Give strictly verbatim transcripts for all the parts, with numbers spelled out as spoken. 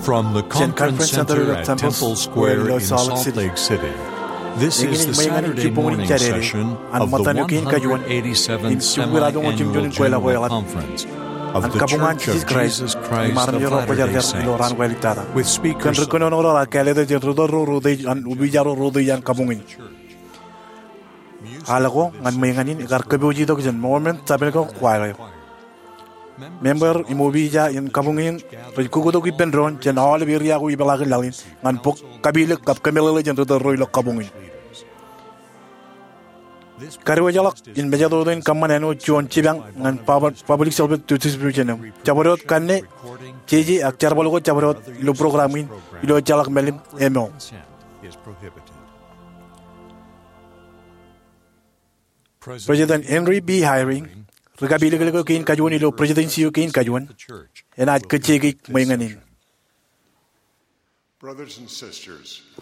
From the Conference Center at Temple Square in Salt Lake City, this is the Saturday morning session of the one hundred eighty-seventh Semi-Annual General Conference of The Church of Jesus Christ of Latter-day Saints, with speakers Aḷ ko ñan ṃweiñanin ikar kōpooj itok jān Mormon Tabernacle Choir eo. Member im opiija in kabuñ in rej kukkutok ippān doon jān aolep eria ko ipeḷaakin laḷ in ñan bok kapilōk kab kōmeḷeḷe jān ri tōl ro ilo kabuñ in. Kadiwōjḷọk in mejatoto in kōṃṃan āinwōt juon jipañ ñan pab-, public service distribution eo. Jabdewōt kanne, jeje ak jerbal ko jabdewōt ilo program in ilo ejjeḷọk mālim eṃool. President Henry B. Eyring, ri kapilōklōk eo kein kajuon ilo presidency eo kein kajuon, enaaj kōjjeik ṃweiñanin.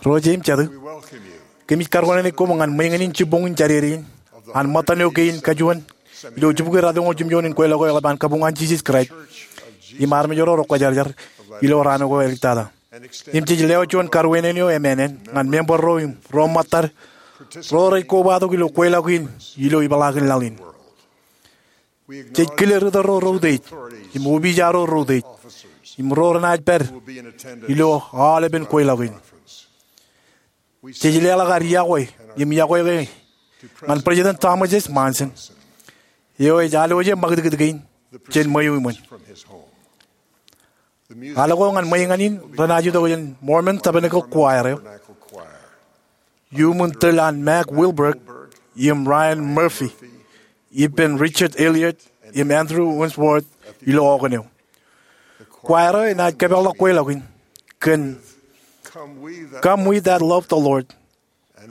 Ro jeiū im jatū, kōmij karuwainene koṃ ñan ṃweiñanin jibboñin Jādede in an ṃōttan eo kein kajuon ilo jibukwi ratoñoul jimjuon in kweilọk eo eḷap an kabuñ an Jisōs Kraist im armej ro rej kwōjarjar ilo raan ko āliktata. Im jej lewōj juon karuwainene eo emānān ñan member ro im ro ṃōttad ro rej kobatok ilo kweilọk in ilo ipeḷaakin laḷ in. Jej kile ri tōl ro reutiej im opiija ro reutiej im ro renaaj pād ilo aolepen kweilọk in. Jej leḷọk ad iọkwe im iọkwe ke ñan President Thomas S. Monson, eo ej alwōje ṃakūtkūt kein jān ṃweo iṃōn. Aḷ ko ñan ṃweiñanin renaaj itok jān Mormon Tabernacle Choir eo. Iuṃwin tōl an Mac Wilberg im Ryan Murphy ippān Richard Elliott im Andrew Unsworth ilo organ eo. Choir eo enaaj kōpeḷḷọk kweilọk in kōn Come We That Love the Lord.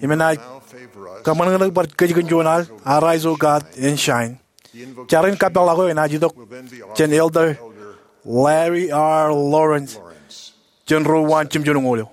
Im enaaj kōṃṃan bar kōj kōn juon al, Arise, O God, and Shine. Jar in kapeḷḷọk eo enaaj itok jān Elder Larry R. Lawrence jān ro uwaan jimjuonñoul eo.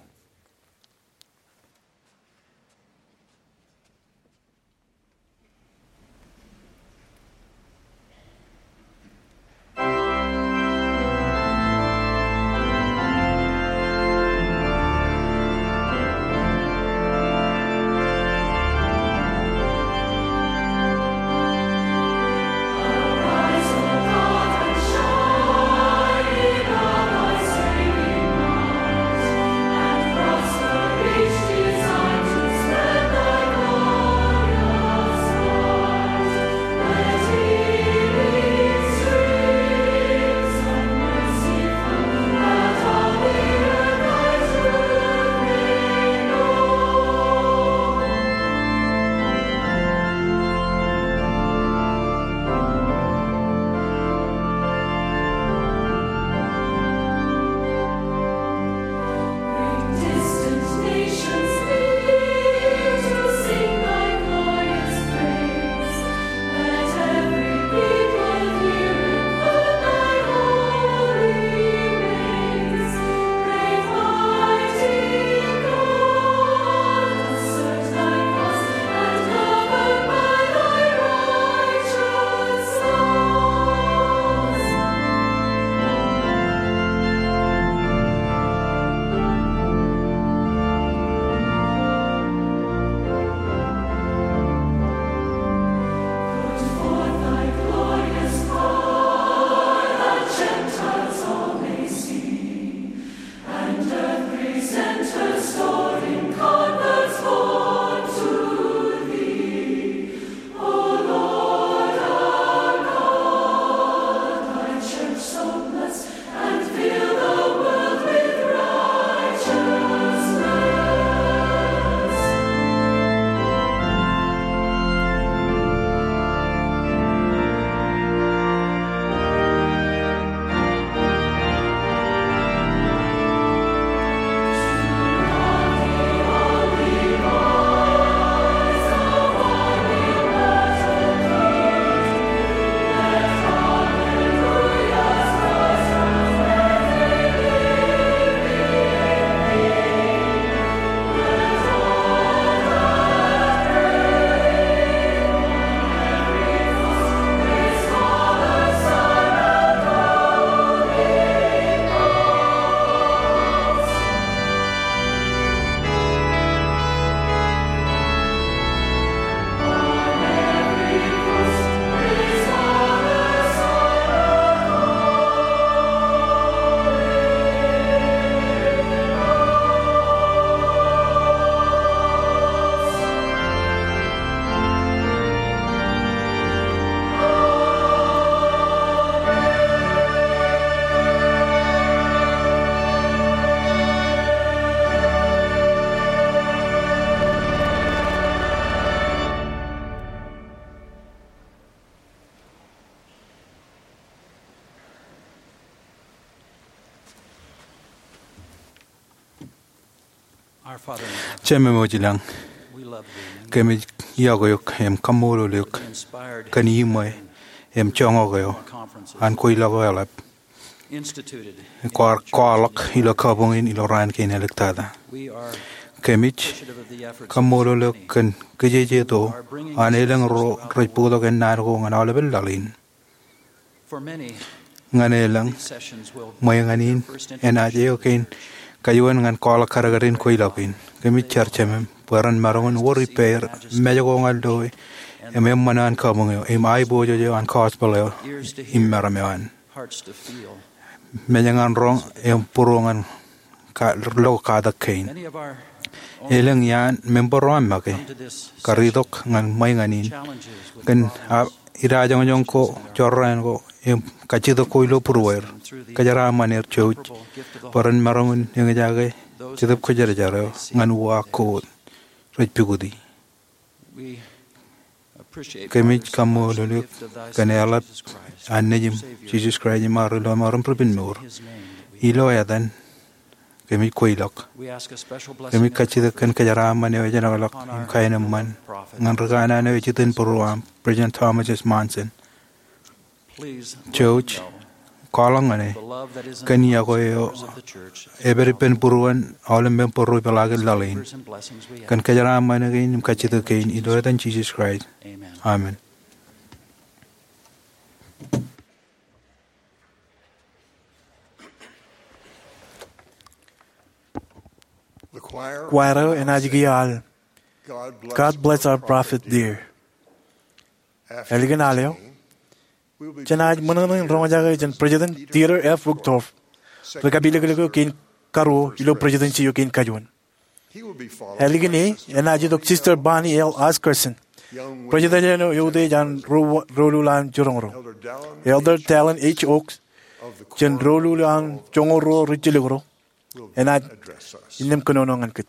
Jemem wōj ilañ, kōmij iọkwe eok im kaṃṃoolol eok kōn iṃwe im joñak eo an kweilọk eo eḷap kwaar kwaḷọk ilo kabuñ in ilo raan kein āliktata. Kōmij kaṃṃoolol eok kōn kijejeto an elōñ ro rej bōktok ennaan ko ñan aolepān laḷ in. Ñan elōñ, ṃwe ñan in enaaj eo kein kajuon ñan kwaḷọk kadkadin kweilọk in. Kōmij jar Jemem bwe ren maroñ in wōr ippāer mej ko ñan loe im eṃṃan an kabuñ eo im aiboojoj eo an gospel eo im meram eo an. Mej ñan roñ im būruō ñan ka-, lo katak kein. Elōñ iaan member ro aṃ make kar itok ñan ṃwe ñan in kōn a-, idajoñjoñ ko, jorrāān ko im kajjitōk ko ilo būrueir. Kōjeraaṃṃan er jouj bwe ren maroñ in eñjake Jetōb Kwōjarjar eo ñan uwaak ko rej pukoti. Kōmij kaṃṃoolol eok kōn eḷap an Nejiṃ Jisōs Kraist im ad ilo emaroñ ri-penmour. Ilo etan kōmij kweilọk. Kōmij kajjitōk kōn kōjeraaṃṃan eo ejjeḷọk im kaenōṃṃan ñan ri kanaan eo ej itok im būruō aṃ, President Thomas S. Monson. Jouj, kwaḷọk ñan e kōn iọkwe eo epād ippān būruon aolep member ro ipeḷaakin laḷ in. Kōn kōjeraaṃṃan kein im kajjitōk kein ilo etan Jisōs Kraist. Amen. Kwaer eo enaaj kiiō al God Bless Our Prophet Dear. Ālikin al eo, jenaaj ṃōṇōṇō in roñjake jān President Dieter F. Uchtdorf ri kapilōklōk eo kein karuo ilo presidency eo kein kajuon. Ālikin e enaaj itok Sister Bonnie L. Oscarson, president eo eutiej an ro-, roñoul an jiroñ ro. Elder Dallin H. Oaks jān roñoul an joñoul ruo ri-jilkinro enaaj innām kōnono ñan kōj.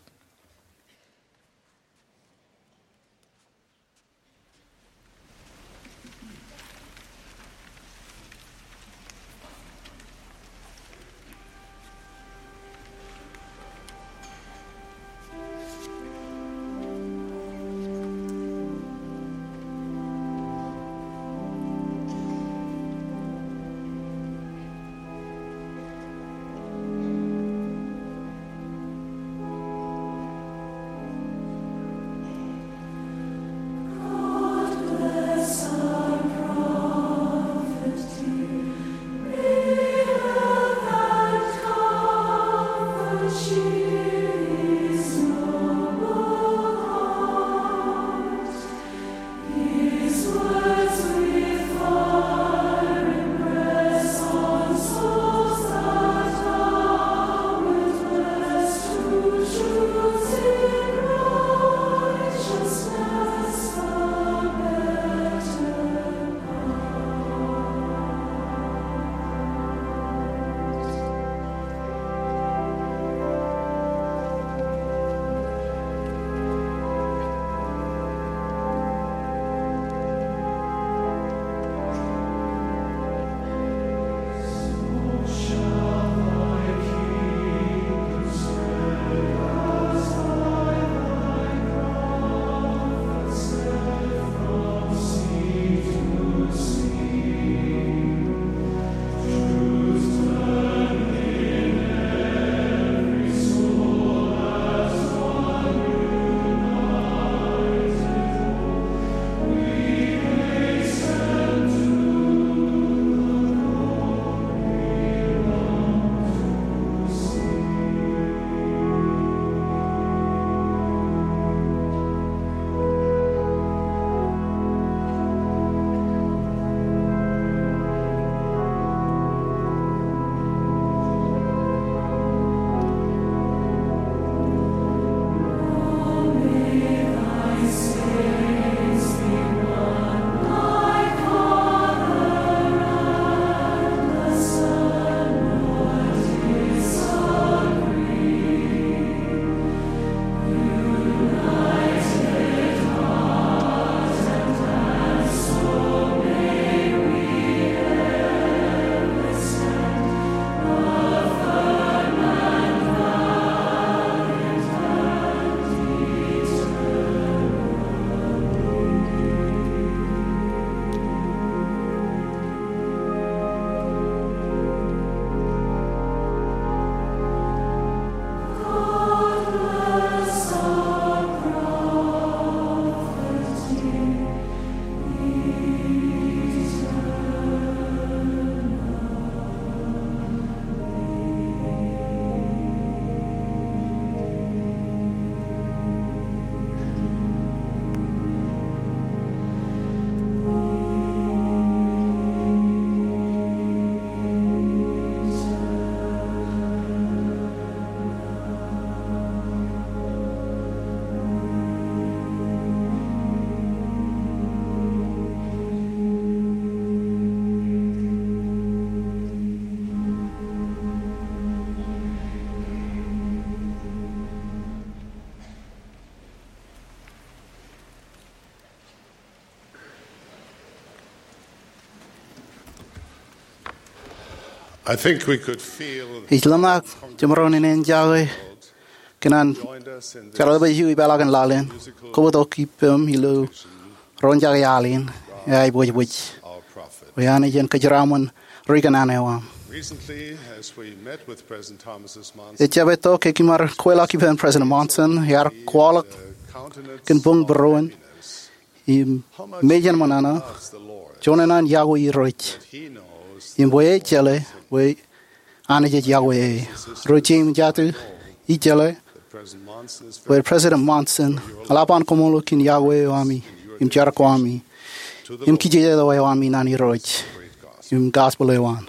I think we could feel Ij ḷōmṇak jemaroñ in enjoy kōn an joined us in this jeḷā bwe ij ipeḷḷọk in laḷ in. Kobatok ippaṃ ilo roñjake al in, eaibwijbwij. Our prophet. Bwe Anij en kōjeraaṃṃan ri kōṇaan eo aṃ. Recently, as we met with President Thomas S. Monson, Ejjab etto ke kōm ar kweilọk ippān President Monson, ear kwaḷọk kōn buñ būruon im mejān ṃōṇōṇō, juon in an iọkwe Irooj. Im bwe ej jeḷā bwe Anij ej iọkwe e. Ri jeiū im jatū, ij jeḷā bwe President Monson eḷap an koṃṃool kōn iọkwe eo ami im jar ko ami im kijejeḷā eo ami ñan Irooj im gospel eo an.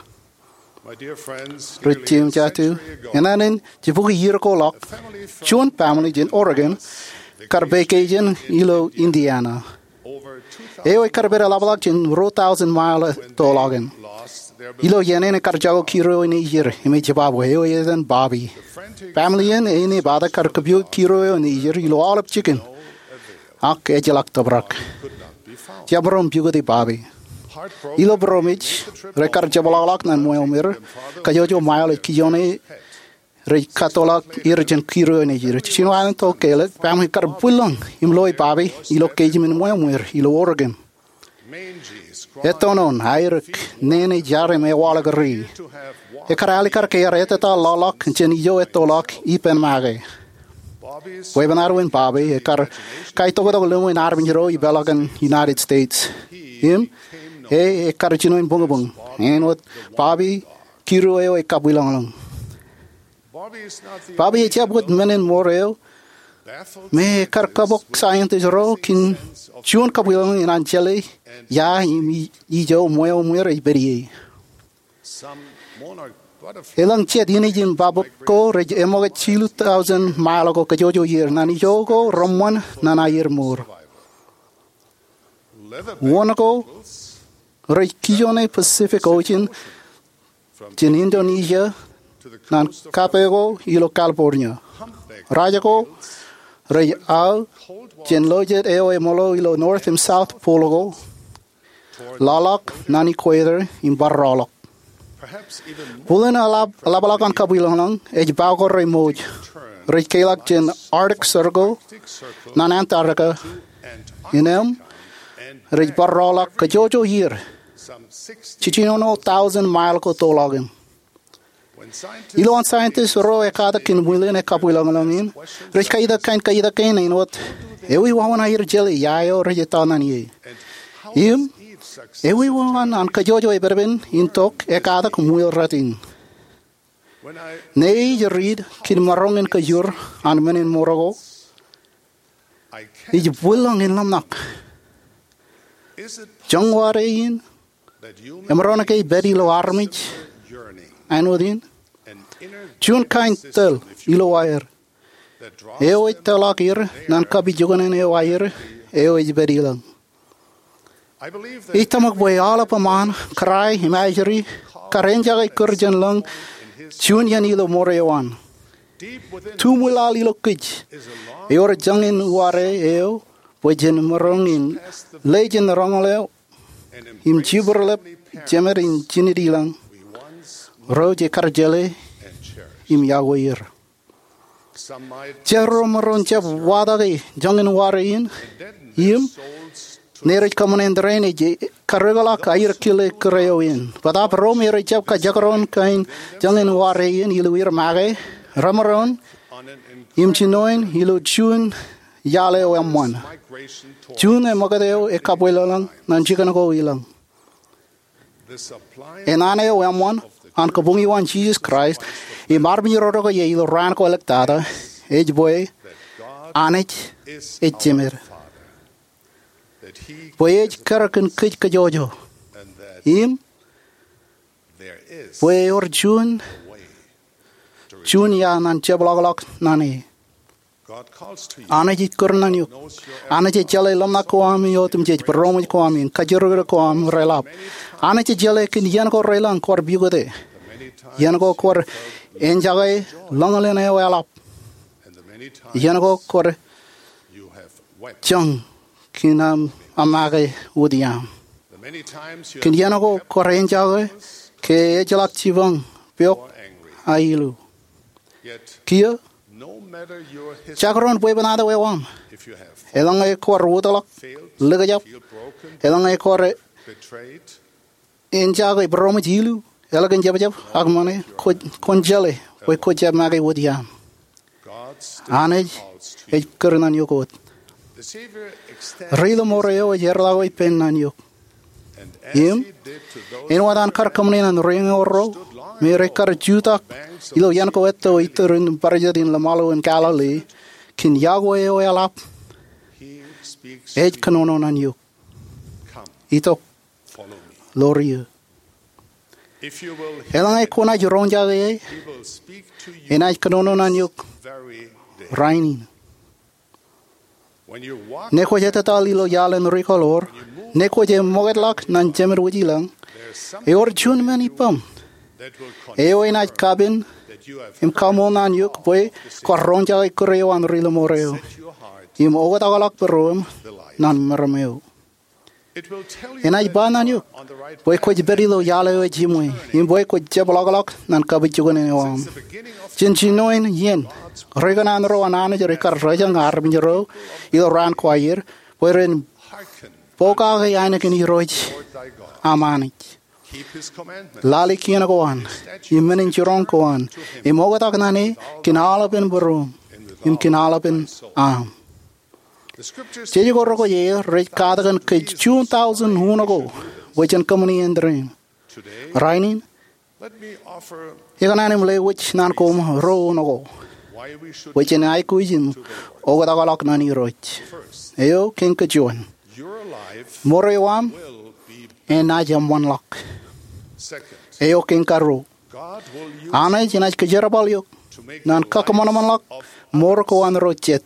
Ri jeiū im jatū, inaan in jibukwi iiō ko ḷọk, juon family jān Oregon kar vacation ilo Indiana. Eo ekar pād eḷapḷọk jān ruo thousand mile ettoḷọk in. Ilo iien in ekar jako kiro eo nejid im ej jebabwe, eo etan Bobby. Family in enaaj bōktok kar kōpooj kiro eo nejid ilo aolep jikin, ak ejjeḷọk tōprak. Jemaroñ pukoti Bobby. Ilo būroṃōj, rekar jepḷaḷọk ñan ṃweo ṃwir, kajjojo mile ej kijoone rej kattoḷọk er jān kiro eo nejid. Jiljino an tok ke eḷap, family kar bwilōñ im loe Bobby ilo kōj in ṃweo ṃwir ilo Oregon. Ettoon, aerōk, nene, jar im ewaḷọk ri. Ekar alikkar ke ear ettā ḷọkḷọk jān ijo ettoḷọk ippān make. Bwebwenato in Bobby ekar kaitoktok lōñ in armej ro ipeḷḷọk an United States. Im e ekar jino in buñbuñ. Āinwōt Bobby, kiro eo ej kabwilōñlōñ. Bobby ejjab wōt men in ṃor eo me ekar kabok scientist ro kōn juon kabwilōñlōñ in an jeḷā ia im i- ijo ṃweo ṃwir ej pād ie. Elōñ jet inij im babōk ko rej eṃōkaj jilu thousand mile ko kajjojo iiō ñan ijo ko reṃṃan ñan aier mour. Wōn ko rej kijoone Pacific Ocean jān Indonesia ñan kape ko ilo California. Raj ko rej aō jān lojet eo eṃōḷo ilo North im South Pole ko ḷọkḷọk ñan equator im bar rọọlḷọk. Bōlen eḷap- eḷapḷọk an kabwilōñlōñ ej ba ko rej ṃōj. Rej keḷọk jān Arctic Circle ñan Antarctica. Innām rej bar rọọlḷọk kajjojo iiō, jiljino thousand mile ko toḷọk in. Ilowaan scientist ro ekkatak kōn ṃwilen e kabwilōñlōñ in, rej kaitōk kain kaitōk kein āinwōt, ewi wāween aer jeḷā ia eo rej ettā ñan ie? Im ewi wāween an kajjojo epepen in tok ekkatak ṃwiel rot in? Ñe ij riit kōn maroñ in kajjojo an men in ṃor ko, ij bwilōñ in ḷōmṇak. Joñoul wāween in emaroñ ke ej pād ilo armej āinwōt in? Juon kain tōl ilo aer eo ej tōḷọk er ñan kapijuknen eo aer eo ej pād ilōñ. Ij tōmak bwe aolep eṃṃaan, kōrā im ajri, kar enjake kūr jān lōñ juon iien ilo ṃor eo an. Tuṃwilaḷ ilo kōj ewōr joñan uwaare eo bwe jen maroñ in lejin roñoul eo im jibwilōñ jemed im jined ilōñ ro jej kar jeḷā im iọkwe er. Jet ro maroñ jab watake joñan uwaare in im ñe rej kōṃṃane in tōre in ej karreoḷọk aer kile kūr eo in. Bōtaab ro me rej jab kajekdọọn kain joñan uwaare in ilo er make, remaroñ im jinoin ilo juon iaḷ eo eṃṃan, juon eṃōkaj eo e kabwilōñlōñ ñan jikin ko ilōñ. Enana eo eṃṃan an kabuñuwaan Jisōs Kraist im armej ro rot ko ie ilo raan ko āliktata ej bwe Anij ej jemed, bwe ej kar kōn kōj kajjojo, im bwe ewōr juon, juon iaḷ ñan jepḷọkḷọk ñan e. Anij ej kūr ñan eok. Anij ej jeḷā ḷōmṇak ko ami otemjej, būroṃōj ko ami, kajjirikdik ko ami reḷap. Anij ej jeḷā kōn iien ko reilọñ kwaar pukot e, iien ko kwaar enjake lōñlen eo eḷap, iien ko kwaar joñ kōn aṃ make wūtiaṃ. Kōn iien ko kwaar enjake ke ejjeḷọk jipañ, pok, ak ilu. Kiiō, jakrōn bwebwenato eo aṃ, eḷaññe kwōj rūtḷọk, likjab, eḷaññe kwōj enjake būroṃōj, ilu, ālikin jebjeb, ak ṃōṇe, kwōn jeḷā bwe kwōj jab make wōt iaam. Anij ej kūr ñan eok wōt. Ri Ḷōṃoor eo ej erḷọk eō ippān ñan eok. Im āinwōt an kar kōṃṃane ñan ri eñoul ro me rej kar jutak ilo iien ko etto iturūṃ barāinwōt in ḷōṃaḷo in Galili, kōn Yahweh eo eḷap, ej kōnono ñan eok, "Itok, ḷoor eō." Eḷaññe kwōnaaj roñjake e, enaaj kōnono ñan eok rainin. Ñe kwōj ettōtaḷ ilo iaḷ in rikaḷoor, ñe kwōj ṃoketḷọk ñan Jemān Wōj i lañ, ewōr juon men ippaṃ eo enaaj kapen im kaṃool ñan eok bwe kwōj roñjake kūr eo an Ri Ḷōṃoor eo im oktakḷọk būruōṃ ñan meram eo. Enaaj ba ñan eok bwe kwōj pād ilo iaḷ eo ejiṃwe im bwe kwōj jab ḷọkḷọk ñan kapijuknen eo aṃ. Jān jinoin iien, ri kōṇaan ro an Anij rej kar rōjañ armej ro ilo raan ko aer bwe ren pokake ainikien Irooj aṃ Anij, lale kien ko an, im men in jiroñ ko an, im oktak ñan e kōn aolepen būruōṃ im kōn aolepen aṃ. Jej ko rekwojarjar eō rej katakin kōj juon tọujin uno ko bwe jen kōṃṃani āindein. Rainin, ikōṇaan im lewōj ñan koṃ ruo uno ko bwe jen aikuj im oktakḷọk ñan Irooj. Eo kein kajuon, mour eo aṃ enaaj eṃṃanḷọk. Eo kein karuo, Anij enaaj kōjerbal eok ñan kakōṃanṃanḷọk mour ko an ro jet.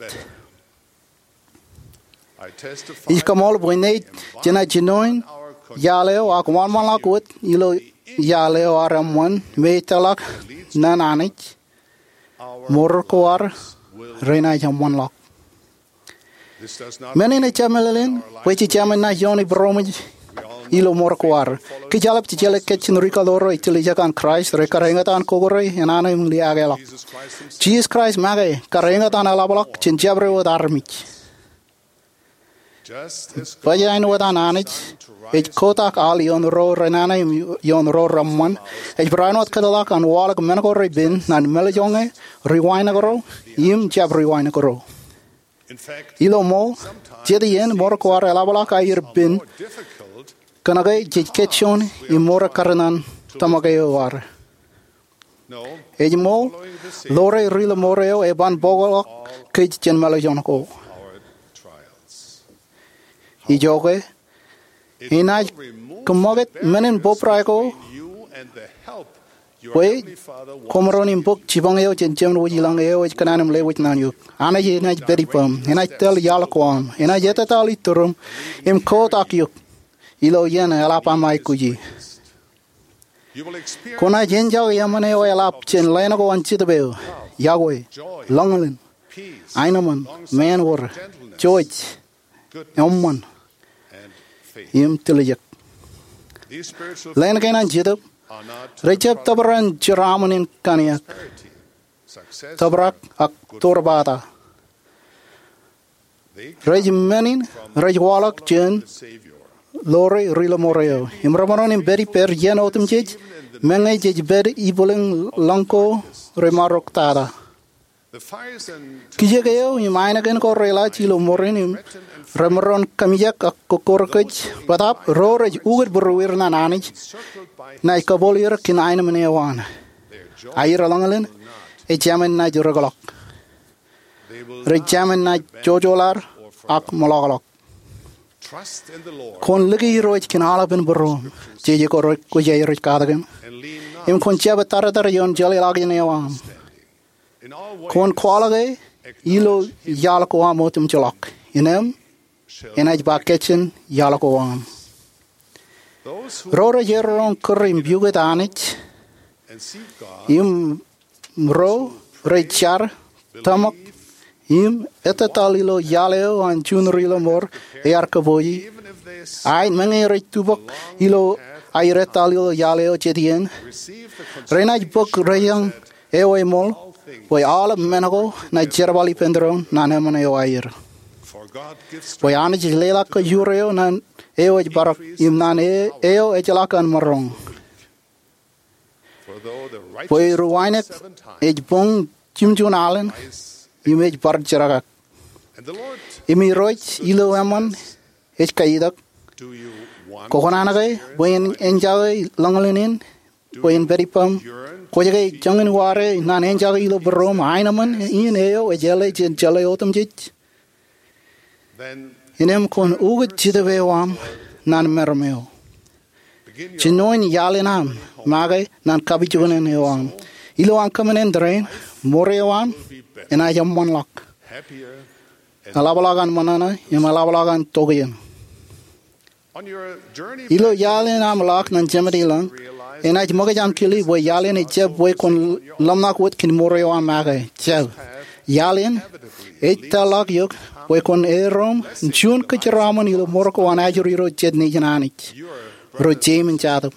Ij kaṃool bwe ñe jenaaj jinoin iaḷ eo ak wōnṃaanḷọk wōt ilo iaḷ eo ear eṃṃan me ej tōrḷọk ñan Anij, mour ko ad renaaj eṃṃanḷọk. Men in ejjab meḷeḷein bwe jej jemān naaj iooni būroṃōj ilo mour ko ad. Kōj aolep, jejeḷā kōj jān ri kaḷoor ro ej tiljek an Kraist, rekar eñtaan kōkōrā, enana im liaakḷọk. Jisōs Kraist make kar eñtaan eḷapḷọk jān jabdewōt armej. Baj āinwōt an Anij ej kotak al ioon ro renana im ioon ro reṃṃan, ej barāinwōt kōtḷọk an waḷọk men ko repen ñan mālejñe, ri wānōk ro im jab ri wānōk ro. Ilo ṃool, jet iien mour ko ad eḷapḷọk aer pen kōnke jej kōjjoin im mour ekkar ñan tōmak eo ad. Ej ṃool, ḷoore Ri Ḷōṃoor eo eban bōkḷọk kōj jān mālejñe ko. Ijoke, enaaj kōṃṃakūt men in bōbrae ko bwe koṃaroñ im bōk jipañ eo jān Jemān Wōj i lañ eo ej kōṇaan im lewōj ñan eok. Anij enaaj pād ippaṃ, enaaj tōl iaḷ ko aṃ, enaaj ettōtaḷ iturūṃ im kotak eok ilo iien eḷap aṃ aikuji. Kwōnaaj enjoy eṃṃan eo eḷap jān leen ko an Jetōb eo: Yahweh, ḷōñḷōn, aenōṃṃan, māānwōr, jouj, eṃṃan, im tiljek. Leen kein an Jetōb rejjab tōprak in jeraaṃṃan in kanniōk, tōprak ak tōre bata. Rej men in rej waḷọk jān ḷoore Ri Ḷōṃoor eo im remaroñ in pād ippād iien otemjej, meñe jej pād ibwiljin lañ ko remaroñ tata. Kijek eo im ainikien ko reilọk ilo ṃōrin im remaroñ kōmijek ak kokkure kōj bōtaab ro rej ukōt būrueir ñan Anij naaj kabōl er kōn aenōṃṃan eo an. Aer ḷōñḷōn ejāmin naaj rōkḷọk. Rej jāmin naaj jojoḷar ak ṃōḷọkḷọk. Kwōn lōke Irooj kōn aolepen būruōṃ. Jeje ko rekwojarjar ej katakin, im kwōn jab ettōrtōr ioon jeḷāḷọkjeṇ eo aṃ. Kwōn kwaḷọk e ilo iaḷ ko aṃ otemjeḷọk. Innem enaaj ba kōjjien iaḷ ko aṃ. Ro rej erroñ kūr im piukūt Anij im ro rej jar, tōmak, im ettōtaḷ ilo iaḷ eo an juon Ri Ḷōṃoor ear kōpooje, aet meñe rej tubōk ilo aer etal ilo iaḷ eo jet iien, renaaj bōk rejañ eo eṃool bwe aolep men ko naaj jerbal ippān doon naan eṃṃan eo aer. Bwe Anij ej leḷọk kōjro eo naan eo ej bar im naan eo ejjeḷọk an maroñ. Bwe ri wānōk ej boñ jimjuon alen im ej bar jerkak. Im Irooj ilo eṃṃan ej kaitok, Kwōkōṇaan ke bwe en enjake lōñlōñ in bwe en pād ippaṃ? Kwōj ke joñan wāween naan enjake ilo būruōṃ aenōṃṃan in eo ej āle jān jeḷā otemjej? Innām kwōn ukōt Jetōb eo aṃ naan meram eo. Jinoin iaḷ in aṃ make naan kapijuknen eo aṃ. Ilo aṃ kōṃṃan rein, mour eo aṃ enaaj eṃṃanḷọk, eḷapḷọk an ṃōṇōṇō im eḷapḷọk an tokjān. Ilo iaḷ in aṃ ḷọk ñan Jemād ilañ, enaaj ṃōkaj aṃ kile bwe iaḷ in ejjab bwe kwōn ḷōmṇak wōt kōn mour eo aṃ make. Jab, iaḷ in ej tōl ḷọk eok bwe kwōn erom juon kōjeraṃōn ilo mour ko an ajri ro jet nejin Anij, ro jeim in jatōb.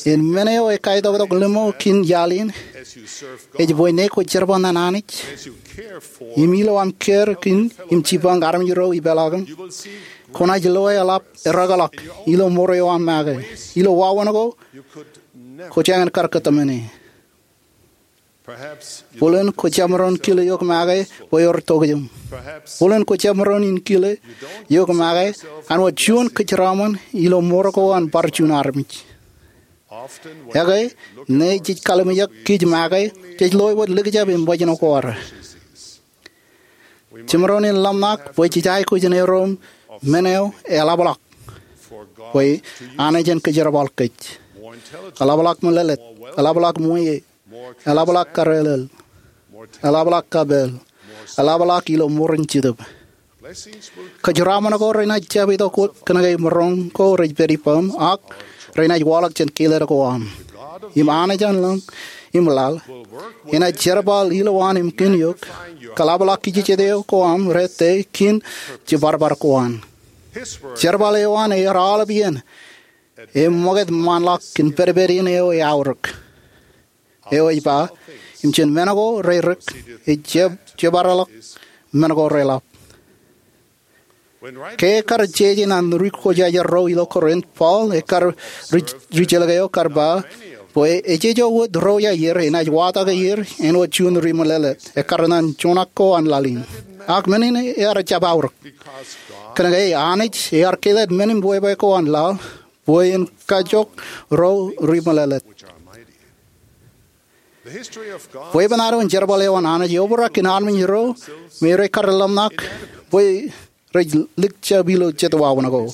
Im men eo ekkaitoktok ḷimo kōn iaḷ in ej bwe ñe kwōj jerbal ñan Anij im ilo aṃ care kōn im jipañ armej ro ipeḷaakin, kwōnaaj loe eḷap erōkḷọk ilo mour eo aṃ make ilo wāween ko kwōjañin kar kōtmāne. Bōlen kwō jemaroñ kile eok make bwe ewōr tokjān. Bōlen kwō jemaroñ in kile eok make an wōt juon kōjeraṃōn ilo mour ko an bar juon armej. Ekwe, ñe jej kalimjek kōj make, jej loe wōt likjab im wajin ko ad. Jemaroñ in ḷōmṇak bwe jej aikuj in erom men eo eḷapḷọk bwe Anij en kōjerbal kōj. Eḷapḷọk meḷeḷet, eḷapḷọk ṃweiie, eḷapḷọk karelel, eḷapḷọk kapeel, eḷapḷọk ilo mour in Jetōb. Kōjeraṃōn ko renaaj jab itok kōnke maroñ ko rej pād ippaṃ, ak renaaj waḷọk jān kilen ko aṃ. Im Anij an lañ im laḷ enaaj jerbal ilowaan im kōn eok, kōḷapḷọk kijejet eo ko aṃ rōte kōn jebarbar ko an. Jerbal eo an ear aolep iien, im ṃokta ṃaanḷọk kōn pedped in eo eaorōk, eo ej ba, im jān men ko rerik ej jab jebarḷọk men ko reḷap. Ke ekkar jeje ñan ri-kwōjarjar ro ilo Korint, Paul ekkar ri-, ri-jelōk eo kar ba bwe ejejjo wōt ro ia er enaaj watake er āinwōt juon ri-meḷeḷet ekkar ñan joñak ko an laḷ in. Ak men in ear jab aorōk, kōnke Anij ear kelōt men in bwebwe ko an laḷ bwe en kajjioñ ro ri-meḷeḷet. Bwebwenato in jerbal eo an Anij eobrak kōn armej ro me rej kar ḷōmṇak bwe rej likjab ilo jet wāween ko,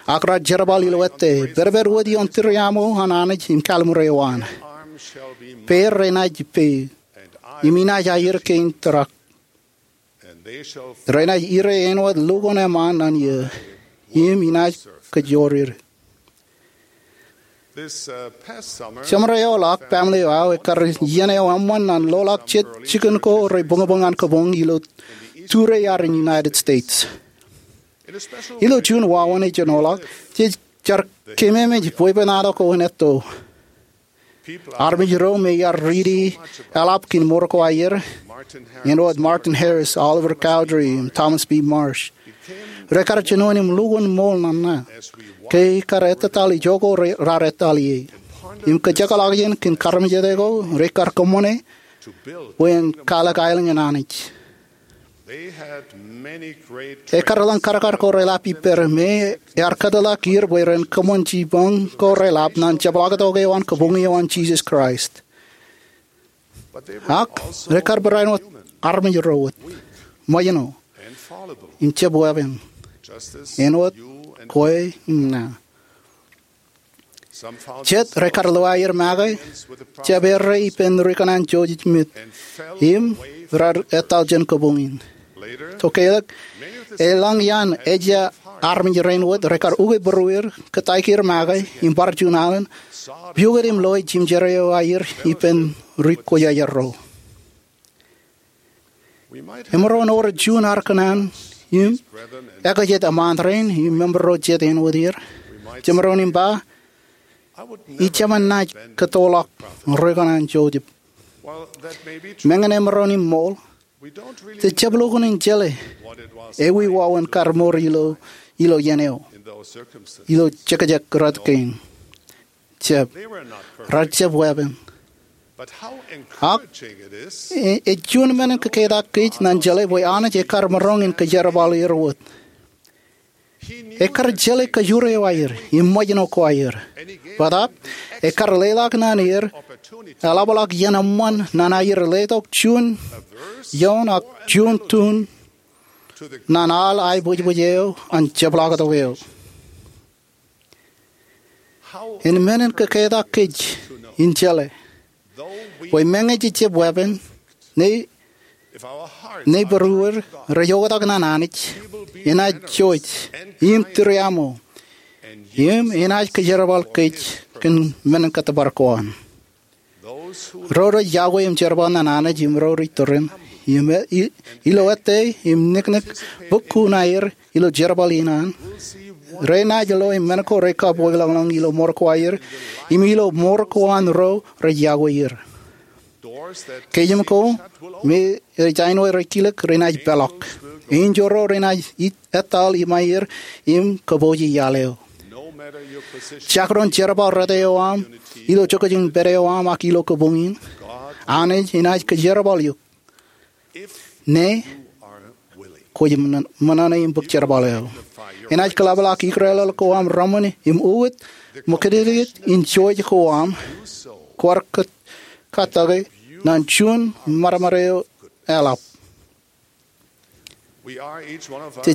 ak raar jerbal ilo ettā, pedped wōt ioon tūriaṃo an Anij im kallim̧ur eo an. Peier renaaj peiḷ, im inaaj aier kein tōrak. Renaaj ire āinwōt lukkuun eṃṃaan ñan iiō, im inaaj kōjjoor er. Jemārae eo ḷọk, family eo aō ekkar iien eo eṃṃan ñan loḷọk jet jikin ko rej buñbuñ an kōbuñ ilo tūre iarin United States. Ilo juon wāween ej jino ḷọk, jej jar keememej bwebwenato ko in etto. Armej ro me iar riiti eḷap kōn mour ko aer, āinwōt Martin Harris, Oliver Cowdery, im Thomas B. Marsh, rekar jino im lukkuun ṃool ñan ña ke ekkar ettōtaḷ ijo ko raar ettōtaḷ ie, im kōjekḷọk jān kōn armej ro rekar kōṃṃane bwe en kwaḷọk aelōñ in Anij. Ekkar lōñ kadkad ko reḷap ippād me ear kōtḷọk er bwe ren kōṃṃan jipañ ko reḷap ñan jepḷaaktok eo an kabuñ eo an Jisōs Kraist. Ak rekar barāinwōt armej ro wōt, ṃōjṇọ, im jab weeppān, āinwōt kwe im ña. Jet rekar lewōj aer make, jab errā ippān ri-kōṇaan Joseph Smith, im raar ettōtaḷ jān kabuñ in. Tokālik, elōñ iaan ejja armej rein wōt rekar ukwe būrueir, kōtaik er make im bar juon alen, pukot im loe jimjer eo aer ippān ri-kwōjarjar ro. Emaroñ wōr juon ar kōṇaan im ekajet eṃṃaan rein im member ro jet āinwōt er. Jemaroñ im ba, ij jemaroñ naaj kōttoḷọk ri-kōṇaan jouj. Meñe emaroñ im ṃool, jej jab lukkuun in jeḷā ewi wāween kar mour ilo iien eo ilo jekjek rot kein. Jab, rej jab weeppān. Ak ej juon men in kōketak kōj ñan jeḷā bwe Anij ekar maroñ in kōjerbal er wōt. Ekar jeḷā kōjro eo aer im ṃōjṇọ ko aer. Bōtab ekar leḷọk ñan er eḷapḷọk iien eṃṃan ñan aer letok juon ioon ak juon tun ñan al aebwijbwij eo an jepḷaaktok eo. Āinwōt men in kōketak kōj in jeḷā bwe meñe jej jab weeppān, ñe būruod rej oktak ñan Anij, enaaj jouj im tūriaṃo im enaaj kōjerbal kōj kōn men in kōttōpar ko an. Ro rej yokwe im jerbal ñan Anij im ro rej tūriaṃo ilo ettā im niknik bukun aer ilo jerbal in an, renaaj lo im men ko rej kab wōtlọñlọñ ilo mour ko aer im ilo mour ko an ro rej yokwe er. Kōjām ko me ej āinwōt rej kilōk renaaj peḷọk. Enjeḷ ro renaaj etal iṃaer im kōpooje iaḷ eo. Jekdọọn jerbal rot eo aṃ ilo jokjokun pād eo aṃ ak ilo kabuñ in, Anij enaaj kōjerbal eok ñe kwōj ṃōṇōṇō im bōk jerbal eo. Enaaj kōḷapḷọk ikōḷọḷ ko aṃ reṃwin im ukōt ṃōkajjitōk in jouj ko aṃ kwaar katak ñan juon ṃadṃōd eo eḷap.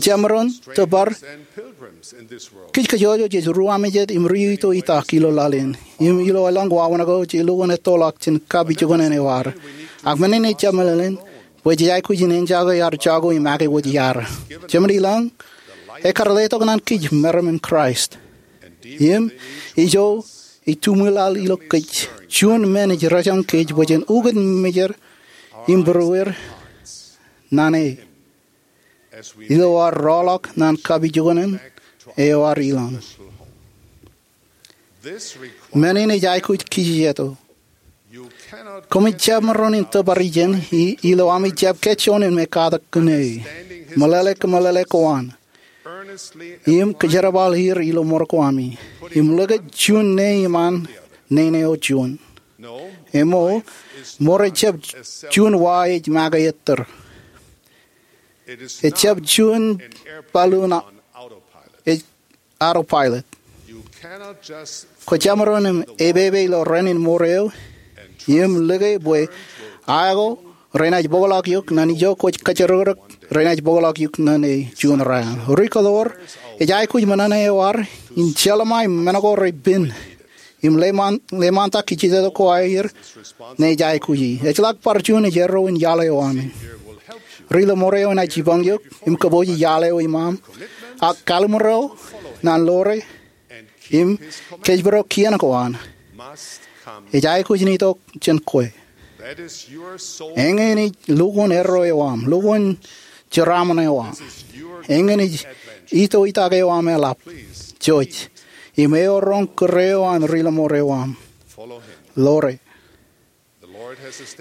Jemaroñ tōpar, kōj kajjojo jej ruwaamijed im ri-itoitak ilo laḷ in im ilo elōñ wāween ko jej lukkuun ettoḷọk jān kapijuknen eo ad. Ak men in ej jab meḷeḷein bwe jej aikuj in enjake ad jako im ake wōt iaad. Jemān ilọñ, ekar letok ñan kōj meram in Kraist. Im ijo ej tuṃwilaḷ ilo kōj, juon men ej rōjañ kōj bwe jen ukōt mejed im būruod ñan e ilo ad rọọlḷọk ñan kapijuknen eo ad ilọñ. Men in ej aikuj kijejeto. Koṃij jab maroñ in tōpar ijin ilo ami jab kōjjoin in me katak kōn e. Meḷeḷe kōmeḷeḷe ko an im kōjerbal er ilo mour ko ami im likūt juon ne iṃaan nene eo juon. Emo, mour ejjab juon wa ej make ettōr. Ejjab juon balloon ej autopilot. Kwōj jab maroñ in epepe ilo rainin mour eo im lōke bwe aō ko renaaj bōkḷọk eok ñan ijo kwōj kōjjirōkrōk renaaj bōkḷọk eok ñan e juon raan. Ri-kōḷoor, ej aikuj ṃōṇōṇō eo ad in jeḷā ṃae men ko rej pen im leṃaantak kijejeto ko aer ñe ej aikuji. Ejjeḷọk bar juon ej erro in iaḷ eo ami. Ri-lọmọọr eo enaaj jipañ eok im kōpooje iaḷ eo iṃaaṃ. Ak kalimur eo ñan ḷoore im kōjparok kien ko an ej aikuj in itok jān kwe. Eñin ej lukkuun erro eo aṃ, lukkuun jeraaṃṃan eo aṃ. Eñin ej itoitak eo aṃ eḷap. Jouj im eo roñ kūr eo an ri-lọmọọr eo aṃ. Ḷoore.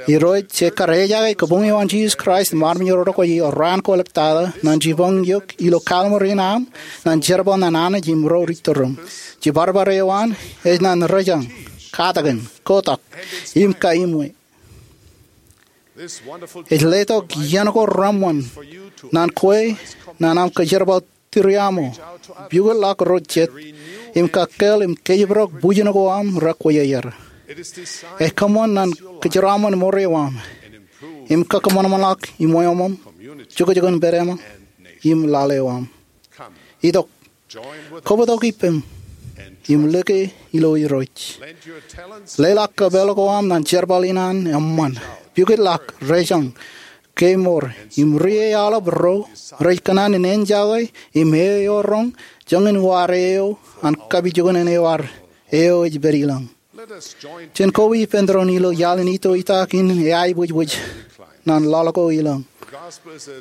Irooj ekar ejake kabuñ eo an Jisōs Kraist im armej ro rej kwe eo raan ko eḷap tata ñan jipañ eok ilo kalimur in aṃ ñan jerbal ñan Anij im ro rej tūriaṃ. Jibadbad eo an ej ñan rōjañ, katakin, kotak im kaimwe. Ej letok iien ko reṃṃan ñan kwe ñan aṃ kōjerbal tūriaṃo, pukotḷọk ro jet, im kakkeel im kōjparok bwijin ko aṃ rekwe er. Ej kōṃṃan ñan kōjeraaṃṃan mour eo aṃ im kakōṃanṃanḷọk iṃweo aṃ, jokjokun pād eo aṃ im laḷ eo aṃ. Itok, kobtok ippem im lōke ilo Irooj. Leḷọk kōpeḷ ko aṃ ñan jerbal in an eṃṃan. Pukotḷọk, rōjañ, kemour im ri-aolep ro rej kōṇaan in enjake im eo roñ joñan wōt eo an kapijuknen eo ad eo ej pād ilọñ. Jen koba ippān doon ilo iaḷ in itoitak in eaibwijbwij ñan laḷ ko ilọñ.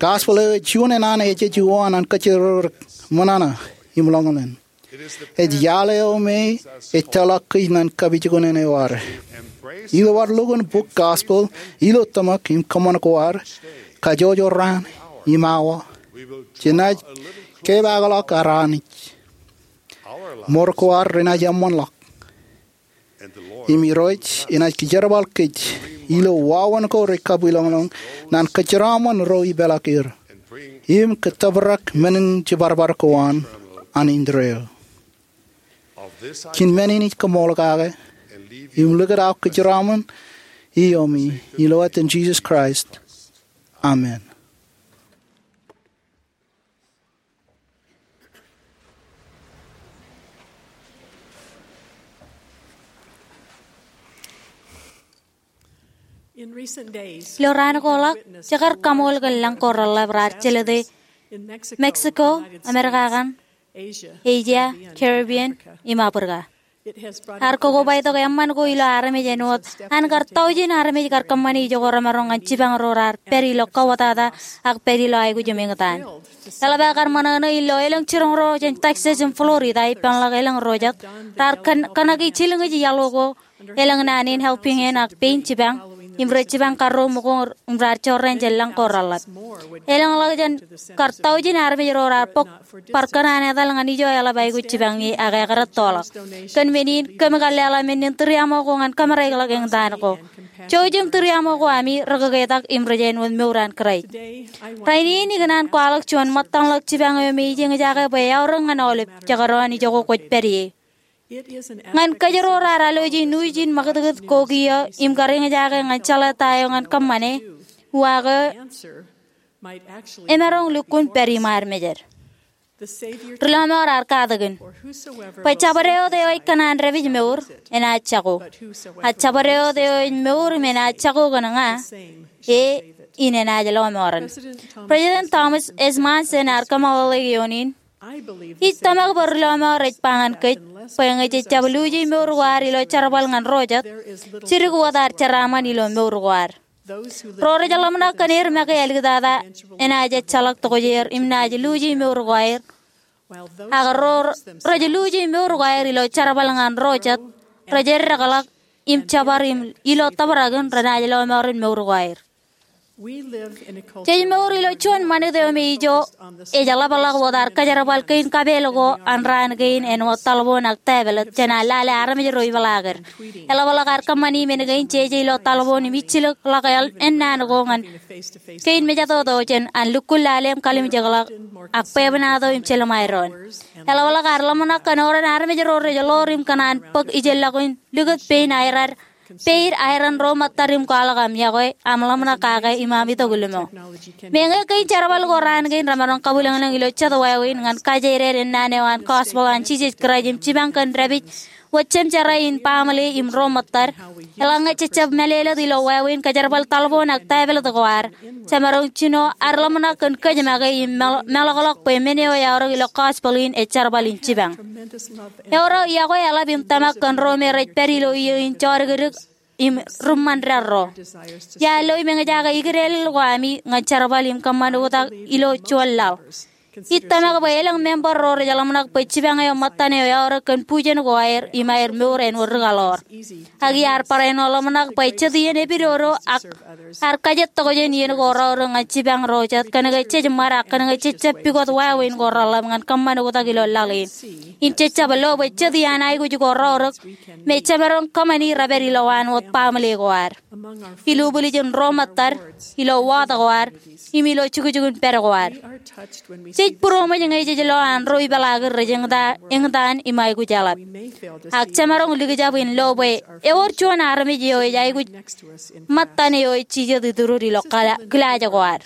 Gospel eo ej juon eo an ejej uwaan an kōjjirōkrōk, ṃōṇōṇō im ḷōñḷōñ. Ej iaḷ eo me ej tōlọk kōj ñan kapijuknen eo ad. Ilo ad lukkuun bok Gospel ilo tōmak im kōṃṃan ko ad, kajjojo raan im awa, jenaaj kepaakḷọk ad Anij. Mour ko ad renaaj eṃṃanḷọk. Im Irooj enaaj kōjerbal kōj ilo wāween ko rej kabwilōñlōñ ñan kōjeraṃṃan ro ipeḷaakier im kōttōprak men in jiparbar ko an indeeo. Kōn men in ij koṃṃool kake im likūt aō kōjeraṃṃan iomi ilo etan Jisōs Kraist, amen. Ilo raan ko ḷọk, jekar kaṃool kōn lañ ko reḷḷap raar jelōte Mexico, Amerika kaṇ, Asia, Caribbean, im Africa. Ear kokobatok eṃṃan ko ilo armej āinwōt an kar taujin armej kar kōṃṃane ijoko remaroñ ñan jipañ ro raar pād ilo kauwōtata ak pād ilo aikuj im eñtaan. Eḷap aō kar ṃōṇōṇō ilo elōñ jiroñ ro jān Texas im Florida ippānḷọk elōñ ro jet raar kōn- kōṇaki jilñij iaḷ ko elōñ naan in Helping Hands ak pein jipañ im rej jipañ karreo ṃōko im raar jorrāān jān lañ ko reḷḷap. Elōñḷọk jān kar taujin armej ro raar bōk bar kōṇaan etal ñan ijo eḷap aikuj jipañ ie ak ekar ettoḷọk. Kōn men in kōm kar leḷọk men in tūriaṃo ko ñan kōmāraikḷọk eñtaan ko. Jouj im tūriaṃo ko ami rekōketak im rej āinwōt mour an Kraist. Rainin ikōṇaan kwaḷọk juon ṃōttañḷọk jipañ eo me ij eñjake bwe eaorōk ñan aolep jekdọọn ijoko kwōj pād ie. Ñan kōjro raar alwōj in uj in ṃakūtkūt ko kiiō im kar eñjake ñan jeḷā ta eo ñan kōṃṃane, uwaak eo emaroñ lukkuun pād iṃaan mejed. Ri Lọmọọr ear katakin, bwe jabdewōt eo ej kōṇaan dāpij mour, enaaj jako. Ak jabdewōt eo ej mour im enaaj jako kōn ña, e in enaaj lọmọọren. President Thomas S. Monson ear kōmeḷeḷe ioon in, ij tōmak bwe Ri Lọmọọr ej ba ñan kōj bwe ñe jej jab luuji mour ko ad ilo jerbal ñan ro jet, jidik wōt ad jeraaṃṃan ilo mour ko ad. Ro rej ḷōmṇak kōn er make āliktata enaaj ejjeḷọk tokjāer im naaj luuji mour ko aer. Ak ro rej luuji mour ko aer ilo jerbal ñan ro jet, rej eddekḷọk im jepar im ilo tōprak in renaaj lọmọọren mour ko aer. Jej mour ilo juon ṃanit eo me ijo ej ḷapḷọk wōt ad kōjerbal kein kapeel ko an raan kein āinwōt taḷboon ak tōprak jān ad lale armej ro ipeḷaaked. Eḷapḷọk ad kōṃṃani men kein jeje ilo taḷboon im ijjilōkḷọk ennaan ko ñan kein mejatoto jān an lukkuun lale im kalimjekḷọk ak bwebwenato im jelṃae doon. Eḷapḷọk ad ḷōmṇak kōn oran armej ro rej ḷoor im kōṇaan bōk ijellọkin likūt pein aer ad peid aer an ro ṃōttad im kwaḷọk aṃ yokwe, aṃ ḷōmṇak kake im aṃ itok limo. Meñe kein jerbal ko raan kein remaroñ kabwilōñlōñ ilo jet wāween ñan kajeeded ennaan eo an gospel an Jisōs Kraist im jipañ kōn dāpij wōt jemjerā in baaṃle im ro ṃōttad, eḷaññe jejab mālōtlōt ilo wāween kōjerbal taḷboon ak tōprak ko ad, jemaroñ jino ad ḷōmṇak kōn kōj make im meḷ- meḷọkḷọk bwe men eo eaorōk ilo gospel in ej jerbal in jipañ. Ewōr aō yokwe eḷap im tōmak kōn ro me rej pād ilo iiō in jodikdik im ri ṃandaḷro. Iar lo im eñjake ikidālel ko ami ñan jerbal im kōṃṃan oktak ilo juon laḷ. Ij tōmak bwe elōñ member ro rej ḷōmṇak bwe jipañ eo ṃōttan eo eaorōk kōn bujen ko aer im aer mour āinwōt ri kaḷoor. Ak iar barāinwōt ḷōmṇak bwe jet iien epidodo ak ad kajet tokjān iien ko raorōk ñan jipañ ro jet kōnke jej ṃad ak kōnke jejab pukot wāween ko reḷḷap ñan kōṃṃan oktak ilo laḷ in. Im jejab lo bwe jet iaan aikuj ko raorōk me jemaroñ kōṃṃani repād ilowaan wōt baaṃle ko ad, ilubwiljin ro ṃōttad, ilo waḷọk ko ad, im ilo jukjukun pād ko ad. Jej būroṃōj ñe jej lo an ro ipeḷaakid rej eñta- eñtaan im aikuj eḷap. Ak jemaroñ likjab in lo bwe ewōr juon armej eo ej aikuj ṃōttan eo ej jijet itudud ilo kila- kilaaj ko ad.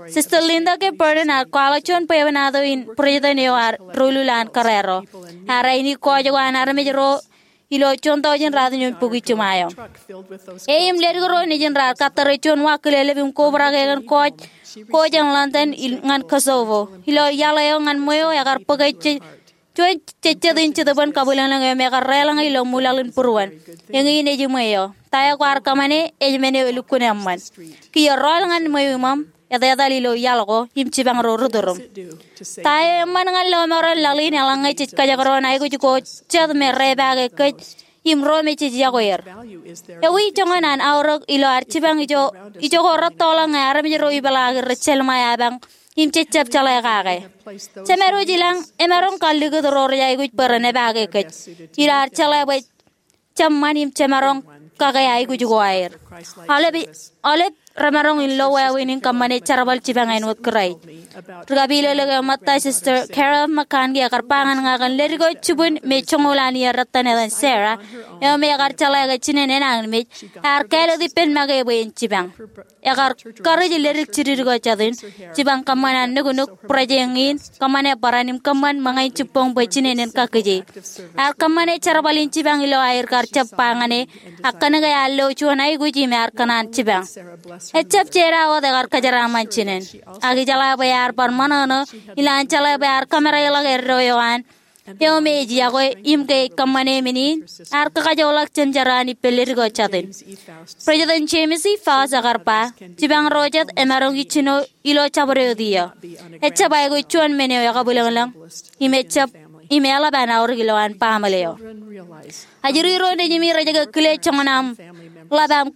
Sister Linda K. Burton ear kwaḷọk juon bwebwenato in būreejtōn eo ear doulul an kōrā ro. Ear aini kōj ko an armej ro ilo juon taujin ratimjuon bukwi jiṃa eo. E im ledik ro nejin raar kattōre juon wa kilelep im kobrak e kōn kōj ko jān London il- ñan Kosovo. Ilo iaḷ eo ñan ṃweo ekar bōke je- juon jejjet in jetōbōn kabwilōñlōñ eo me ekar deḷọñe ilo ṃwilaḷ in būruon. Eñin ej iṃwe eo. Ta eo kwaar kōṃṃane ej men eo elukkuun eṃṃan. Kiiō rọọl ñan ṃweo iṃōṃ, etetal ilo iaḷ ko im jipañ ro ri-tūrūṃ. Ta eo eṃṃan ñan lọmọọren laḷ in eḷaññe jej kajekdọọn aikuj ko jet me repaake kōj im ro me jej yokwe er? Ewi joñan an aorōk ilo ad jipañ ijo, ijoko rettoḷọk ñe armej ro ipeḷaaki rej jelṃae apañ im jejjab jeḷā kake? Jemedwōj ilañ emaroñ kallikūt ro rej aikuj bwe ren epaake kōj ilo ad jeḷā bwe jab ṃan im jemaroñ kake aikuj ko aer. Aolep, aolep remaroñ in lo wāween in kōṃṃane jerbal jipañ āinwōt Kraist. Ri-kapilōklōk eo ṃōtta, Sister Carol McConkie, ekar ba ñan ña kōn leddik eo jibwin me joñoul an iiō dettan etan Sarah, eo me ekar jeḷā ke jinen enañinmej, ear kāālōt ippān make bwe en jipañ. Ekar karuj leddik jidid ko jān in jipañ kōṃṃan an nuknuk, bwidej eñin, kōṃṃane barāinwōt kōṃṃan ṃōñā in jibboñ bwe jinen en kakkije. Ear kōṃṃane jerbal in jipañ ilo aer kar jab ba ñan e, ak kōnke ear lo juon aikuj im ear kōṇaan jipañ. Ejjab jeeda wōt ekar kōjeraaṃṃan jinen, ak ijeḷā bwe ear bar ṃōṇōṇō, ilo an jeḷā bwe ear kōmereḷọk eddo eo an, eo me ej yokwe im ke ej kōṃṃane men in, ear kakajoorḷọk jemjerā ippān leddik eo jān in. President James E. Faust ekar ba, jipañ ro jet emaroñ ijjino ilo jabdewōt iiō. Ejjab aikuj juon men eo ekabwilōñlōñ, im ejjab, im eḷap an aorōk ilowaan baaṃle eo. Ajri ro nejimi rej kile joñan aṃ ḷap aṃ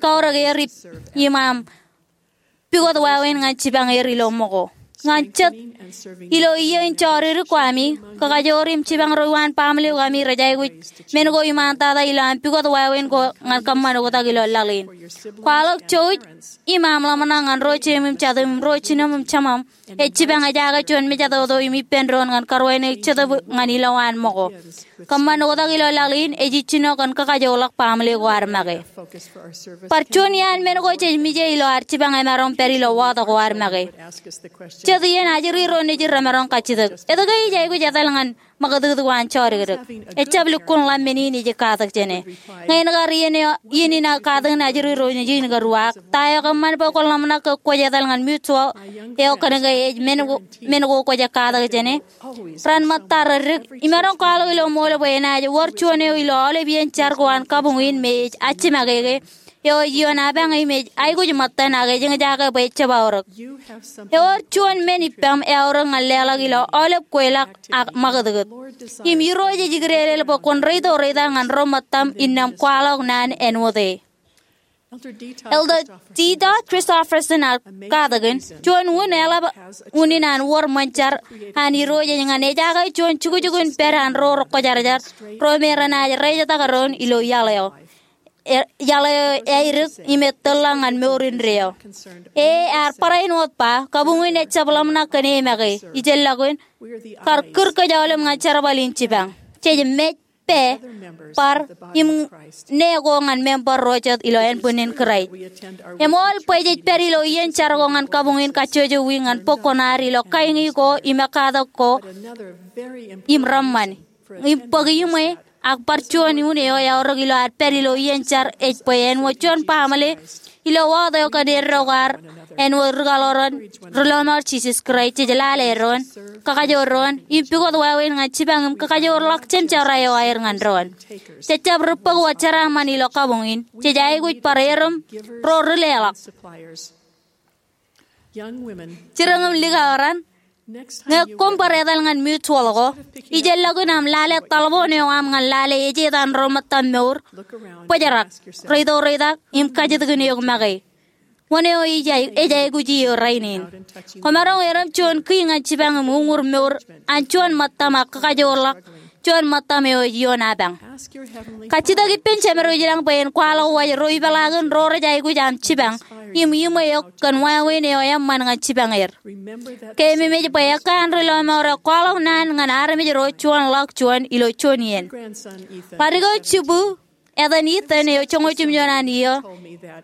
kaorōk er im aṃ pukot wāween ñan jipañ er ilo ṃōko. Ñan jet ilo iiō in jodikdik ko ami, kakajoor im jipañ ro iwaan baaṃle ko ami rej aikuj men ko iṃaantata ilo aṃ pukot wāween ko ñan kōṃṃan oktak ilo laḷ in. Kwaḷọk jouj im aṃ ḷōmṇak ñan ro jeim im jatūṃ im ro jinem im jemem ej jipañ ejaake juon mejatoto im ippān doon ñan karuwainwōt Jetōb ñan ilowaan ṃōko. Kōṃṃan oktak ilo laḷ in ej ijjino kōn kakajoorḷọk baaṃle ko ad make. Bar juon iaan men ko jej mije ilo ad jipañ emaroñ pād ilo waḷọk ko ad make. Jet iien ajri ro nejid remaroñ kajjitōk, etke ij aikuj etal ñan ṃakūtkūt ko an jodikdik? Ejjab lukkuun ḷap men in ij katak jāne. Ñe en kar iien eo, iien in aō katakin ajri ro nejid in kar uwaak, ta eo kōṃṃan bwe kwōn ḷōmṇak ke kwōj etal ñan mutual eo kōnke ej men ko, men ko kwōj katak jāne? Ran ṃōtta reddik, imaroñ kwaḷọk ilo ṃool bwe enaaj wōr juon eo ilo aolep iien jar ko an kabuñ in me ej ajjimakeke, eo ej ioon apañ im ej aikuj ṃōttan ak ejjeḷọk bwe ejjab aorōk. Ewōr juon men ippaṃ eaorōk ñan leḷọk ilo aolep kweilọk ak ṃakūtkūt. Im Irooj ej ikdeelel bwe kwōn reito reitak ñan ro ṃōttaṃ innām kwaḷọk naan āinwōt e. Elder Dieter Christofferson ear katakin, juon unin eḷap unin an wōr ṃōn jar an Irooj ej ñan ejaake juon jukjuk in pād an ro rekwōjarjar, ro me renaaj reijetak doon ilo iaḷ eo. E, iaḷ eo eadik im etōrḷọk ñan mour indeeo. E, ear barāinwōt ba, kabuñ in ejjab ḷōmṇak kōn e make, ijellọkin, kar kūr kōj aolep ñan jerbal in jipañ. Jej mej pā, bar, im ṇe ko ñan member ro jet ilo ānbwinnin Kraist. Eṃool bwe jej pād ilo iien jar ko ñan kabuñ in kajjojo wiik ñan bok ko ad ilo kain ko im katak ko im reṃṃan. Im bōk iṃwe, ak bar juon unin eo eaorōk ilo ad pād ilo iien jar ej bwe āinwōt juon baaṃle ilo waḷọk eo kōn eddo ko ad āinwōt ri kaḷoran ri lọmọọr Jisōs Kraist, jej lale doon, kakajoor doon, im pukot wāween ñan jipañ im kakajoorḷọk jemjerā eo aer ñan doon. Jejjab ri bōk wōt jeraaṃṃan ilo kabuñ in, jej aikuj bar erom ro ri leḷọk. Jidōñ im likao raṇ, ñe koṃ bar etal ñan mutual ko, ijellọkin aṃ lale taḷboon eo aṃ ñan lale ejeet an ro ṃōttaṃ mour, bōjrak, reito reitak, im kajjitōkin eok make. Wōn eo ej, ej aikuj iiō rainin? Kwōmaroñ erom juon kiiō ñan jipañ im uññūr mour an juon ṃōttaṃ ak kakajoorḷọk juon ṃōttaṃ eo ej ioon apañ. Kajjitōk ippān Jemedwōj ilañ bwe en kwaḷọk waj ro ipeḷaakin ro rej aikuj aṃ jipañ im iṃwe eok kōn wāween eo eṃṃan ñan jipañ er. Keememej bwe ekkā an ri lọmọọr eo kwaḷọk naan ñan armej ro juon ḷọk juon ilo juon iien. Ḷaddik eo jibū, etan Ethan eo joñoul jimjuon an iiō,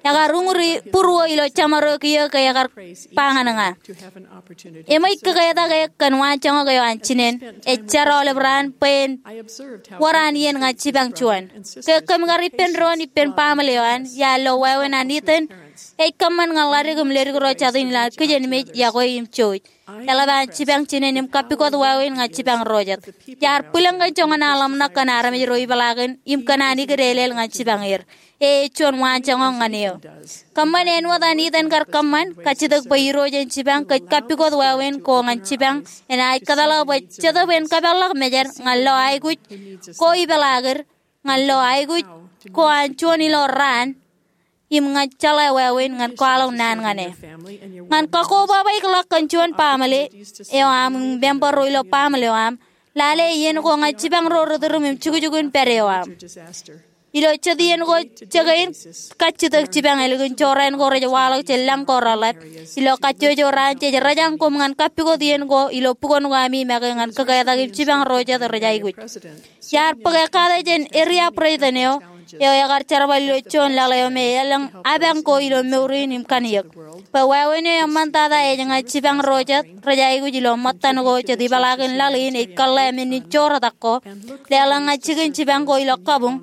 ekar uñūri būruō ilo jeṃaroñ kiiō ke ekar ba ñan ña, eṃōj ke ketak e kōn waanjoñak eo an jinen. Ej jar aolep raan bwe en wōr an iien ñan jipañ juon. Ke kōm kar ippān doon ippān baaṃle eo an, iar lo wāween an Ethan Ej kōṃṃan ñan ḷadik im ledik ro jatū in ilo kijenmej, iọkwe im jouj. Eḷap an jipañ jinen im kappukot wāween ñan jipañ ro jet. Iar bwilōñ kōn joñan aḷōmṇak kōn armej ro ipeḷaakin im kōn an ikideedeḷọk ñan jipañ er. E ej juon waanjoñak ñan eō. Kōṃṃan āinwōt an Ethan kar kōṃṃan, kajjitōk bwe Irooj en jipañ kōj kappukot wāween ko ñan jipañ enaaj kōtḷọk bwe Jetōb en kōpeḷḷọk mejād ñan lo aikuj ko ipeḷaakid, ñan lo aikuj ko an juon ilo raan, im ñan jeḷā wāween ñan kwaḷọk naan ñan e. Ñan kakkobaba ḷọk kōn juon baaṃle eo aṃ im member ro ilo baaṃle eo aṃ, lale iien ko ñan jipañ ro ri tūrūṃ im jukjukun pād eo aṃ. Ilo jet iien ko, jekān kajjitōk jipañ ālikin jorrāān ko rej waḷọk jān lañ ko reḷap. Ilo kajjojo raan jej rōjañ koṃ ñan kappukot iien ko ilo bukon ko ami make ñan kōketak im jipañ ro jet rej aikuj. Iar bōk ekkata jān area president eo, eo ekar jerbal ilo juon laḷ eo me elōñ apañ ko ilo mour in im kanniōk. Bwe wāween eo eṃṃantata ej ñan jipañ ro jet rej aikuj ilo ṃōttan ko jet ipeḷaakin laḷ in ej kōḷḷā men in joortak ko, leḷọk ñan jikin jipañ ko ilo kabuñ,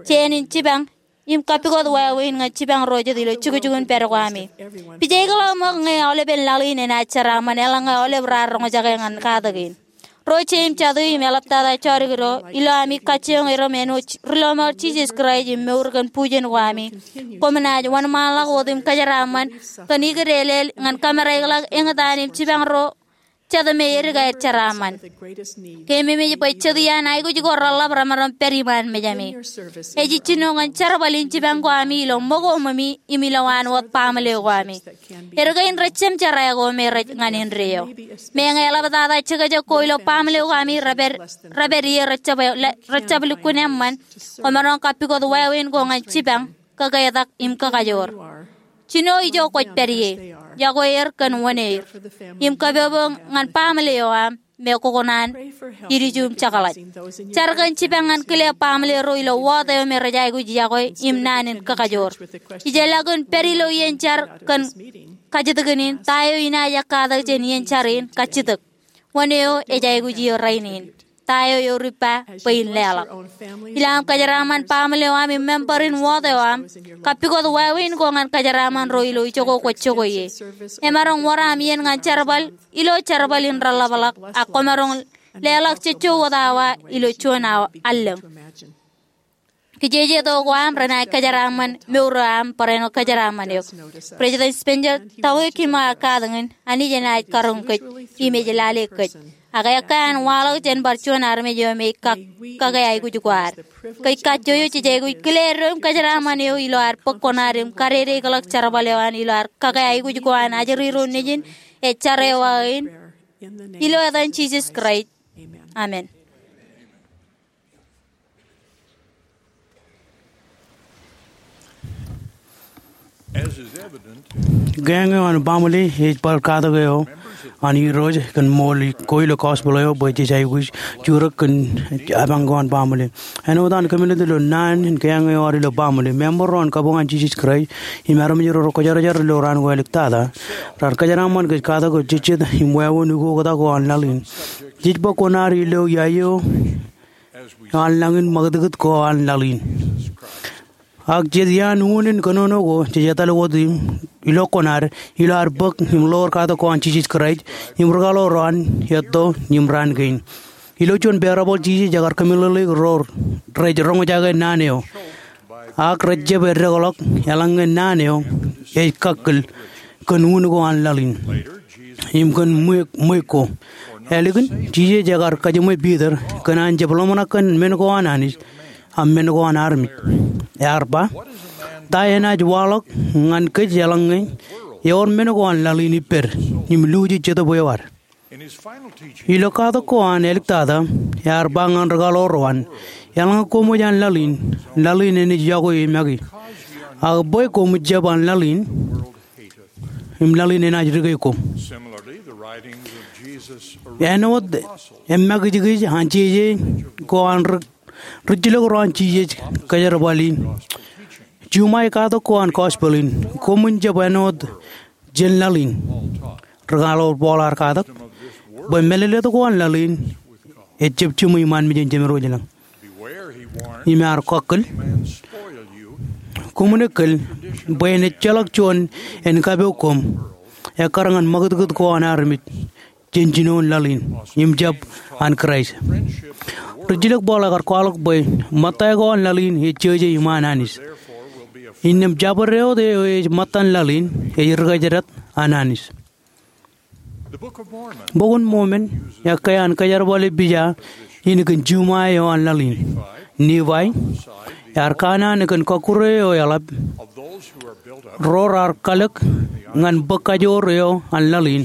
jān in jipañ, im kappukot wāween ñan jipañ ro jet ilo jukjukun pād ko ami. Pijaik ḷọk ṃōk ñe aolepen laḷ in enaaj jeraaṃṃan eḷaññe aolep raar roñjake ñan katak in. Ro jeiū im jatū im eḷaptata jodikdo, ilo ami kajjioñ erom āinwōt ri lọmọọr Jisōs Kraist im mour kōn bujen ko ami, koṃ naaj wōnṃaanḷọk wōt im kōjeraaṃṃan kōn ikideedeḷọk ñan kōmāraikḷọk eñtaan im jipañ ro jet me edik aer jeraaṃṃan. Keememej bwe jet iaan aikuj ko reḷap remaroñ pād iṃaan mejāmi. Ej jino ñan jerbal in jipañ ko ami ilo ṃōko ṃōmi im ilowaan wōt baaṃle ko ami. Eddo kein rej jemjerā ko me rej ñan indeeo. Meñe eḷaptata jekjek ko ilo baaṃle ko ami, repād, repād ie rejjab, rejjab lukkuun eṃṃan, koṃaroñ kappukot wāween ko ñan jipañ, kōketak im kakajoor. Jino ijo kwōj pād ie, iọkwe er kōn wōn er, im kapopo ñan baaṃle eo aṃ me kwō kōṇaan ilju im jekḷaj. Jar kōn jipañ ñan kile baaṃle ro ilo wōt eo me rej aikuj iọkwe im naan in kakajoor. Ijellọkin pād ilo iien jar kōn kajjitōkin in, ta eo inaaj ekkatak jān iien jar in kajjitōk. Wōn eo ej aikuj eō rainin? Ta eo eor ippa bwe in leḷọk? Ilo aṃ kōjeraaṃṃan baaṃle eo aṃ im member in wōt eo aṃ, kappukot wāween ko ñan kōjeraaṃṃan ro ilo ijoko kwōj jokwe ie. Emaroñ wōr aṃ iien ñan jerbal ilo jerbal in reḷapḷọk, ak koṃaroñ leḷọk jejjo wōt awa ilo juon awa allōñ. Kijeje to ko aṃ renaaj kōjeraaṃṃan mour eo aṃ barāinwōt kōjeraaṃṃan eok. President Spencer W. Kimball ear katakin, Anij enaaj karoñ kōj im ej lale kōj. Ak ekkā an waḷọk jān bar juon armej eo me ej kak, kake aikuj ko ad. Kōj kajjojo jej aikuj kile eddo im kōjeraaṃṃan eo ilo ad bōk koṇaad im kadedeikḷọk jerbal eo an ilo ad kake aikuj ko an ajri ro nejin ej jar eo aō in. Ilo etan Jisōs Kraist. Amen. As is evident, keeañ eo an baaṃle ej bar katak eo an Irooj kōn ṃool ko ilo gospel eo bwe jej aikuj jurōk kōn apañ ko an baaṃle. Āinwōt an kōmālōt ilo naan in keeañ eo ad ilo baaṃle, member ro an kabuñ an Jisōs Kraist im armej ro rekwōjarjar ilo raan ko āliktata raar kōjeraaṃṃan kōj katak eo jejjet im wāween ukoktak ko an laḷ in. Jej bōk koṇaad ilo iaio an lañ in ṃakūtkūt ko an laḷ in. Ak jet iaan unin kōnono ko jej etal wōt im ilo koṇaad ilo ad bōk im ḷoor katak ko an Jisōs Kraist im rūkaḷoor eo an etto im raan kein. Ilo juon parable Jisōs ekar kōmeḷeḷeik ro rej roñjake naan eo ak rej jab eddekḷọk eḷaññe naan eo ej kakkōl kōn un ko an laḷ in im kōn ṃweiuk, ṃweiuk ko. Ālikin, Jisōs ekar kajiṃwe Piter kōn an jab ḷōmṇak kōn men ko an Anij ak men ko an armej. Ear ba, ta enaaj waḷọk ñan kōj eḷaññe ewōr men ko an laḷ in ippād im luuji jetōb eo ad? Ilo katak ko an āliktata, ear ba ñan rūkaḷoor eo an, eḷaññe koṃij an laḷ in, laḷ in enaaj iọkwe e make. Ak bwe koṃij jab an laḷ in, im laḷ in enaaj dike koṃ. Āinwōt emakijkij an jeje ko an ri, rijjilōk ro an Jisōs kōjerbali, juṃae katak ko an gospel in, koṃwin jab āinwōt jān laḷ in. Rūkaḷoor Paul ear katak bwe mālōtlōt ko an laḷ in ejab jiṃwe iṃaan mejān jemed wōj lañ. Im ear kakkōl, Koṃwin ekōl bwe en ejjeḷọk juon en kapo koṃ ekkar ñan ṃakūtkūt ko an armej jān jinoin laḷ in im jab an Kraist. Rijjilōk Paul ekar kwaḷọk bwe ṃōtta ko an laḷ in ej jeje iṃaan Anij. Innām jabdewōt eo ej ṃōttan laḷ in ej rikōjdat an Anij. Bok in Mormon ekkā an kōjerbale pija in kōn juṃae eo an laḷ in. Nifai ear kanaan kōn kọkkure eo eḷap ro raar kalōk ñan bōk kajoor eo an laḷ in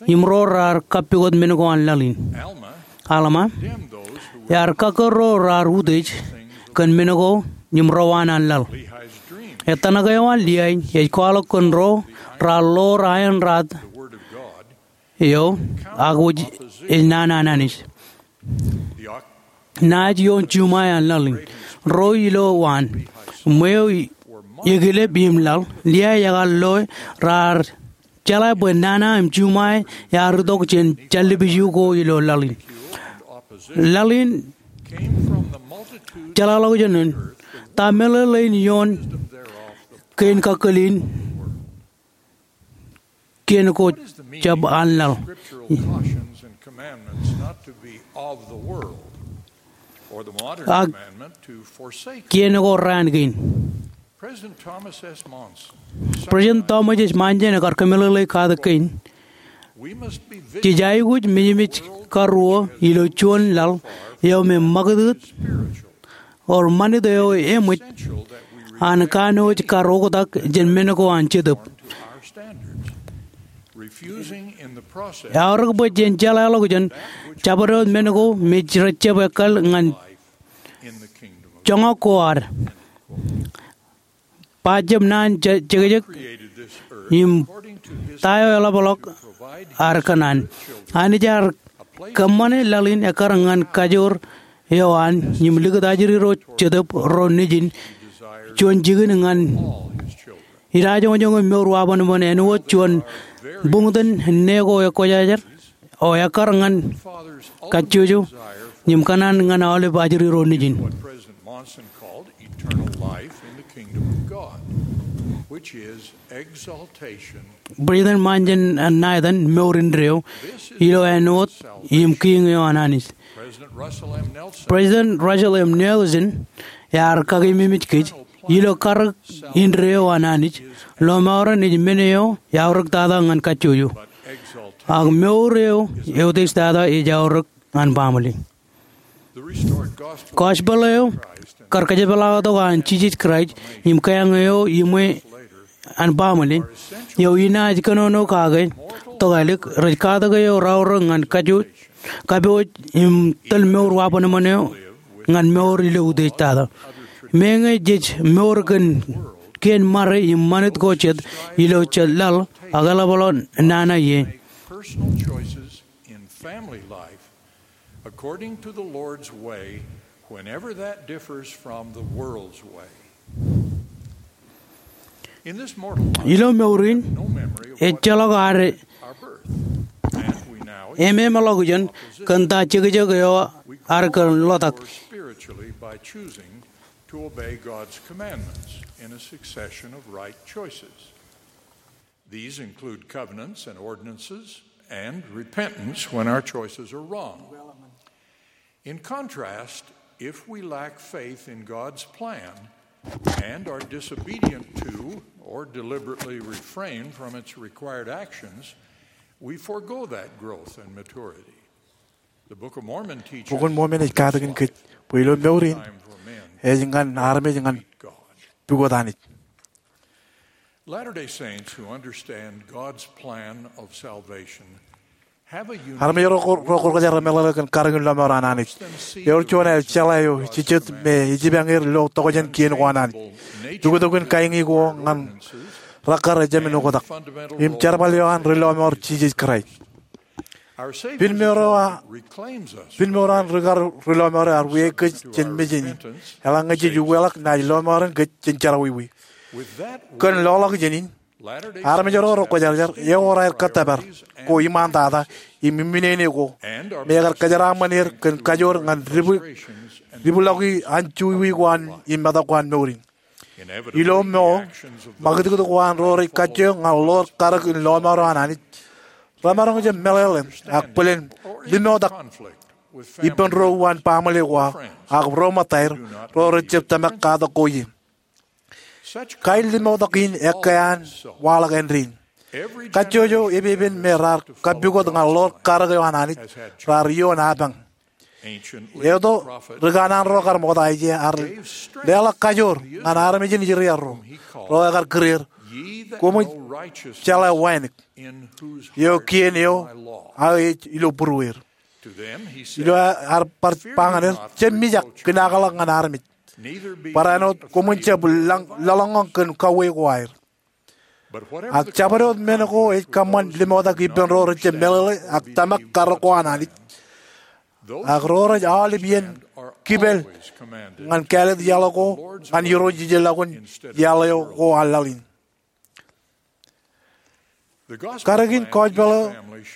im ro raar kappukot men ko an laḷ in. Alma ear kakkōr ro raar utiej kōn men ko im rowaan an laḷ. Ettōṇak eo an Liai ej kwaḷọk kōn ro raar ḷoor aenraad eo ak wōj ej nana an Anij. Naaj ioon juṃae an laḷ in ro ilo waan ṃweo ekilep im laḷ. Liai ekar lo raar jeḷā bwe nana im juṃae ear itok jān jallib iju ko ilo laḷ in. Laḷ in jeḷāḷọkjeṇ in, ta meḷeḷein ioon kein kakkōl in kien ko jab an laḷ? Ak kien ko raan kein. President Thomas S. Monson ekar kōmeḷeḷe katak kein. Jej aikuj mejmej karuo ilo juon laḷ eo me ṃakūtkūt, or ṃanit eo eṃōj an kanooj kar oktak jān men ko an Jetōb. Eaorōk bwe jen jeḷāḷọkjeṇ jabdewōt men ko me rej jab ekkal ñan joñak ko ad. Ba jab naan jekjek im ta eo eḷapḷọk ad kōṇaan. Anij ear kōṃṃane laḷ in ekkar ñan kajoor eo an im likūt ajri ro Jetōb ro nejin juon jikin ñan idajoñojoñ im mour wabanban āinwōt juon buñtōn ṇe ko ekwōjarjar eo ekkar ñan kajjojo im kōṇaan ñan aolep ajri ro nejin. President Monson ṇa etan mour indeeo ilo āinwōt im kiiñ eo an Anij. President Russell M. Nelson ear kakememej kōj ilo karōk indeeo an Anij, lọmọọren ej men eo eaorōk tata ñan kajjojo. Ak mour eo eutiej tata ej aorōk an baaṃle. Gospel eo kar kōjepḷaaktok an Jisōs Kraist im keañ eo iṃwe an baaṃle eo inaaj kōnono kake tokālik rej katak eo raorōk ñan kajjojo, kapooj im tōl mour wabanban eo ñan mour ilo utiej tata. Meñe jej mour kōn kien ṃare im ṃanit ko jet ilo jet laḷ ak eḷapḷọk nana ie. Personal choices in family life according to the Lord's way, whenever that differs from the world's way. In this mortal life, ilo mour in, ejjeḷọk ad ememeḷọkjeṇ kōn ta jekjek eo ad kōn ḷotak. Spiritually by choosing to obey God's commandments in a succession of right choices. These include covenants and ordinances and repentance when our choices are wrong. In contrast, if we lack faith in God's plan and are disobedient to or deliberately refrain from its required actions, we forego that growth and maturity. The Book of Mormon teaches Bok in Mormon ej katakin kōj bwe ilo mour in, ej ñan armej ñan pukot Anij. Latter-day Saints who understand God's plan of salvation have a unique Armej ro ko, ro kwōjarjar meḷeḷe kōn karōk in lọmọọr an Anij. Ewōr juon aer jeḷā eo jijet me ejipañ er ilo tokjān kien ko an Anij. Tuktuk in kain ko ñan rakkar ejāmin oktak im jerbal eo an ri lọmọọr Jisōs Kraist. Our Savior's Pin mour eo a, reclaims us pin mour eo an ri kar ri lọmọọr eo ear wiaik kōj jān mejān in. Eḷaññe jej uweḷọk, naaj lọmọọren kōj jān jerọwiwi. With that word, kōn loḷọk jān in, Latter-day armej ro ro kwōjarjar, ewōr aer kōttōpar ko iṃaantata im iminene ko, me ekar kōjeraaṃṃan er kōn kajoor ñan dibwi, dibwiḷọki anjọ wiwi ko an im metak ko an mour in. Ilo mour, ṃakūtkūt ko an ro rej kajjioñ ñan ḷoor karōk in lọmọọr eo an Anij remaroñ jab meḷeḷe ak bōlen limoktak ippān ro uwaan baaṃle ko aō ak ro ṃōttaer ro rejjab tōmak katak ko ie. Kain limoktak in ekkā an waḷọk āindein. Kajjojo epepen me raar kappukot ñan ḷoor karōk eo an Anij raar ioon apañ. Eto, ri kanaan ro kar ṃokta Aiseia ear leḷọk kajoor ñan armej in Israel ro, ro ekar kūr er, koṃij jeḷā wānōk, eo kien eo aō ej ilo būrueir. Ilo ear bar ba ñan er, jab mijak kinaakḷọk ñan armej, barāinwōt koṃwin jab laḷ-, laḷọññọñ kōn kauwe ko aer. Ak jabdewōt men ko ej kōṃṃan limoktak ippān ro rejjab meḷeḷe ak tōmak karōk ko an Anij, ak ro rej aolep iien kipel ñan kāālōt iaḷ ko ñan Irooj ijellọkun iaḷ eo ko an laḷ in. Karōk in kōjpeḷ eo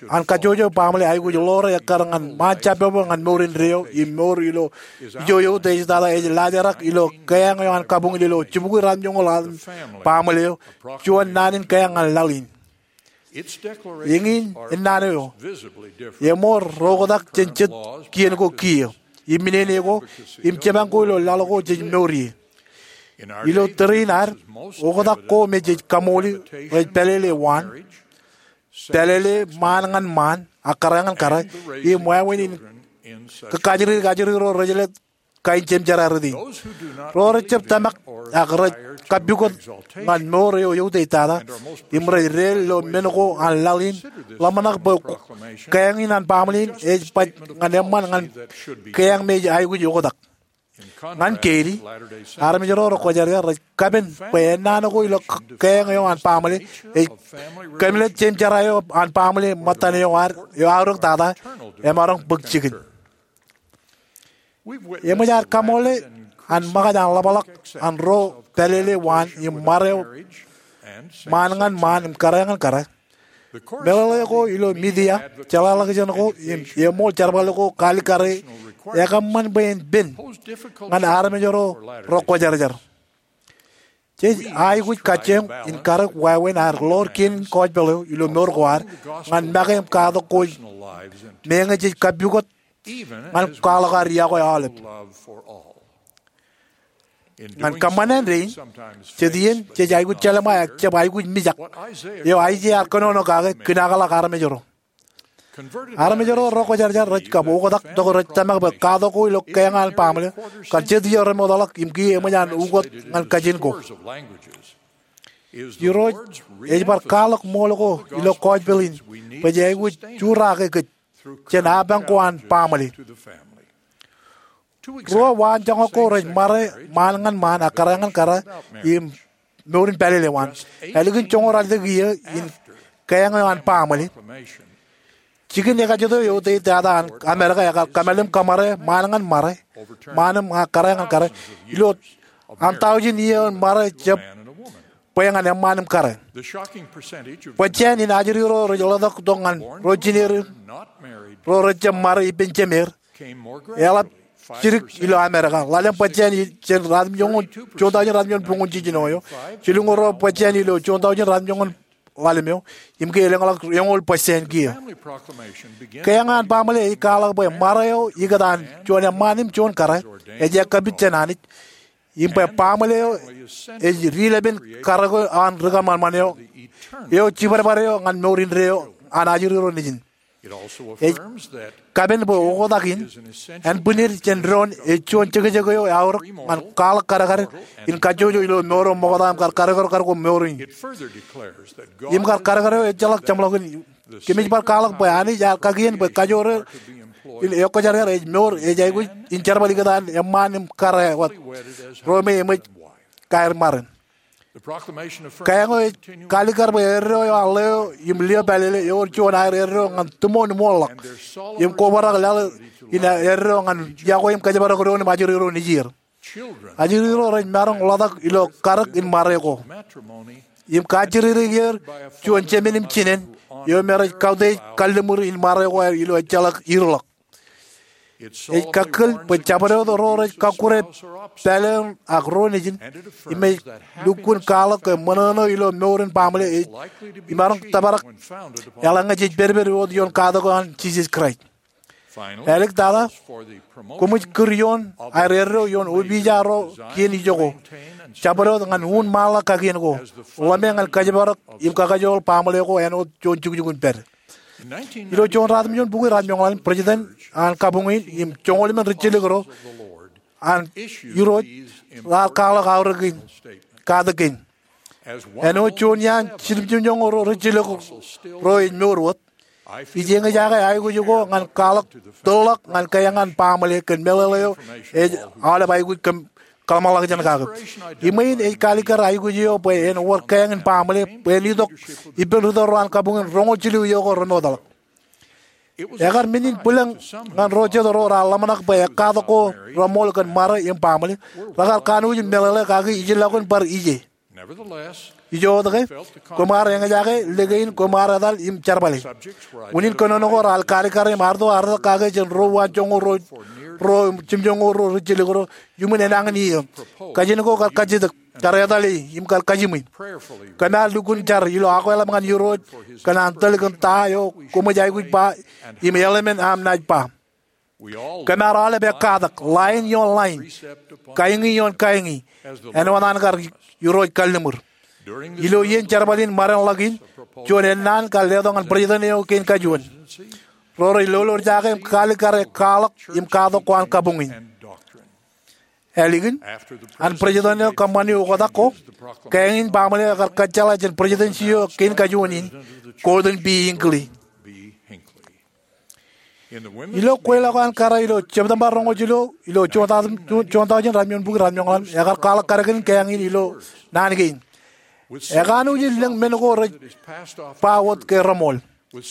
an kajjojo baaṃle aikuj ḷoore ekkar ñan ṃaan jabdewōt ñan mour indeeo im mour ilo ijo eutiej tata ej laajrak ilo kōjeañ eo an kabuñin ilo jibukwi ruatimjuonñoul ḷalem baaṃle eo juon naan in kōjeañ ñan laḷ in. Eñin ennaan eo eṃool ro oktak jān jet kien ko kiiō, im minene ko, im jipañ ko ilo laḷ ko jej mour ie. Ilo tōre in ad, oktak ko me jej kaṃooli rej pālele waan, pālele ṃaan ñan ṃaan ak kōrā ñan kōrā, im wāween in kajjirjir ajri ro rej jelōt kain jemjerā rot in. Ro rejjab tōmak ak rej kappukot ñan mour eo eutiej tata im rej deel ilo men ko an laḷ in, ḷōmṇak bwe kōjeañ in an baaṃle in ej baj ñan eṃṃan ñan kōjeañ me ej aikuj oktak. Ñan keidi, armej ro rekwōjarjar rej kapen bwe ennaan ko ilo k-, kōjeañ eo an baaṃle ej kōmālōt jemjerā eo an baaṃle ṃōttan eo ad eo aorōk tata emaroñ bōk jikin. Eṃōj ad kaṃoole an ṃōkaj an ḷapḷọk an ro pālele waan im ṃare eo ṃaan ñan ṃaan im kōrā ñan kōrā. Meḷeḷe ko ilo midia, jeḷāḷọkjeṇ ko im eṃool jerbal ko kaalikkare ekōṃṃan bwe en pen ñan armej ro rekwōjarjar. Jej aikuj kajjioñ in karōk wāween ad ḷoor kien in kōjpeḷ eo ilo mour ko ad ñan make im katak ko meñe jej kappukot ñan kwaḷọk ad iọkwe aolep. Ñan kōṃṃan āindein, jet iien jej aikuj jelṃae ak jab aikuj mijak, eo Aiseia ear kōnono kake kinaakḷọk armej ro. Armej ro rekwōjarjar rej kab oktak tok rej tōmak bwe katak ko ilo kōjeañ an baaṃle kar jet iiō remootḷọk im kiiō eṃōj an ukot ñan kajin ko. Irooj ej bar kwaḷọk ṃool ko ilo kōjpeḷ in bwe jej aikuj jurake kōj jān apañ ko an baaṃle. Ruo waanjoñak ko rej ṃare ṃaan ñan ṃaan ak kōrā ñan kōrā im mour in pālele waan. Ālikin joñoul ralitōk iiō in kōjeañ eo an baaṃle, jikin ekajet eo eutiej tata an Amerika ekar kōmālim kōṃṃare ṃaan ñan ṃare, ṃaan im kōrā ñan kōrā, ilo an taujin iiō in ṃare jab bwe ñan eṃṃaan im kōrā. Bōjjāān in ajri ro rej ḷotak tok ñan ro jineer ro rejjab ṃare ippān jemer eḷap jidik ilo Amerika. Ḷalem bōjjāān jān ruatimjuonñoul, juon taujin ruatimjuonñoul buññoul jiljino eo, jilñuul ruo bōjjāān ilo juon taujin ruatimjuonñoul ḷalem eo, im ke elōñḷọk eñoul bōjjāān kiiō. Kōjeañ an baaṃle ej kwaḷọk bwe ṃare eo ikōtaan juon eṃṃaan im juon kōrā ej ekkapit jān Anij, im bwe baaṃle eo ej dilepen karōk eo an ri kōṃanṃan eo, eo jibadbad eo ñan mour indeeo an ajri ro nejin. Ej kapen bwe oktak in ānbwinid jān doon ej juon jekjek eo eaorōk ñan kwaḷọk kadkad in kajjojo ilo mour eo ṃokta im kar kadkadkad ko mour in. Im kar kadkad eo ejjeḷọk jeṃḷọkin, kōmij bar kwaḷọk bwe Anij ear kakien bwe kajoor eo in ekwōjarjar ej mour ej aikuj in jerbal ikōtaan eṃṃaan im kōrā wōt ro me eṃōj kaer ṃaren. Kōjeañ eo ej kaalikkar bwe eddo eo an ḷeo im lio pālele ewōr juon aer eddo ñan tūmoon ṃool ḷọk im kobrak laḷ in eddo ñan iọkwe im kōjparok doon im ajri ro nejier. Ajri ro rej maroñ ḷotak ilo karōk in ṃare ko im kajjirere er juon jemān im jinān eo me rej kautiej kalliṃur in ṃare ko aer ilo ejjeḷọk irḷọk. Ej kakkōl bwe jabdewōt ro rej kakkure pālein ak ro nejin im ej lukkuun kwaḷọk ke ṃōṇōṇō ilo mour in baaṃle ej imaroñ tōprak eḷaññe jej pedped wōt ioon katak ko an Jisōs Kraist. Āliktata, koṃij kūr ioon aer eddo ioon opiij ro kien ijoko, jabdewōt ñan uññūṃ ṃaanḷọk kakien ko, ḷōme ñan kōjparok im kakajoor baaṃle ko āinwōt juon jukjuk in pād. Ilo juon ruatimjuon bukwi raar joñoul, President an kabuñ in im joñoul emān rijjelōk ro an Irooj raar kwaḷọk aorōk in, katak kein. Āinwōt juon iaan jiljilimjuonñoul ro rijjelōk ro ej mour wōt, ij eñjake aikuj ko ñan kwaḷọk tōrḷọk ñan keeañ an baaṃle kōn meḷeḷe eo ej aolep aikuj kōm kōḷmānḷọkjeṇ kake. Iṃwe in ej kaalikkar aikuj eo bwe en wōr keeañ in baaṃle bwe en itok ippān ri tōl ro an kabuñ in roñoul jilu iiō ko remootḷọk. Ekar men in bwilōñ ñan ro jet ro raar ḷōmṇak bwe ekkatak ko reṃool kōn ṃare im baaṃle, rekar kanooj in meḷeḷe kaki ijellọkun bar ije. Ijoke, koṃ ar eñjake lōke in koṃ ar etal im jerbale. Unin kōnono ko raar kaalikkare im arto arōtak kake jān ruo uwaan joñoul ruo, ruo jiljilimjuonñoul ro rijjelōk ro iuṃwin enañin iiō. Kajin ko kar kajjitōk, kar etale im kar kajiṃwe. Koṃ ar lukkuun jar ilo akweḷap ñan Irooj kōn an tōl kōn ta eo koṃij aikuj ba im eḷmān aṃ naaj ba. Koṃ ar aolep ekkatak, line ioon line, kaeñi ioon kaeñi, āinwōt an kar Irooj kalliṃur. Ilo iien jerbal in ṃadein ḷọk in, juon ennaan kar letok ñan president eo kein kajuon. Ro rej lolorjake im kaalikkare kwaḷọk im katak ko an kabuñ in. Ālikin an president eo kōṃṃani oktak ko, keeañ in baaṃle eo ekar kōjjeḷā jān presidency eo kein kajuon in, Gordon B. Hinckley. Ilo kweilọk eo an kōrā ilo September roñoul jilu ilo juon tọujin ratimjuon bukwi ratimjuon ḷalem, ekar kwaḷọk kadkinin keeañ in ilo naan kein. Ekanooj in lōñ men ko rej ba wōt ke reṃool.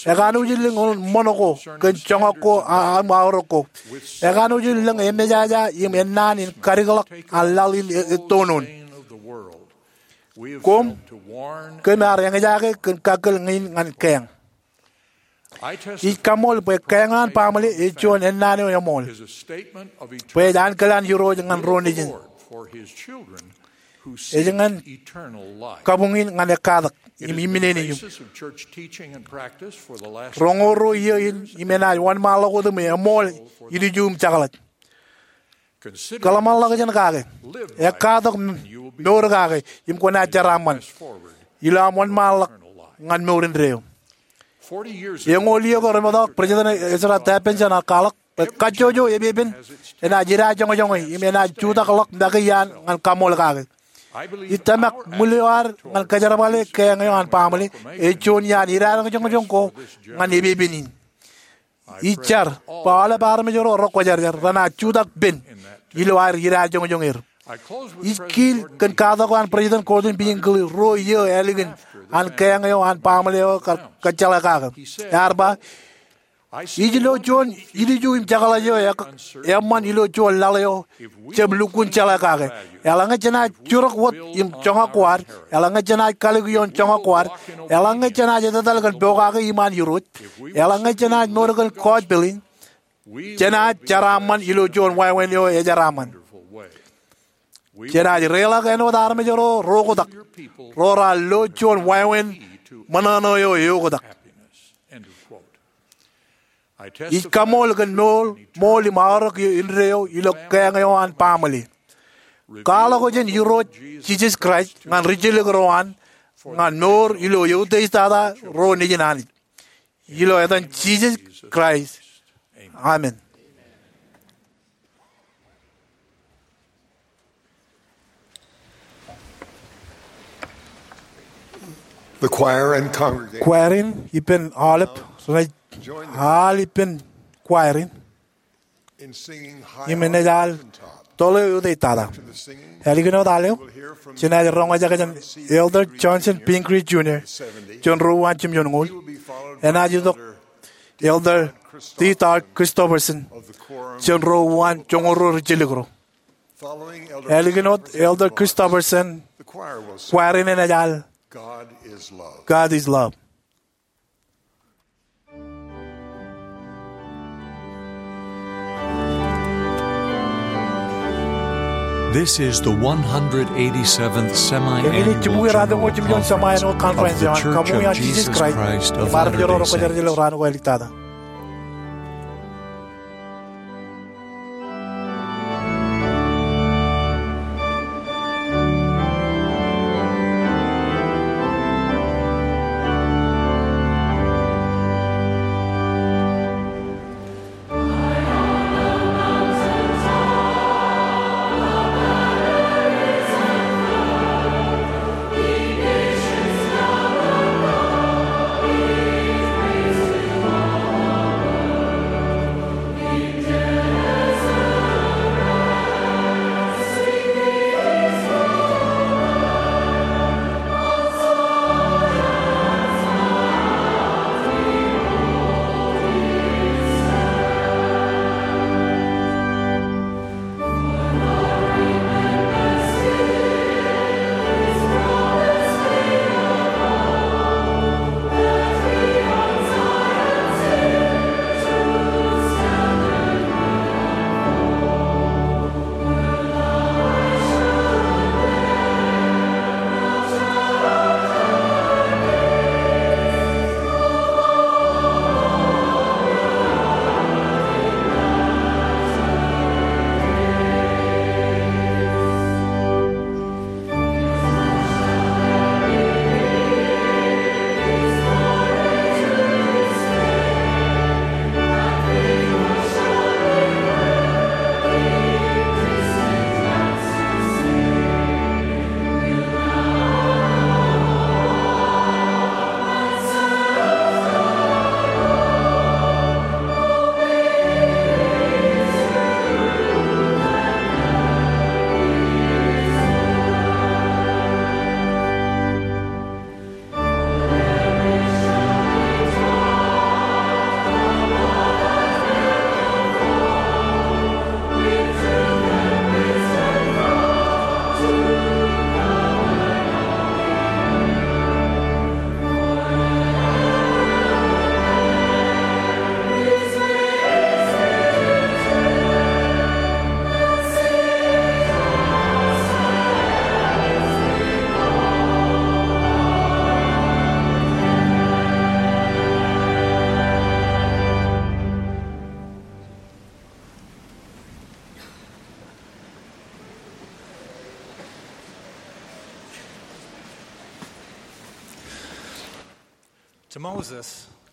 Ekanooj in lōñ ṃōṇōṇō ko kōn joñak ko a, aṃ aorōk ko. Ekanooj in lōñ emejaja im ennaan in kadikḷọk an laḷ in e, ettoon. Koṃ, koṃ ar eñjake kōn kakkōl ñe in ñan keeañ. Ij kaṃṃool bwe keeañ an baaṃle ej juon ennaan eo eṃool. Bwe ej ankilaan Irooj ñan ro nejin. Ej ñan kabuñ in ñan ekkatak im imminene im roñoul ruo iiō in im enaaj wōnṃaanḷọk wōt im eṃool ilju im jekḷaj. Kōḷmānḷọkjeṇ kake, ekkatak mour kake im kwōnaaj jeraaṃṃan ilo aṃ wōnṃaanḷọk ñan mour indeeo. Eñoul iiō ko remootḷọk, President Ezra Taft Benson ear kwaḷọk bwe kajjojo epepen enaaj idajoñjoñe im enaaj jutakḷọk make iaan ñan kaṃool kake. Ij tōmak ṃwil eo ad ñan kōjerbale keeañ eo an baaṃle ej juon iaan idajoñjoñ ko ñan epepen in. Ij jar bwe aolep armej ro rekwōjarjar renaaj jutak pen ilo aer idajoñjoñ er. Ij kiil kōn katak ko an President Gordon B. Hinckley ruo iiō ālikin an keeañ eo an baaṃle eo kar kōjjeḷā kake. Ear ba, ij lo juon ilju im jekḷaj eo ek-, eṃṃan ilo juon laḷ eo jab lukkuun jeḷā kake. Eḷaññe jenaaj jurok wōt im joñak ko ad, eḷaññe jenaaj kalōk ioon joñak ko ad, eḷaññe jenaaj etetal kōn pokake iṃaan Irooj, eḷaññe jenaaj mour kōn kọọj pil in, jenaaj jeraaṃṃan ilo juon wāween eo ejeraaṃṃan. Jenaaj reiḷọk āinwōt armej ro reoktak, ro raar lo juon wāween ṃōṇōṇō eo eoktak. Ij kaṃool kōn mour, ṃool im aorōk indeeo ilo keeañ eo an baaṃle. Kwaḷọk jān Irooj Jisōs Kraist ñan rijjelōk ro an, ñan mour ilo eutiej tata ro nejin Anij. Ilo etan Jisōs Kraist. Amen. The choir and congregation. Choir in ippān aolep renaaj al ippān choir in im enaaj al tōl eo eutiej tata. Ālikin wōt al eo, jenaaj roñjake jān Elder Johnson Pingree Junior jān ruo uwaan jimjuon ñoul. Enaaj itok Elder Dieter Christofferson jān ruo uwaan joñoul ruo rijjelōk ro. Ālikin wōt Elder Christofferson, choir in enaaj al God is Love. This is the one hundred eighty-seventh semi-annual general conference of The Church of Jesus Christ of Latter-day Saints. Eñin ej jibukwi ratimjuon jiṃor eo an Kaṃṃoolol Jisōs Kraist im armej ro rej kōjerbale raan ko āliktata.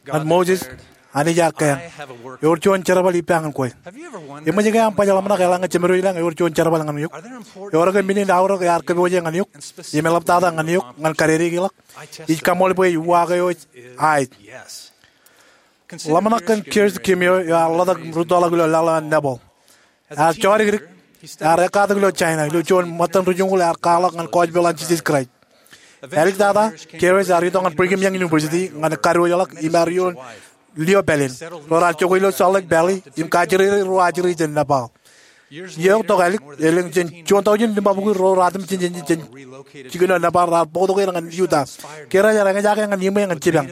Ñan Moses, Anij ear kea, ewōr juon jerbal ippa ñan kwe. Eṃōj ke aṃ baj ḷōmṇak eḷaññe Jemedwōj ilañ ewōr juon jerbal ñan eok? Ewōr ke men in aorōk ear kōpooje ñan eok im eḷaptata ñan eok ñan kadedeik ḷọk? Ij kaṃṃoolol bwe ej uwaak eo ej aet. Ḷōmṇak kōn Gary Kimio eo ear ḷotak im rūttoḷọk ilo laḷ eo an Nepal. Ear jodikdik, ear ekkatak ilo China, ilo juon ṃōttan ri joñoul ear kwaḷọk ñan gospel an Jisōs Kraist. Āliktata, Gary ear itok ñan Brigham Young University ñan kadiwōjḷọk im ear ioon lio pāleen. Ro raar jokwe ilo Salt Lake Valley im kajjirere ruo ajri jān Nepal. Iiō eo tok ālik, elōñ jān juon tọujin limabukwi ro ratimjej jān jikin eo Nepal raar bōktok er ñan Utah. Gary ear eñjake ñan iṃwe ñan jipañ.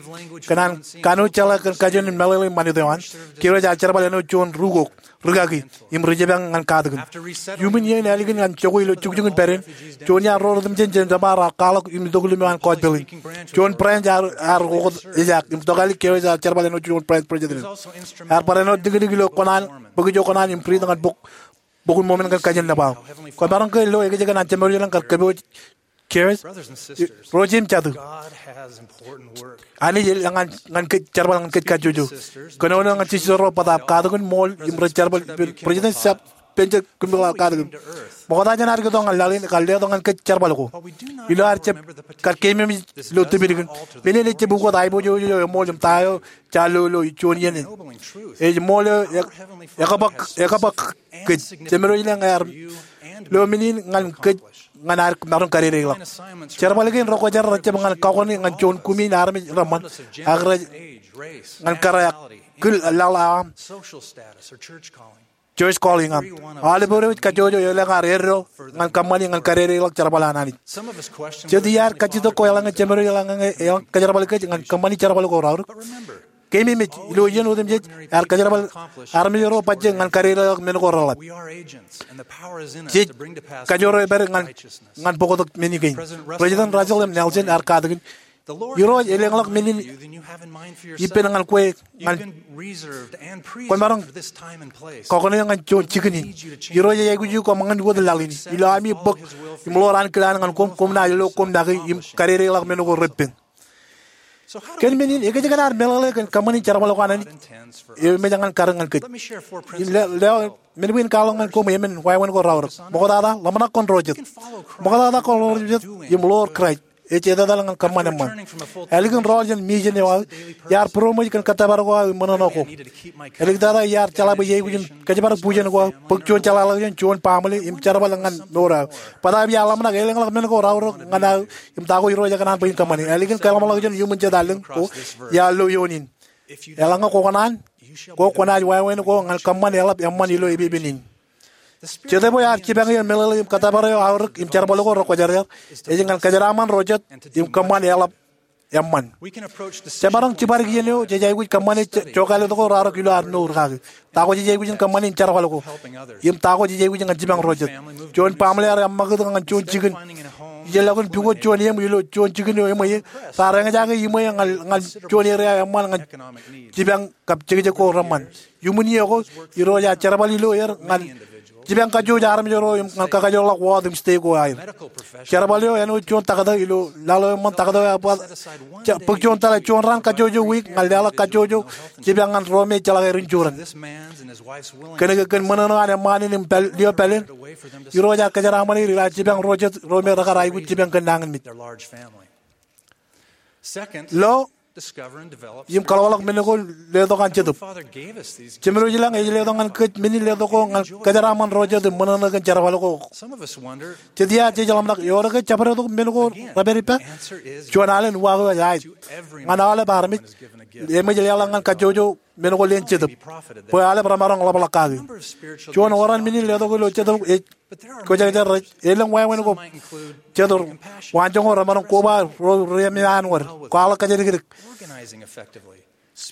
Kōn an kanooj jeḷā kōn kajin in meḷeḷe im ṃanit eo an, Gary ear jerbal āinwōt juon rūkok, rūkaki, im ri jipañ ñan katakin. Iuṃwin iien ālikin an jokwe ilo jukjuk in pād in, juon iaan ro ratimjej jān Nepal raar kwaḷọk im itok lōṃ eo an gospel in. Juon branch ear, ear oktak ejaak, im tok ālik Gary ear jerbal āinwōt juon branch president. Ear bar āinwōt liklik ilo kōṇaan, bōk ijo kōṇaan im riit ñan bok, Bok in Mormon kōn kajin Nepal. Kwōmaroñ ke lo ekōjkan an Jemedwōj ilañ kar kōpooj Gary? Ro jeiū im jatū, Anij elōñ ñan, ñan kōj jerbal ñan kōj kajjojo. Kōnono ñan Jisōs ro bōtaab katakin ṃool im rej jerbal, President Spencer Kimball katakin. Ṃokta jān ad itok ñan laḷ in, ekar letok ñan kōj jerbal ko. Ilo ad jab kar keememej ilo tipilkin, men in ejjab ukōt aiboojoj eo eṃool im ta eo jaar lo ilo juon iien in. Ej ṃool eo e, ekabōk, ekabōk kōj. Jemedwōj ilañ ear lo men in ñan kōj ñan ad maroñ kadedeikḷọk. Jerbal kein rekwōjarjar rejjab ñan kakoni ñan juon kumi in armej reṃṃan, ak rej ñan kōrā, kil laḷ aṃ, church calling aṃ. Aolep ro rej kajjojo elōñ ad eddo ñan kōṃṃani ñan kadedeikḷọk jerbal an Anij. Jet iaad kajjitōk ko eḷaññe Jemedwōj ilañ eḷaññe eḷaññe kōjerbal kōj ñan kōṃṃani jerbal ko raorōk. keememej ilo iien otemjej ear kōjerbal armej ro bajjek ñan kadedeḷọk men ko reḷap. Jej kajoor eo epād ñan, ñan bōktok men kein. President Russell M. Nelson ear katakin, Irooj elōñḷọk men in ippān ñan kwe ñan kwōmaroñ kọkoṇe ñan juon jikin in. Irooj ej aikuj eok koṃ ṃōñā wōt laḷ in. Ilo ami bōk im ḷoor ankilaan ñan koṃ, koṃ naaj lo koṃ make im kadedeḷọk men ko reppen. Kōn men in, ekōjkan ad meḷeḷe kōn kōṃṃani jerbal ko an Anij eo emōj ñan kar ñan kōj. Im le, le, men bwe in kwaḷọk ñan koṃ emān wāween ko raorōk. Ṃoktata, ḷōmṇak kōn ro jet. Ṃoktata kōn ro jet im ḷoor Kraist ej etetal ñan kōṃṃan eṃṃan. Ālikin rọọl jān mission eo aō, iar būroṃōj kōn kōttōpar ko aō im ṃōṇōṇō ko. Āliktata iar jeḷā bwe iar aikuj in kōjparok bujen ko aō, bōk juon jeḷāḷọkjeṇ, juon baaṃle, im jerbal ñan mour eo aō. Bōtaab iar ḷōmṇak elōñḷọk men ko raorōk ñan aō im ta ko Irooj ekōṇaan bwe in kōṃṃane. Ālikin kaḷmānḷọkjeṇ iuṃwin jet allōñ ko iar lo ioon in. Eḷaññe kwōkōṇaan, kwō kwōnaaj wāween ko ñan kōṃṃan eḷap eṃṃan ilo epepen in. Jetōb eo ear jipañ er meḷeḷe im kōttōpar eo aorōk im jerbal ko rekwōjarjar ej ñan kōjeraaṃṃan ro jet im kōṃṃan eḷap eṃṃan. Jemaroñ jibadek iien eo jej aikuj kōṃṃane je, jokāālōt ko raorōk ilo ad mour kaki. Ta ko jej aikuj in kōṃṃane in jerbal ko. Im ta ko jej aikuj ñan jipañ ro jet. Juon baaṃle ear eṃṃakūt ñan juon jikin. Ijellọkin pukot juon eṃ ilo juon jikin eo eṃweiie. Raar eñjake iṃweiie ñan, ñan juon area eṃṃan ñan jipañ kab jekjek ko reṃṃan. Iuṃwin iiō ko, Irooj ear jerbal ilo er ñan jipañ kajjojo armej ro im ñan kakajoorḷọk ward im state ko aer. Jerbal eo āinwōt juon taktō ilo laḷ eo eṃṃan, taktō eo ear ba, bōk juon tōl, juon raan kajjojo wiik ñan leḷọk kajjojo jipañ ñan ro me ejjeḷọk er insurance. Kōnke kōn ṃōṇōṇō an eṃṃaan in im pāl, lio pāleen, Irooj ear kōjeraaṃṃan er ilo ad jipañ ro jet, ro me rekar aikuj jipañ kōn nañinmej. Lo, im kaḷwaḷọk men ko letok an Jetōb. Jemedwōj ilañ ej letok ñan kōj men in letok ko ñan kōjeraaṃṃan ro jet im ṃōṇōṇō kōn jerbal ko. Jet iaan jej ḷōmṇak, ewōr ke jabdewōt men ko repād ippa? Juon alen uwaak eo ej aet. Ñan aolep armej, eṃōj leḷọk ñan kajjojo men ko leen Jetōb, bwe aolep remaroñ ḷapḷọk kaki. Juon oran men in letok ilo Jetōb ej kwōjarjar rej elōñ wāween ko jet, waanjoñak, remaroñ koba ro remeaanwōd, kwaḷọk kōjdikdik,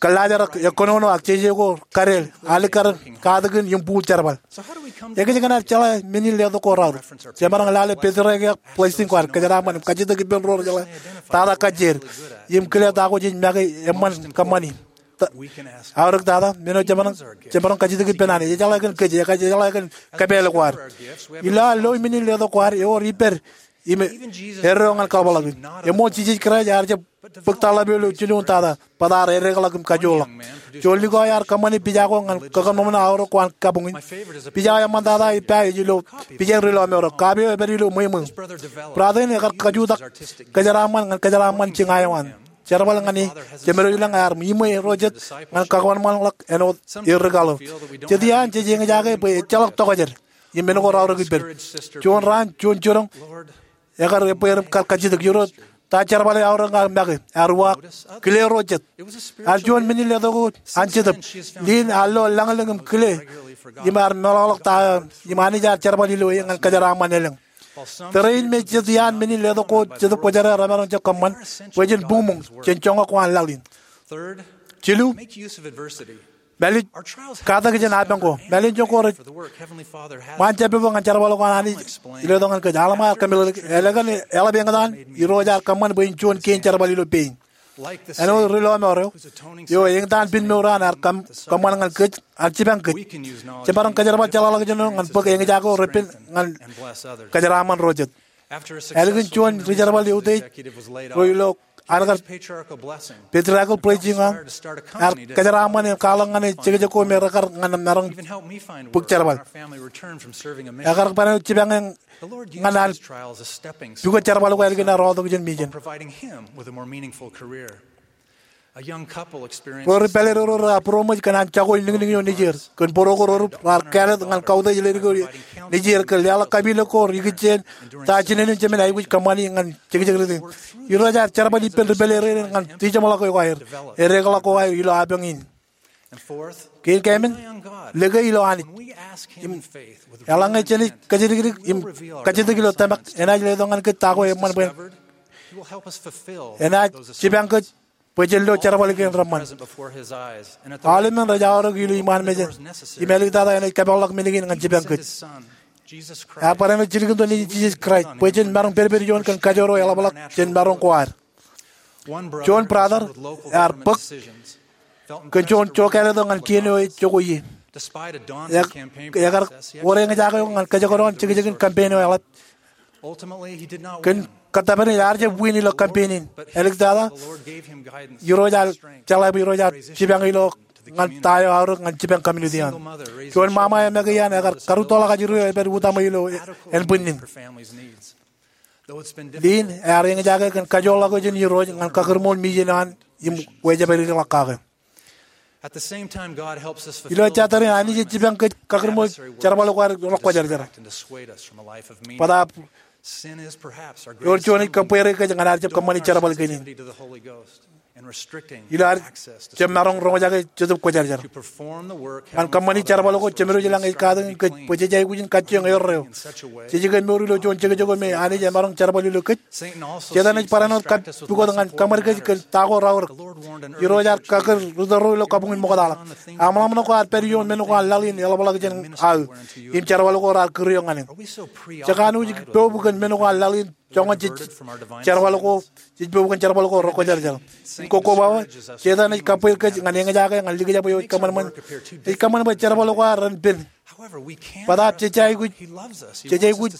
kōllaajrak, kōnono ak jeje ko kadeel, alikkar, katakin im buul jerbal. Ekōjkan ad jeḷā men in letok ko raorōk? Jemaroñ lale patriarchal blessing ko ad kōjeraaṃṃan im kajjitōk ippān ro rejeḷā tata kajjier im kile ta ko jej make eṃṃan kōṃṃani. Ta, aorōk tata, men eo jemaroñ, jemaroñ kajjitōk ippān Anij. Ejeḷā kōn kōj, ekajeḷā kōn kōpeḷḷọk ko ad. Ilo ad lo men in letok ko ad, ewōr ippād im eddo ñan kaḷapḷọk in. Eṃool Jisōs Kraist ear jab bōk tarḷap eo ilo jilñuul tata, bōtaab edeḷọk im kajoorḷọk. Juon likao ear kōṃṃani pija ko ñan kakōṃṃan aorōk ko an kabuñ in. Pija eo eṃṃan tata ippa ej ilo pija in Ri Lọmọọr eo. Kape eo epād ilo ṃweo ṃweo. Brother in ekar kajutak kōjeraaṃṃan ñan kōjeraaṃṃan jiña eo an. Jerbal ñan e, jemedwōj ilañ ear iṃwe ro jet ñan kakōṃanṃanḷọk āinwōt er ri kaḷo. Jet iaan jej eñjake bwe ejjeḷọk tokjāer im men ko raorōk ippād. Juon raan, juon jiroñ, ekar ebbeer im kar kajjitōk, Irooj, ta jerbal eo aorōk ña make? Ear uwaak, kile ro jet. Ear juon men in letok ko an Jetōb. Lin ear lo lañlōñ im kile im ear meḷọkḷọk ta eo im Anij ear jerbal ilo e ñan kōjeraaṃṃan elōñ. Tōre in me jet iaan men in letok ko Jetōb Kwōjarjar remaroñ jab kōṃṃan bwe jen buñmuñ jān joñak ko an laḷ in. Jilu, mālij katak jān apañ ko. Mālejjoñ ko rej ṃaan jab pepo ñan jerbal ko an Anij ej letok ñan kōj. Alma ear kōmeḷeḷeik, elōñ eḷap eñtaan Irooj ear kōṃṃan bwe in juon kein jerbal ilo pein. Āinwōt Ri Lọmọọr eo, eo eñtaan pen mour eo an ear kōṃ-, kōṃṃan ñan kōj, ear jipañ kōj. Jemaroñ kōjerbal jeḷāḷọkjeṇ eo ñan bōk eñjake ko reppen ñan kōjeraaṃṃan ro jet. Ālikin juon ri jerbal eutiej ro ilo an kar patriarchal blessing eo, ear kōjeraaṃṃan im kwaḷọk ñan e jekjek ko me rekar ñan maroñ bōk jerbal. Ekar ban jipañ ñan an pukot jerbal ko ālikin ear aotak jān mission. Ro ri pālerodo rear būroṃōj kōn an jako illiñliñ eo nejier. Kōn būruo ko rerup raar kāālōt ñan kautiej ledik eo nejier kōn leḷọk kapilōk ko ikijjien ta jinen in jemān aikuj kōṃṃani ñan jekjek ri tōl. Irooj ear jerbal ippān ri pālerere in ñan tijeṃḷọk eo aer, edeḷọk ko aer ilo apañ in. Kein kaemān, lōke ilo Anij. Im eḷaññe jenaaj kōjdikdik im kajjitōk ilo tōmak, enaaj letok ñan kōj ta ko eṃṃan bwe en, enaaj jipañ kōj bwe jen lo jerbal kein reṃṃan. Aolep men rej aorōk ilo iṃaan mejān, im āliktata enaaj kapeḷḷọk men kein ñan jipañ kōj. Ear barāinwōt jilkintok Nejin Jisōs Kraist bwe jen maroñ pedped juon kōn kajoor eo eḷapḷọk jān maroñ ko ad. Juon brother ear bōk kōn juon jokāālōt eo ñan kien eo ej jokwe ie. Ekar wōr eñjake eo ñan kōjekdọọn jekjekin campaign eo eḷap. Kōn kōttōpar in ear jab win ilo campaign in. Āliktata, Irooj ear jeḷā bwe Irooj ear jipañ ilo ñan ta eo aorōk ñan jipañ community eo an. Juon ṃaṃa eo make iaan ekar karūttoḷọk ajri eo ej pād utaṃwe ilo ānbwinnin. Lynn ear eñjake kōn kajoorḷọk eo jān Irooj ñan kakūrṃool mission eo an im wejāpād ḷọk kake. Ilo ejja tōre in, Anij ej jipañ kōj kakūrṃool jerbal ko ad ro kwōjarjar. Bōtaab ewōr juon ej kōbbeere kōj ñan ad jab kōṃṃani jerbal kein in. Ilo ad jab maroñ roñjake Jetōb Kwōjarjar ñan kōṃṃani jerbal ko, Jemedwōj i lañ ej katakin kōj bwe jej aikuj in kajjioñ erreo. Jej ikanmour ilo juon jekjek eo me Anij emaroñ jerbal ilo kōj. Setan ej barāinwōt kab pukot ñan kōṃad kōj kōn ta ko raorōk. Irooj ear kakūr ri tōro ilo kabuñ in ṃoktaḷọk. Aṃ ḷōmṇak ko ear pād ioon men ko an laḷ in eḷapḷọk jān aō im jerbal ko raar kūr eok ñan eō. Jekanooj ej pok kōn men ko an laḷ in joñan jej jerbal ko, jej pok kōn jerbal ko ro kwōjarjar. Im kokkobaba, Setan ej kabweir kōj ñan eñjake ñan likjab eo ej kōṃanṃan, ej kōṃanṃan bwe jerbal ko ad ren pen. Bōtaab jej aikuj, jej aikuj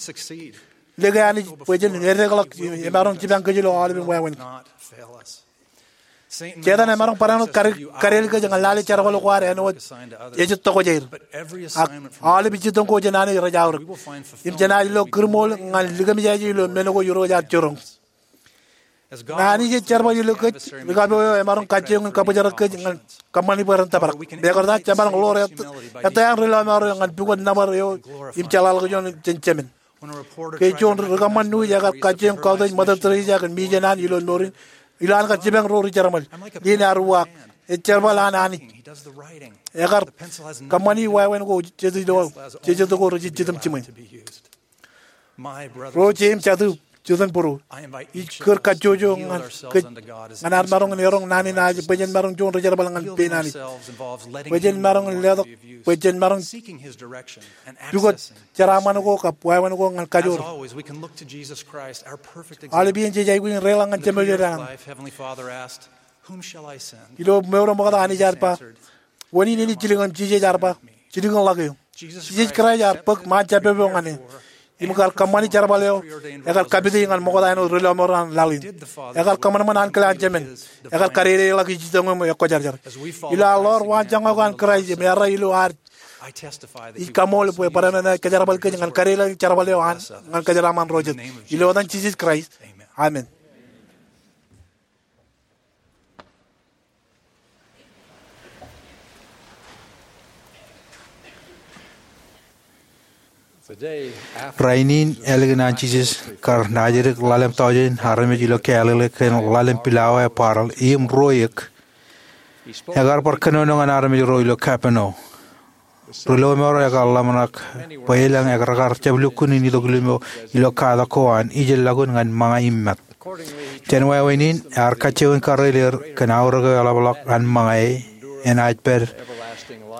lōke Anij bwe jen eddekḷọk im emaroñ jipañ kōj ilo aolepen wāween. Setan emaroñ barāinwōt kade, kadeel kōj ñan lale jerbal ko ad āinwōt ej tokjāer. Ak aolep ijjitōñ ko jān Anij rej aorōk. Im jenaaj lo kūrṃool ñan likōmjāje ilo men ko Irooj ear jiroñ. Ñe Anij ej jerbal ilo kōj, ri kapo eo emaroñ kajjioñ in kabōjrak kōj ñan kōṃṃani bwe ren tōprak. Mekarta jemaroñ ḷoor ettā, ettā an ri lọmọọr eo ñan pukot nōbar eo im jeḷāḷọkjeṇ jān Jemān. Ke juon ri kōṃṃan nuuj ekar kajjioñ kautiej Mother Teresa kōn mission an ilo mour in, ilo an kar jipañ ro ri jerbal. Lynn ear uwaak, ej jerbal an Anij. Ekar kōṃṃani wāween ko, jej ilo, jej ilo ko rej jitimjiṃwe. Ro jeiū im jatū, jitōnbōro, ij kūr kajjojo ñan kōj ñan ad maroñ in eroñ naan in aje bwe jen maroñ juon ri jerbal ñan pein Anij. Bwe jen maroñ in letok, bwe jen maroñ pukot jeraaṃṃan ko kab wāween ko ñan kajoor. Aolep iien jej aikuj in reiḷọk ñan Jemān ilo mour eo ṃokta, Anij ear ba, wōn in enaaj jilkinḷọk? Im Jisōs ear ba, jilkinḷọk eō. Jisōs Kraist ear bōk ṃaan jabdewōt eo ñan eō. Im kar kōṃṃani jerbal eo, ekar kapiti ñan ṃokta āinwōt ri lọmọọr an laḷ in. Ekar kōṃanṃan ankilaañ Jemān. Ekar kadedeḷọk ijjitōñ eo im ekwōjarjar. Ilo ad ḷoor waanjoñak ko an Kraist im errā ilo ad, ij kaṃool bwe barāinwōt enaaj kōjerbal kōj ñan kadedeḷọk jerbal eo an ñan kōjeraaṃṃan ro jet. Ilo etan Jisōs Kraist, amen. Rainin ālikin an Jisōs kar naajdik ḷalem tọujin armej ilo Galili kōn ḷalem pilawa ebaḷọk im ruo eō, ekar bar kōnono ñan armej ro ilo Kapernaum. Ri lọmọọr eo ekar ḷōmṇak bwe elōñ rekar jab lukkuun in itok limo ilo katak ko an ijellọkun ñan ṃōñā im mat. Jān wāween in, ear kajjioñ in karreoḷọk er kōn aorōk eo eḷapḷọk an ṃōñā enaaj pād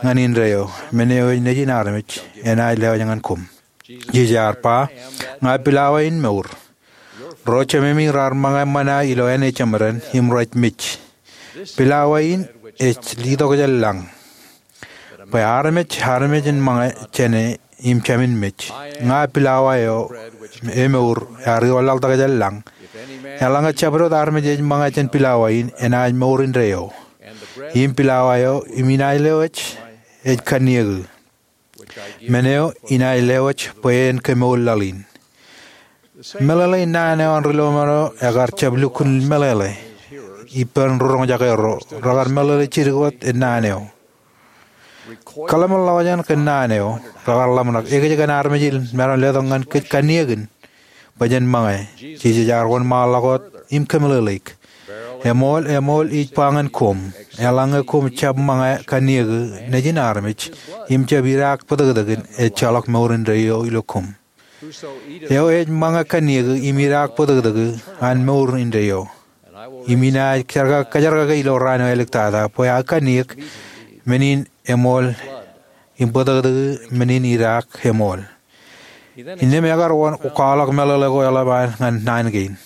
ñan indeeo, men eo ej Nejin armej enaaj lewōj ñan koṃ. Jisōs ear ba, ña pilawa in mour. Ro jememi raar ṃōñā ṃōṇā ilo āne jemeden im rej mej. Pilawa in ej litokjān lañ. Bwe armej, armej en ṃōñā jāne im jāmin mej. Ña pilawa eo emour ear iwōnlaḷtak jān lañ. Eḷaññe jabdewōt armej ej ṃōñā jān pilawa in, enaaj mour indeeo. Im pilawa eo im inaaj lewōj ej kanniōku, men eo inaaj lewōj bwe en kemour laḷ in. Meḷeḷe in naan eo an ri lọmọọr eo ekar jab lukkuun meḷeḷe ippān ri roñjake ro, rekar meḷeḷe jidik wōt in naan eo. Kōḷmānḷọkjeṇ kōn naan eo, rekar ḷōmṇak ekōjkan armej in maroñ letok ñan kōj kanniōkin bwe jen ṃōñā. Jisōs ear wōnṃaanḷọk wōt im kōmeḷeḷeik. Eṃool, eṃool, ij ba ñan koṃ, eḷaññe koṃ jab ṃōñā kanniōku Nejin armej im jab idaak bōtōktōkin, ejjeḷọk mour indeeo ilo koṃ. Eo ej ṃōñā kanniōku im idaak bōtōktōku an mour indeeo. Im inaaj kajerkakake ilo raan eo āliktata bwe aō kanniōk men in eṃool im bōtōktōki men in idaak eṃool. Innām ekar wōn kwaḷọk meḷeḷe ko eḷap an ñan naan kein.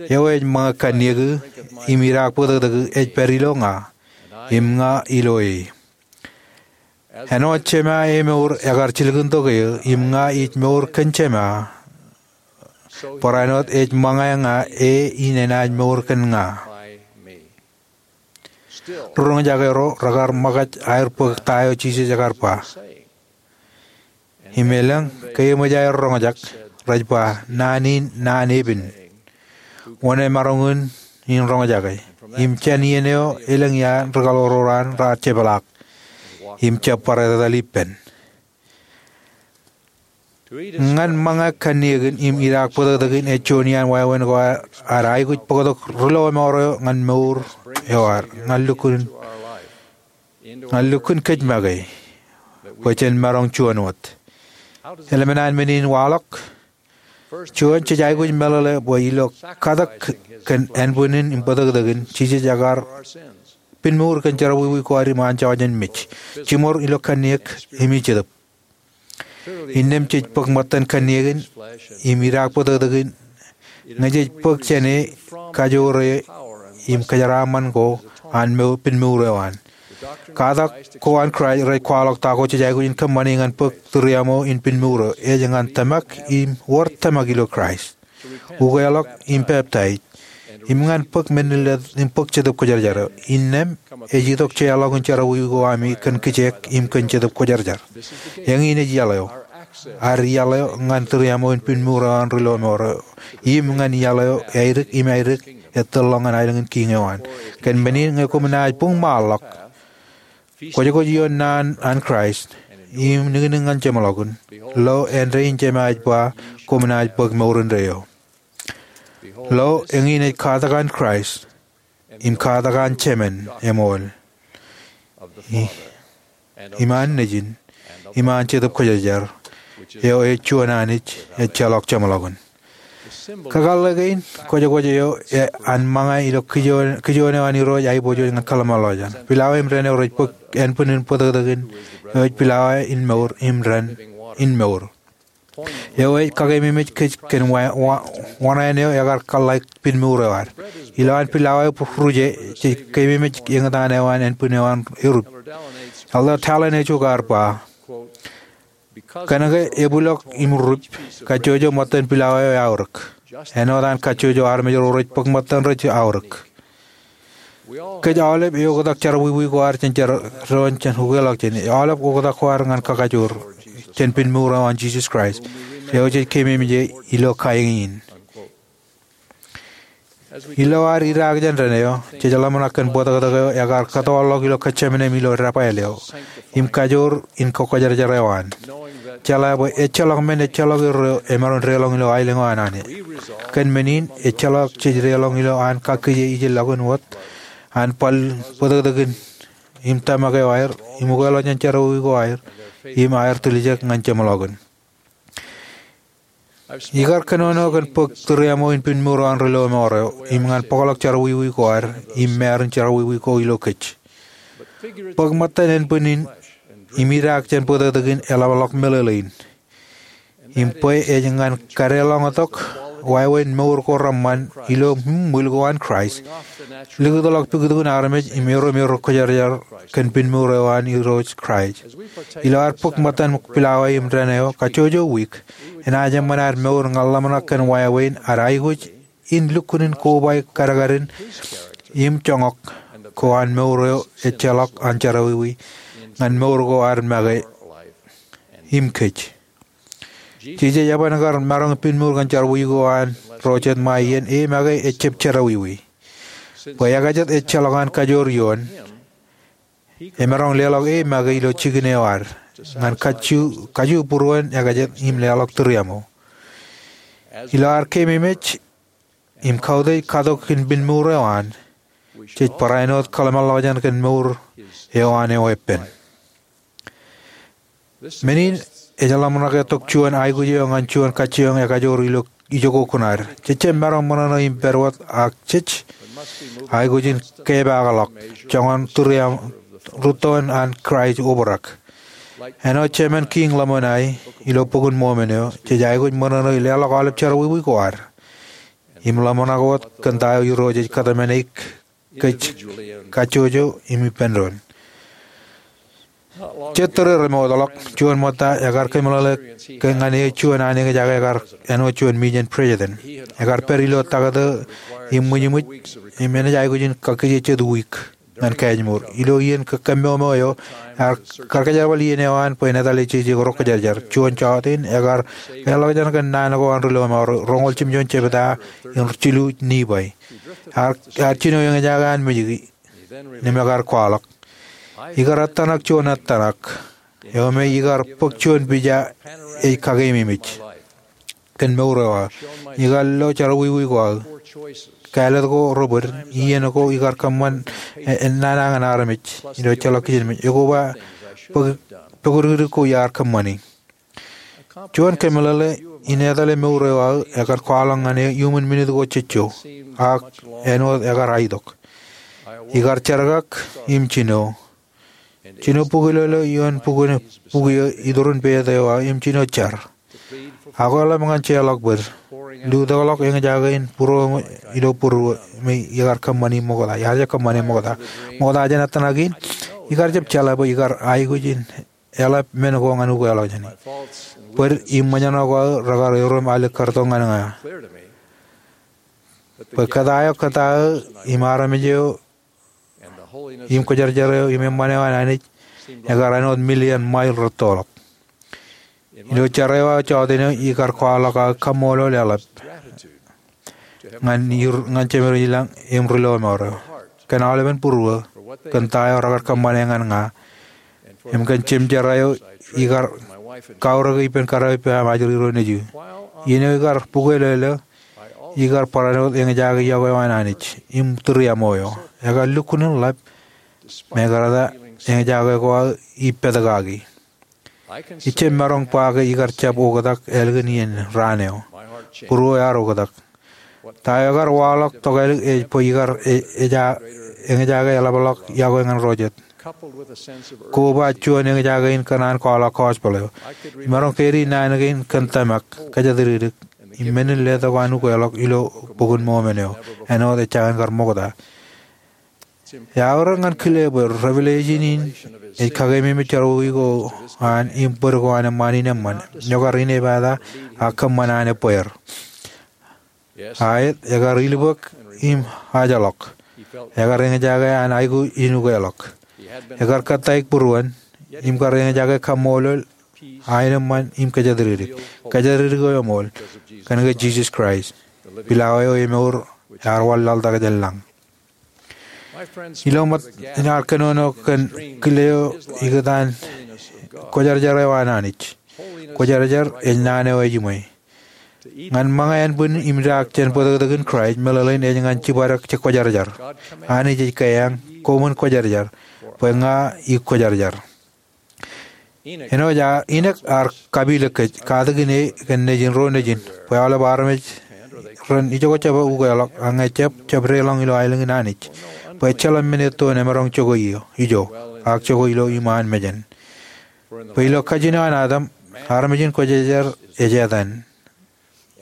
Eo ej ṃōñā kanniōki im idaak bōtōktōki ej pād ilo ña, im ña ilo e. Āinwōt Jema emour ekar jilkintok eō, im ña ij mour kōn Jema, barāinwōt ej ṃōñā ña e in enaaj mour kōn ña. Ri-roñjake ro rekar ṃōkaj aer bōk ta eo Jisōs ekar ba. Im elōñ ke eṃōj aer roñjake, rej ba, naan in naan epen, wōn emaroñ in roñjake. Im jān iien eo elōñ iaan rikaḷoor ro an raar jepḷaak im jab bar etetal ippān. Ñan ṃōñā kanniōkin im idaak bōtōktōkin ej juon iaan wāween ko ad aikuj bōktok ri lọmọọr eo ñan mour eo ad. Ñan lukkuun kōj make bwe jen maroñ juon wōt. Eḷap an men in waḷọk. Juon, jej aikuj meḷeḷe bwe ilo katak kōn ānbwinnin im bōtōktōkin, Jisōs ekar pinmour kōn jerọwiwi ko ad im an jọjien mej, jiṃor ilo kanniōk im ej Jetōb. Innām jej bōk ṃōttan kanniōkin im idaak bōtōktōkin ñe jej bōk jān e, kajoor e, im kōjeraaṃṃan ko an pinmour eo an. Katak ko an Kraist rej kwaḷọk ta ko jej aikuj in kōṃṃani ñan bōk tūriaṃo in pinmour eo, ej ñan tōmak im wōr tōmak ilo Kraist, ukeḷọk im peptaij, im ñan bōk men in letok im bōk Jetōb Kwōjarjar eo. Innām ej itok jeorḷọk in jerọwiwi ko ami kōn kijeek im kōn Jetōb Kwōjarjar. Eñin ej iaḷ eo, ad iaḷ eo ñan tūriaṃo in pinmour eo an ri lọmọọr eo, im ñan iaḷ eo aidik im aidik ettōrḷọk ñan aelōñ in kiiñ eo an. Kōn men in ñe koṃ naaj buñmaanḷọk, kwōjkwōj ioon naan an Kraist, im niknik ñan jeṃḷọkin, lo, āindein Jema ej ba, koṃ naaj bōk mour indeeo. Lo, eñin ej katak an Kraist, im katak an Jemān eṃool, im an Nejin, im an Jetōb Kwōjarjar, eo ej juon Anij ejjeḷọk jeṃḷọkin. Kakōḷḷe kein, kwōjkwōj eo an ṃōñā ilo kijoon eo an Irooj aiboojoj ñan kōḷmānḷọkjeṇ. Pilawa im dān eo rej bōk ānbwinnin bōtōktōkin, eo ej pilawa in mour im dān in mour. Eo ej kakeememej kōj kōn wa-, wa-, wōṇāān eo ekar kōḷḷāik pinmour eo ad. Ilowaan pilawa eo ruje, jej keememej eñtaan eo an ānbwin eo an erup. Elder Dallin H. Oak ear ba, kōnke ebwilọk im rup, kajjojo ṃōttan pilawa eo eaorōk āinwōt an kajjojo armej ro rej bōk ṃōttan rej aorōk. Kōj aolep eoktak jerọwiwi ko ad jān jar doon jān ukeḷọk jān e. Aolep oktak ko ad ñan kakajoor jān pinmour eo an Jisōs Kraist, eo jej keememej e ilo kain in. Ilo ad idaak jān dān eo, jej ḷōmṇak kōn bōtōktōk eo ekar kōtọọrḷọk ilo Getsemane im ilo debwāāl eo, im kajoor in kwōjarjar eo an. Jeḷā bwe ejjeḷọk men ejjeḷọk erro emaroñ deḷọñ ilo aelōñ eo an Anij. Kōn men in, ejjeḷọk jej deḷọñ ilo an kakkije ijellọkin wōt, an bōtōktōkin im tōmak eo aer, im ukeḷọk jān jerọwiwi ko aer, im aer tiljek ñan jeṃḷọkin. Ikar kōnono kōn bōk tūriaṃo in pinmour eo an ri lọmọọr eo, im ñan bōkḷọk jerọwiwi ko ad, im māārin jerọwiwi ko ilo kōj. Bōk ṃōttan ānbwinnin, im idaak jān bōtōktōkin eḷapḷọk meḷeḷein. Im bwe ej ñan kadeḷọñtok wāween mour ko reṃṃan ilo ṃwiil ko an Kraist, likūtḷọk puktukun armej im erom erro kwōjarjar kōn pinmour eo an Irooj Kraist. Ilo ad bōk ṃōttan pilawa im dān eo kajjojo wiik, enaaj eṃṃan ad mour ñan ḷōmṇak kōn wāween ad aikuj in lukkuun kobaik kadkadin im joñak ko an mour eo ejjeḷọk an jerọwiwi ñan mour ko ad make im kōj. Jisōs eban kar maroñ pinmour kōn jerọwiwi ko an ro jet ṃae iien e make ejjab jerọwiwi. Bwe ekajet ejjeḷọk an kajoor ioon, emaroñ leḷọk e make ilo jikin eo ad ñan kaju būruon ekajet im leḷọk tūriaṃo. Ilo ad keememej im kautiej katok in pinmour eo an, jej barāinwōt kōḷmānḷọkjeṇ kōn mour eo an eweeppān. Men in ej ḷōmṇak etok juon aikuj eo ñan juon kajjioñ ekajoor ilo ijoko kuṇaad. Jej jab maroñ ṃōṇōṇō im pād wōt ak jej aikuj in kepaakḷọk joñan tūriaṃ rūttoon an Kraist obrak. Āinwōt Jemān Kiiñ Ḷōmṇak ilo Bok in Mōmon eo, jej aikuj ṃōṇōṇō leḷọk aolep jerọwiwi ko ad im ḷōmṇak wōt kōn ta eo Irooj ej kōtmāne eik kōj kajjojo im ippān doon. Jet tōre remootḷọk, juon ṃōtta ekar kōmeḷeḷe ñan eō juon an eñjake ekar āinwōt juon mejān president. Ekar pād ilo taktō im ṃwijṃwij im enaaj aikuj in kakkije jet wiik ñan Kajmur. Ilo iien kōmmoomo eo, ear karkajerapeḷ iien eo an bwe en etale jeje ko ro kwōjarjar. Juon jọteen, ekar leḷọk jān kōn naan ko an ri lọmọọr, roñoul jimjuon jebta in jilu Nifai. Ear, ear jino eñjake an mejiki, im ekar kwaḷọk, ikar ettōṇak juon ettōṇak eo me ikar bōk juon pija ej kakeememej kōn mour eo aō. Ikar lo jerọwiwi ko aō, kāālōt ko rebōd, iien ko ikar kōṃṃan e, e, nana ñan armej ilo ejjeḷọk kijenmej. Ekoba pok, pokdikdik ko iar kōṃṃani. Juon kōmeḷeḷe in etale mour eo aō ekar kwaḷọk ñan eō iuṃwin minit ko jejjo, ak āinwōt ekar aitok. Ikar jerkak im jino. Jino bukwilōlō ioon bukwi, bukwi eo iturin peid eo aō im jino jar. Ak eḷap ñan jeorḷọk bōd. Lutōkḷọk eñjake in būruō ilo būruō me ikar kōṃṃani ṃokta. Iar jab kōṃṃane ṃokta. Ṃokta jān ettōṇak in, ikar jab jeḷā bwe ikar aikuj in eḷap men ko ñan ukeḷọk jāne. Bōd im ṃōjṇọ ko aō rekar erom alikkar tok ñan ña. Bwe kōttāeo, kōttāeo im armej eo im kwōjarjar eo im eṃṃan eo an Anij ekar āinwōt million mile rūttoḷọk. Ilo jar eo aō jọteen eo ikar kwaḷọk aō kaṃṃoolol eḷap ñan, ñan Jemed ilañ im ri lọmọọr eo, kōn aolepen būruō, kōn ta eo rekar kōṃṃane ñan ña, im kōn jemjerā eo ikar kaurōke ippān kōrā eo ippa im ajri ro nejū. Iien eo ikar bukwelōlō, ikar barāinwōt eñjake iọkwe eo an Anij im tūriaṃo eo. Ekar lukkuun in ḷap, mekarta eñjake ko aō ippatak kaki. Ij jab maroñ ba ke ikar jab oktak ālikin iien raan eo. Būruō ear oktak. Ta eo ekar waḷọk tokālik ej bwe ikar e, eja, eñjake eḷapḷọk iọkwe ñan ro jet, koba juon eñjake in kōṇaan kwaḷọk gospel eo. Imaroñ kōdikdik naan kein kōn tōmak, kōjatdikdik, im men in letok an ukeḷọk ilo Bok in Mōmon eo, āinwōt ejjañin kar ṃokta. Eaorōk ñan kile bwe revelation in ej kakeememej jerọwiwi ko an im bōd ko an eṃṃaan in eṃṃan, eo kar inepata ak kōṃṃan an ebbeer. Aet, ekar ilbōk im ajḷọk. Ekar eñjake an aikuj in ukeḷọk. Ekar kōttāik būruon, im kar eñjake kaṃṃoolol, aenōṃṃan im kōjatdikdik. Kōjatdikdik eo eṃool, kōnke Jisōs Kraist, pilawā eo emour, ear wanlaḷtak jān lañ. Ilo ṃōt, inaaj kōnono kōn kile eo ikōtaan kwōjarjar eo an Anij. Kwōjarjar ej naan eo ejiṃwe. Ñan ṃōñā ānbwin im idaak jān bōtōktōkin Kraist, meḷeḷein ej ñan jibadek kwōjarjar. Anij ej keañ, koṃwin kwōjarjar, bwe ña ikwōjarjar. Āinwōt Inōk ear kapilōk kōj, katakin e kōn nejin ro nejin, bwe aolep armej ren ijoko jab ukeḷọk, ak ñe jab, jab deḷọñ ilo aelōñ in Anij, bwe ejjeḷọk men etto en emaroñ jokwe ijo, ak jokwe ilo iṃaan mejān. Bwe ilo kajin eo an Adam, armej in kwōjarjar ej etan,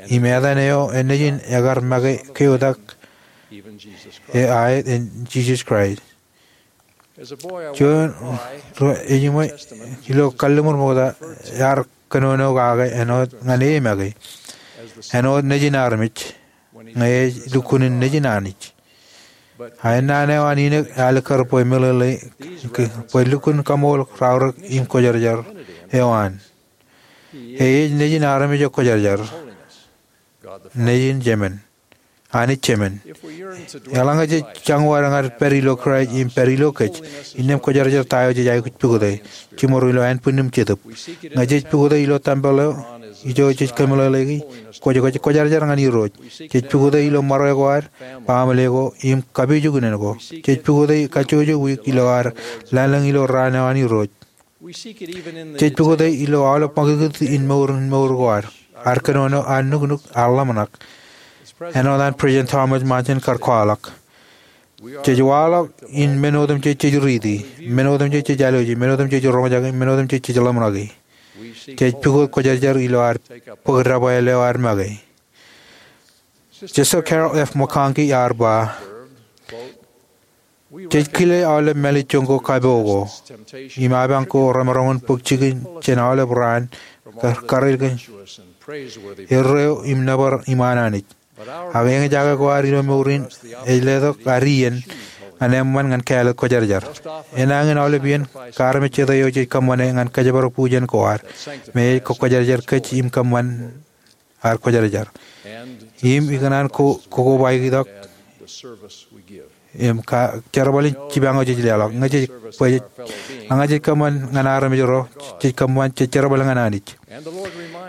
im etan eo nejin ekar make keotak, e aet, en Jisōs Kraist. Juon, ro, ejiṃwe, ilo kalliṃur ṃokta, ear kōnono kake āinwōt ñan e make, āinwōt Nejin armej, ñe ej lukkuun in Nejin Anij. Ak naan eo an Inōk alikkar bwe meḷeḷe, bwe lukkuun kaṃool, raorōk im kwōjarjar eo an. E ej Nejin armej eo kwōjarjar, Nejin Jemān, Anij Jemān. Eḷaññe jej jañin wōt ñan pād ilo Kraist im pād ilo kōj, innām kwōjarjar ta eo jej aikuj pukot e, jiṃor ilo ānbwinnim Jetōb. Ñe jej pukot e ilo tempel eo, ijo jej kōmeḷeḷeiki, kwōj, kwōj kwōjarjar ñan Irooj. Jej pukot e ilo ṃare ko ad, baaṃle ko, im kapijuknen ko. Jej pukot e kajjojo wiik ilo ad lōñlōñ ilo raan eo an Irooj. Jej pukot e ilo aolep ṃakūtkūt in mour, in mour ko ad. ear kōnono, ear nuknuk, ear ḷōmṇak. Āinwōt an President Thomas Monson kar kwaḷọk, jej waḷọk in men otemjej jej riiti, men otemjej jej aloeji, men otemjej jej roñjake, men otemjej jej ḷōmṇaki. Jej pukot Kwōjarjar ilo ad bōk debwāāl eo ad make. Sister Carol F. McConkie ear ba, jej kile aolep mālejjoñ ko kapo ko im apañ ko remaroñ in bōk jikin jān aolep raan, kar-, kareel kōn erreo im nōbar iṃaan Anij. Ak eñjake ko ad ilo mour in ej letok ad iien ñan eṃṃan ñan kāālōt Kwōjarjar. Enañin aolep iien ke armej jete eo jej kōṃṃane ñan kōjparok bujen ko ad me ej kwōjarjar kōj im kōṃṃan ad kwōjarjar. Im ikōṇaan ko-, kokobaik itok im ka-, jerbal in jipañ eo jej leḷọk. Ñe jej, bwe jej, ñe jej kōṃṃan ñan armej ro, jej kōṃṃan, jej jerbal ñan Anij.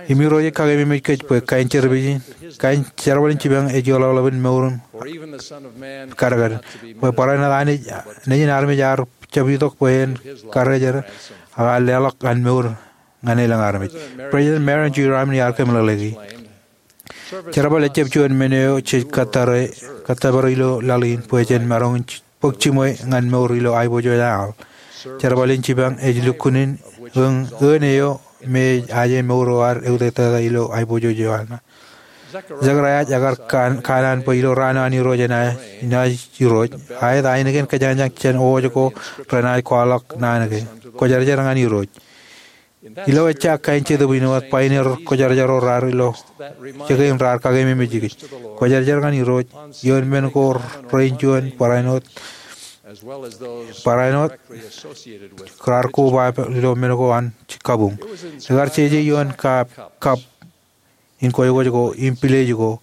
Im Irooj ej kakeememej kōj bwe kain jerbal in, kain jerbal in jipañ ej eḷapḷap in mour in kadkadin. Bwe barāinwōt Anij, Nejin armej ear jab itok bwe en karrejerrek ak ear leḷọk an mour ñan elōñ armej. President Marion G. Ryman ear kōmeḷeḷeiki, jerbal ejjab juon men eo jej kōttōpar, kōttōpar ilo laḷ in bwe jen maroñ in bōk jiṃwe ñan mour ilo aiboojoj aḷ. Jerbal in jipañ ej lukkuun in ōn, ōn eo me ej aje mour eo ad eutiej tata ilo aiboojoj eo aḷ ṇe. Zechariah ekar kan-, kanaan bwe ilo raan eo an Irooj enaaj, enaaj Irooj, aet ainikien kōjañjañ jān owōj ko renaaj kwaḷọk naan ke, Kwōjarjar ñan Irooj. Ilo ejja kain Jetōb in wōt, pioneer kwōjarjar ro raar ilo, jekien raar kakeememej kōj. Kwōjarjar ñan Irooj, ioon men ko rein juon barāinwōt, barāinwōt raar koba ilo men ko an kabuñ. Ekar jeje ioon kab, kab in kwōjkwōj ko, im pilej ko,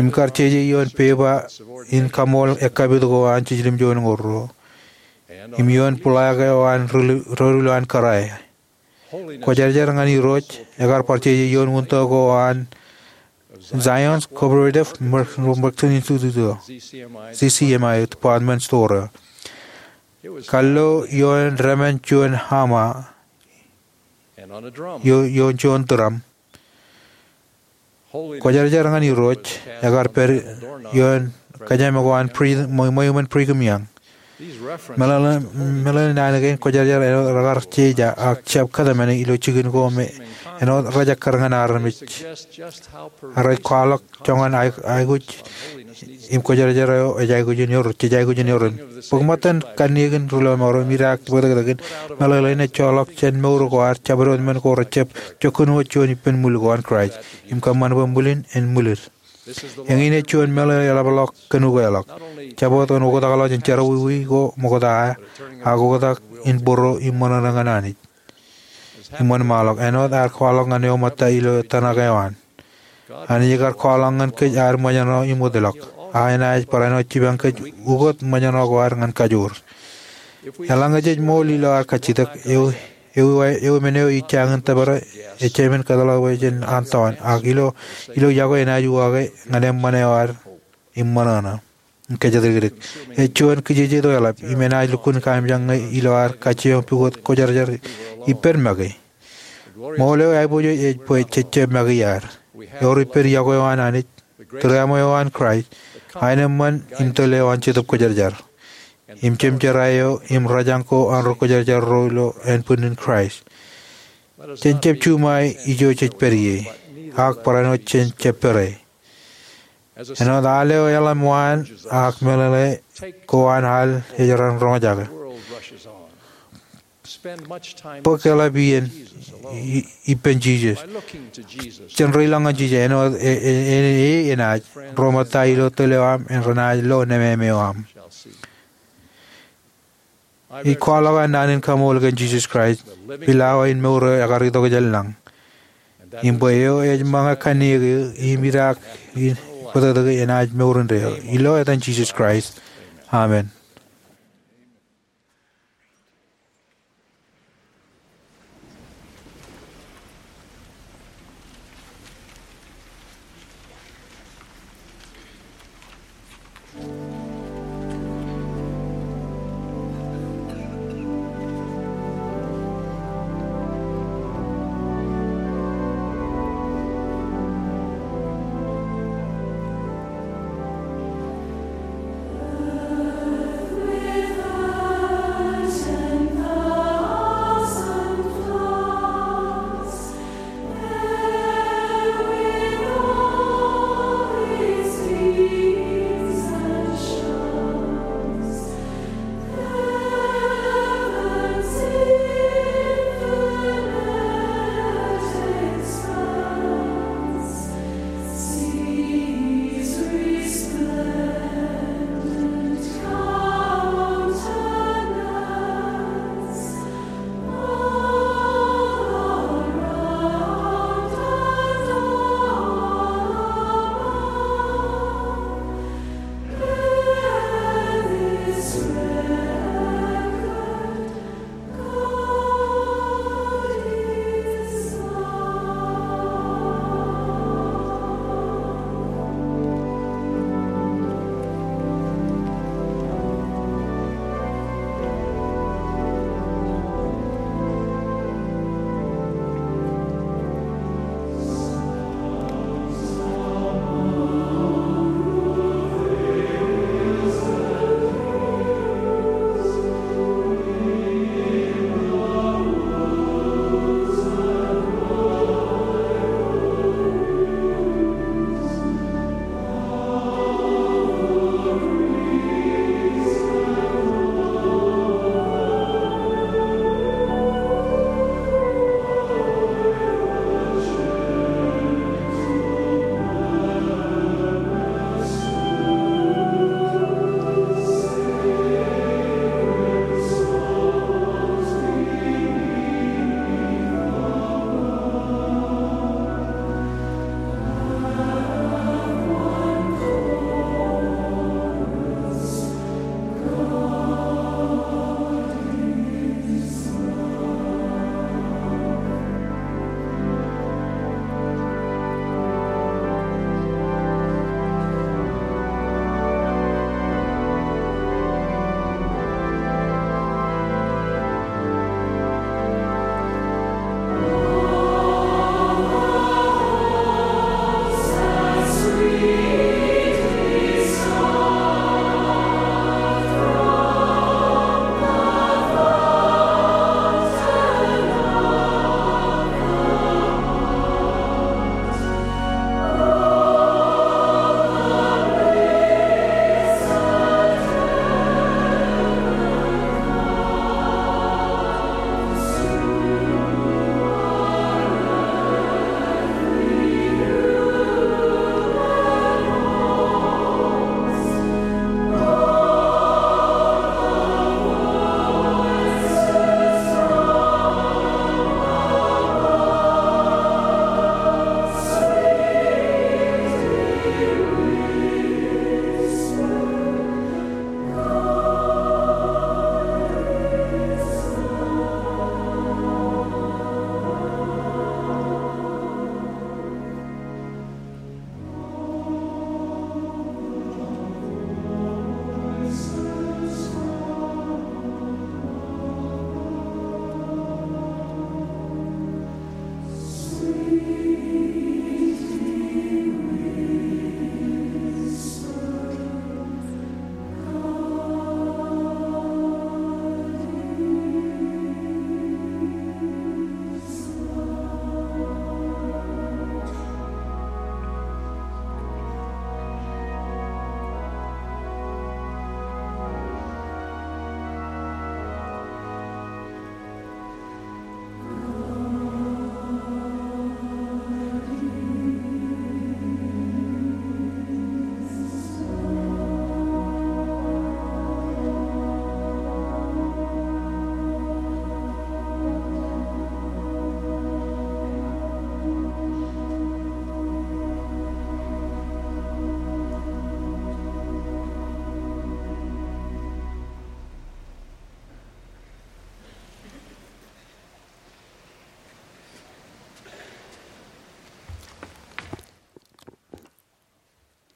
im kar jeje ioon pepa in kaṃool ekkapit ko an jiljilimjuon ñoul ruo, im ioon plaque eo an rū-, rūlulo an kōrā. Kwōjarjar ñan Irooj ekar bar jeje ioon wūntō ko an Zion's Cooperative Mer-, Merchant Institute, Z C M I Department Store. Kar lo ioon dāmān juon hama, io-, ioon juon turam. Kwōjarjar ñan Irooj ekar pād ioon kōjām ko an Bri-, ṃwe-, ṃweo in Brigham Young. Meḷeḷe, meḷeḷe naan kein kwōjarjar āinwōt rekar jeje ak jab kōtmāne ilo jikin ko me āinwōt rejekkar ñan armej. Ak rej kwaḷọk joñan aikuj im kwōjarjar eo ej aikuj in eor, jej aikuj in eor. Bōk ṃōttan kanniōk in rūlọmọọr im idaak bōtōktōkin meḷeḷe in ej joḷọk jān mour ko ad jabdewōt men ko rejjab jokkin wōt juon ippān ṃwil ko an Kraist im kōṃṃan bwe ṃwilin en ṃwilit. Eñin ej juon meḷeḷe eḷapḷọk kōn ukeḷọk, jab wōt kōn oktakḷọk jān jerọwiwi ko ṃokta, ak oktak in bōro im ṃōṇōṇō ñan Anij im wōnṃaanḷọk, āinwōt ear kwaḷọk ñan eo ṃōtta ilo tōmak eo an. Anij ekar kwaḷọk ñan kōj ad ṃōjṇọ im wōtlọk, ak enaaj barāinwōt jipañ kōj ukōt ṃōjṇọ ko ad ñan kajoor. Eḷaññe jej ṃool ilo ad kajjitōk, ewi, ewi, ewi men eo ij jañin tōpare, ejāmin kōtḷọk bwe jen an tọọn, ak ilo, ilo yokwe enaaj uwaake ñan eṃṃan eo ad im ṃōṇōṇō. Kōjatdikdik. Ej juon kijeje eo eḷap, im enaaj lukkuun kaimjak ñe ilo ad kajjioñ pukot kwōjarjar ippān make. Ṃool eo aiboojoj ej bwe jejjab make iaad. Ewōr ippān yokwe eo an Anij, tūriaṃo eo an Kraist, aenōṃṃan im tōl eo an Jetōb Kwōjarjar, im jemjerā eo im rōjañ ko an ri kwōjarjar ro ilo ānbwinnin Kraist. Jen jab juṃae ijo jej pād ie, ak barāinwōt jen jab pere. Āinwōt al eo eḷap waan ak meḷeḷe ko an al ej ren roñjake. Bōk eḷap iien i-, ippān Jisōs. Jen reiloñ ñan Jisōs āinwōt e, e, e, e, enaaj ro ṃōtta ilo tōl eo aṃ im renaaj lo nemāmeoṃ. Ij kwaḷọk an naan in kaṃool kōn Jisōs Kraist, pilawā in mour eo ekar itok jān lañ. Im bwe eo ej ṃōñā kanniōk eō im idaak in bōtōktōk enaaj mour indeeo. Ilo etan Jisōs Kraist. Amen.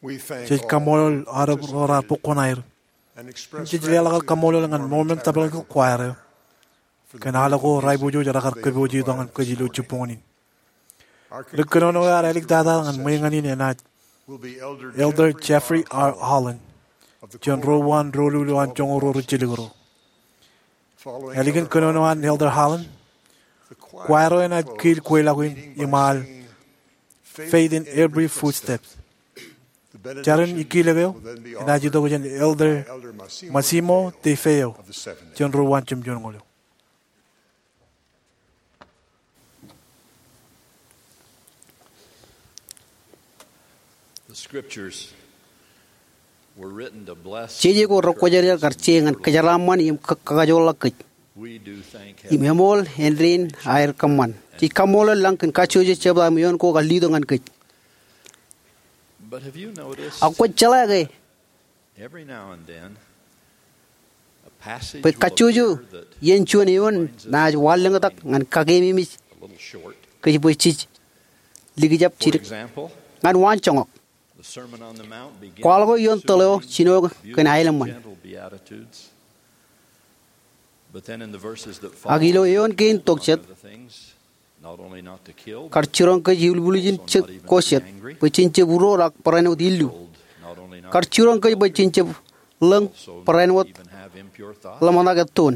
Jej kaṃṃoolol aolep ro raar bōk kuṇaer. Im jej leḷọk aer kaṃṃoolol ñan Mormon Tabernacle Choir eo kōn aolep ko raar aiboojoj rekar kōpooje itok ñan kōj ilo jibboñōn in. Ri kōnono eo ear āliktata ñan ṃweeñān in enaaj Elder Jeffrey R. Holland, jān ro uwaan doulul eo an joñoul ro ri jilkinro. Ālikin kōnono an Elder Holland, choir eo enaaj kiil kweilọk in im al Faith in Every Footstep. Jarin ikkilōk eo enaaj itok jān Elder Massimo De Feo, jān ro uwaan jemjoñoul eo. Jeje ko rekwōjarjar kar je ñan kōjeraaṃṃan im kakajoorḷọk kōj. Im eṃool āindein aer kōṃṃan. Jej kaṃṃoolol lañ kōn kajjojo jebta im eoon ko kar letok ñan kōj. Ak kwōj jeḷā ke bwe kajjojo iien juon eoon naaj wanlōñtak ñan kakeememej kōj bwe jej likjab jidik. Ñan waanjoñak, kwaḷọk ioon tōl eo jino kōn aenōṃṃan. Ak ilo eoon kein tok jet, kar jiroñ kōj ilubulujin ko jet, bwe jen jab uroor ak barāinwōt illu. Kar jiroñ kōj bwe jen jab lōñ barāinwōt ḷōmṇak ettoon.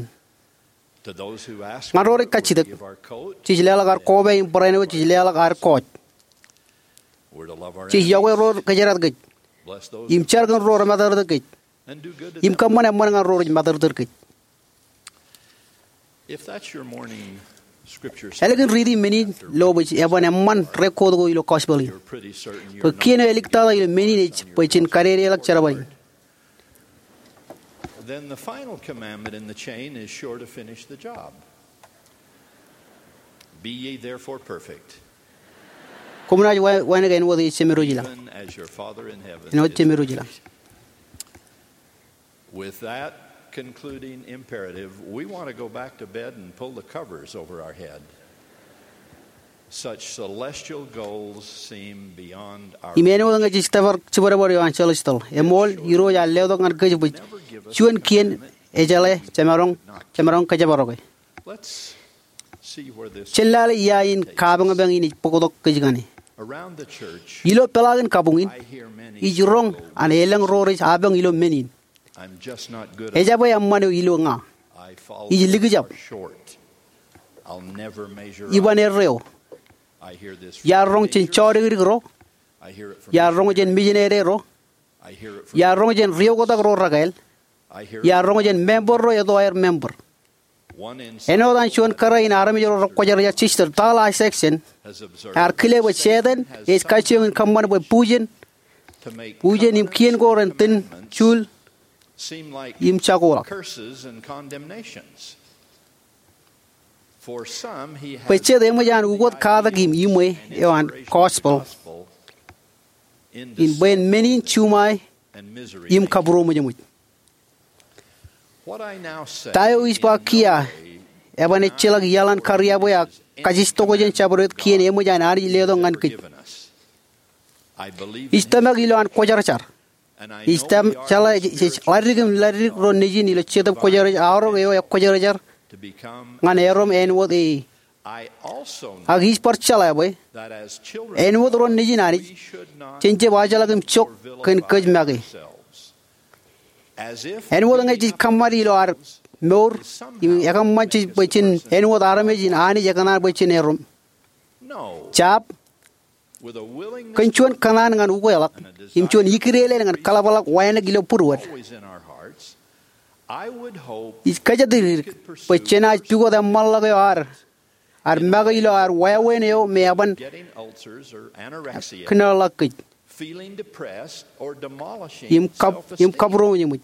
Ñan ro rej kajjitōk, jej leḷọk ad koba im barāinwōt jej leḷọk ad kọọj. Jej iọkwe ro rej kōjerata kōj im jar kōn ro rej matōrtōr kōj im kōṃṃan eṃṃan ñan ro rej matōrtōr kōj. Ālikin riiti men in lo bwe eban eṃṃan record ko ilo gospel in, bwe kien eo āliktata ilo men in ej bwe jen kadedeḷọk jerbal in. Then the final commandment in the chain is sure to finish the job. Be ye therefore perfect, Koṃ naaj wa- wānōk āinwōt ej Jemedwōj ilañ. Even as your Father in heaven Āinwōt Jemedwōj ilañ. With that concluding imperative, we want to go back to bed and pull the covers over our head. Such celestial goals seem beyond our Im āinwōt ñe jej tōpar jibadbad eo an celestial, eṃool Irooj ear letok ñan kōj bwe juon kien ejeḷā jemaroñ, jemaroñ kōjparok e. Let's see where this Jen lale ia in kapeñpeñ in ej bōktok kōj kaṇe. Around the church, Ilo peḷaakin kabuñ in, I hear many ij roñ an elōñ ro rej apañ ilo men in. I'm just not good enough. Ejabwe eṃṃan eo ilo ña. I fall Ij likjab. Short. I'll never measure up. Iban erreo. I hear this from Iar roñ jān jọdikdik ro. I hear it from Iar roñ jān mijinede ro. I hear it from Iar roñ jān ri-oktak ro rekāāl. I hear it Iar roñ jān member ro eto aer member. Āinwōt an juon kōrā in armej ro rekwōjarjar, Sister Tal Isackson, ear kile bwe Setan ej kajjioñ in kōṃṃan bwe bujen, bujen im kien ko ren tōn juul im jakoḷọk. Bwe jet eṃōj an ukōt katak im iṃwe eo an gospel in bwien men in, juṃae im kabūroṃōjṃōj. Ta eo ij ba kiiō eban ejjeḷọk iaḷan kariab eo ak kajjitōk jān jabdewōt kien eṃōj an Anij letok ñan kōj. Ij tōmak ilo an kwōjarjar. Ij tōm- jeḷā jej ḷaddik im ḷaddik ro nejin ilo Jetōb Kwōjarjar, aorōk eo ekwōjarjar ñan erom āinwōt e. Ak ij bar jeḷā bwe āinwōt ro nejin Anij, jen jab ajḷọk im jok kōn kōj make. Āinwōt ñe jej kōṃṃan ilo ad mour im ekōṃṃan jej bwe jen āinwōt armej in Anij ekōṇaan bwe jen erom. Jab, kōn juon kōṇaan ñan ukweḷọk im juon ikdeleen ñan kaḷapḷọk wānōk ilo būruod, ij kōjatdikdik bwe jenaaj pukot eṃṃanḷọk eo ad, ad make ilo ad wāween eo me eban kōnoḷọk kōj im kab- im kabūroṃōjṃōj.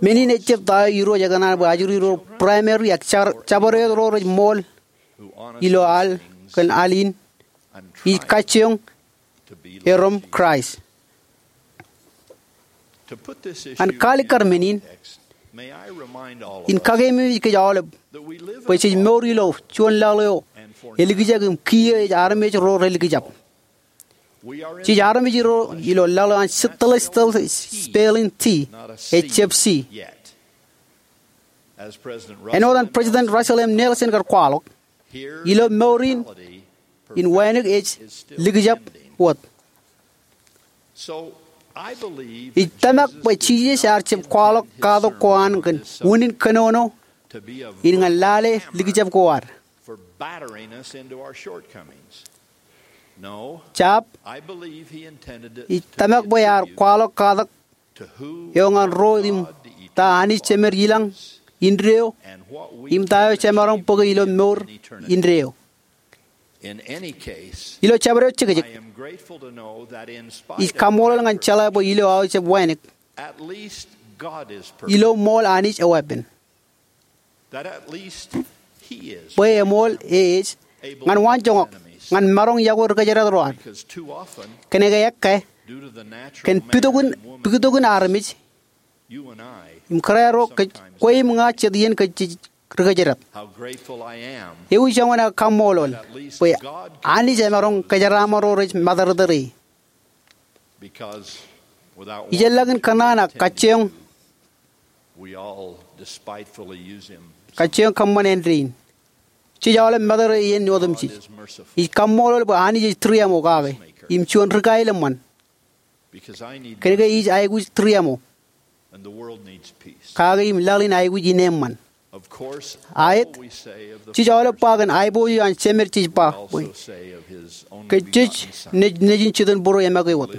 Men in ejjab ta eo Irooj ekōṇaan bwe ajri ro primary ak jar- jabdewōt ro rej ṃool ilo al kōn al in ij kajjioñ erom Kraist. An kaalikkar men in, in kakeememej kōj aolep bwe jej mour ilo juon laḷ eo elikjak im kiiō ej armej ro relikjab. Jej armej ro ilo laḷ eo an celestial spelling tea, ejjab C. Āinwōt an President Russell M. Nelson kar kwaḷọk, ilo mour in, in wānōk ej likjab wōt. Ij tōmak bwe Jisōs ear jab kwaḷọk katak ko an kōn unin kōnono in ñan lale likjab ko ad. Jab, ij tōmak bwe ear kwaḷọk katak eo ñan ro im ta Anij Jemed ilañ indeeo, im ta eo jemaroñ bōke ilo mour indeeo. Ilo jabdewōt jekjek, ij kaṃṃoolol ñan jeḷā bwe ilo aō jab wānōk, ilo ṃool Anij eweeppān. Bwe eṃool e ej ñan waanjoñak ñan maroñ yokwe ri kōjdat ro ad. Kōnke ekkā, kōn puktokin, puktokin armej, im kōrā ro kōj, kwe im ña jet iien kōj jej ri kōjdat. Ewi joñan aō kaṃṃoolol bwe Anij emaroñ kōjeraaṃṃan ro rej matōrtōr e. Ijellọkin kōṇaan ak kajjioñ, kajjioñ kōṃṃan āindein, jej aolep matōrtōr e iien otemjej. Ij kaṃṃoolol bwe Anij ej tūriaṃo kake im juon ri-kael eṃṃan. Kōnke ij aikuj tūriaṃo kake im laḷ in aikuj ineeṃṃan. Aet, jej aolep ba kōn aiboojoj an Jemed jej ba bwe kōj jej Nejin Jitōnbōro eṃake wōt,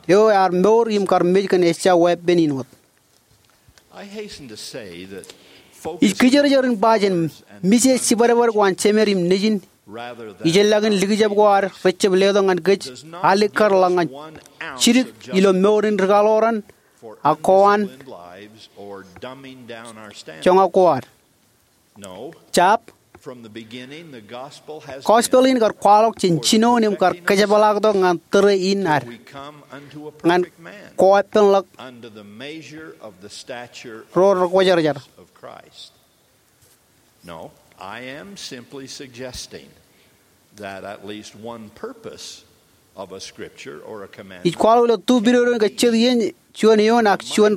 eo ear mour im kar mej kōn ejja weeppān in wōt. Ij kijerjer in ba jān mije jibadbad ko an Jemed im Nejin, ijellọkin likjab ko ad rejjab letok ñan kōj alikkar ḷọk ñan jidik ilo mour in ri-kaḷoran ak ko an joñak ko ad. Jab, gospel in kar kwaḷọk jān jinoin im kar kōjepḷaaktok ñan tōre in ad, ñan koeppānḷọk ro rekwōjarjar. Ij kwaḷọk ilo tu pidodo in ke jet iien, juon eoon ak juon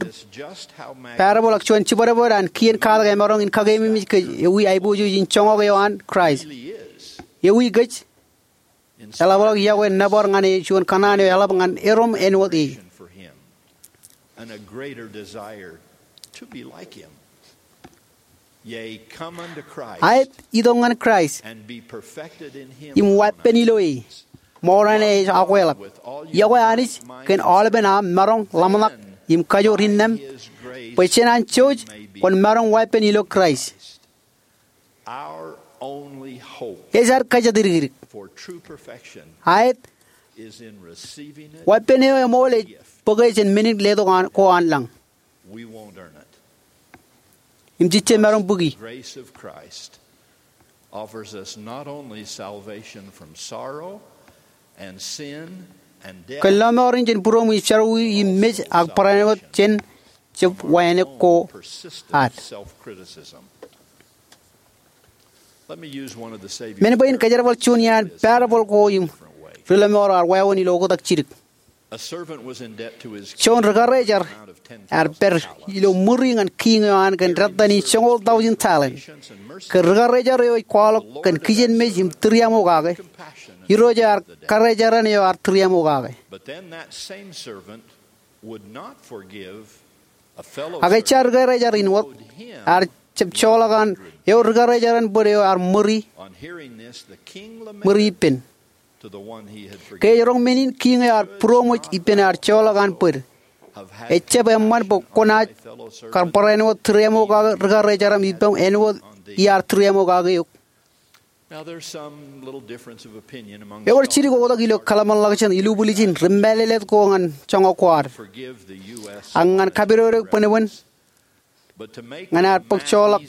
parable ak juon jibadbad an kien katak emaroñ in kakeememej kōj ewi aiboojoj in joñak eo an Kraist. Ewi kōj eḷapḷọk yokwe nōbar ñan e juon kōṇaan eo eḷap ñan erom āinwōt e. Aet, itok ñan Kraist im weeppān ilo e, ṃool an ej akweḷap. Iọkwe Anij kōn aolepen aṃ maroñ ḷōmṇak im kajoor innām, bwe jān anjouj kwōn maroñ weeppān ilo Kraist. Ej ad kōjatdikdik. Aet, weeppān eo eṃool ej bōke jān men in letok ko an lañ. Im jejjab maroñ bōki. Kōn lọmọọr in jān būroṃ ij jerọwiwi im mej ak barāinwōt jān jab wānōk ko ad. Men bwe in kōjerbal juon iaan parable ko im ri lọmọọr ear wāween ilo oktak jidik. Juon ri-karijer ear pād ilo ṃuri ñan kiiñ eo an kōn dettan in joñoul taujin talent. Ke ri-karijer eo ej kwaḷọk kōn kijenmej im tūriaṃo kake, Irooj eo ear karijeran eo ear tūriaṃo kake. Ak ejja ri-karijer in wōt, ear jab joḷọk an eo ri-karijeran bōd eo ear ṃuri, ṃuri ippān. Ke ej roñ men in, kiiñ eo ear būroṃōj ippān ear joḷọk an bōd, ejjab eṃṃan bwe kwōnaaj kar barāinwōt tūriaṃo kake ri-karijeram ippaṃ āinwōt iar tūriaṃo kake eok. Ewōr jidik oktak ilo kōḷmānḷọkjeṇ ilubwiljin ri mālōtlōt ko ñan joñak ko ad, ak ñan kapidodo bōnbōn ñan ad bōk joḷọk.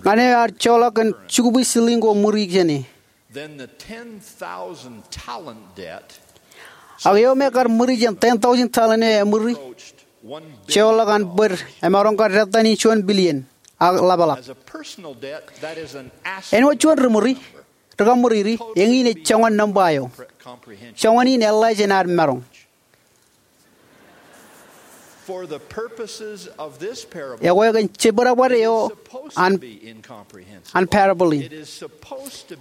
Ñan eo ear joḷọk kōn jukwi silling ko ṃuri jāne, ak eo me kar ṃuri jān ten thousand talent eo eṃuri, joḷọk an bōd emaroñ kar dettan in juon billion. ak ḷapḷap. Āinwōt juon ri ṃuri, ri kaṃṃuriri, eñin ej joñan nōṃba eo. Joñan in eḷḷā jān ad maroñ. Ekwe kōn jebwidabwid eo an, an parable in,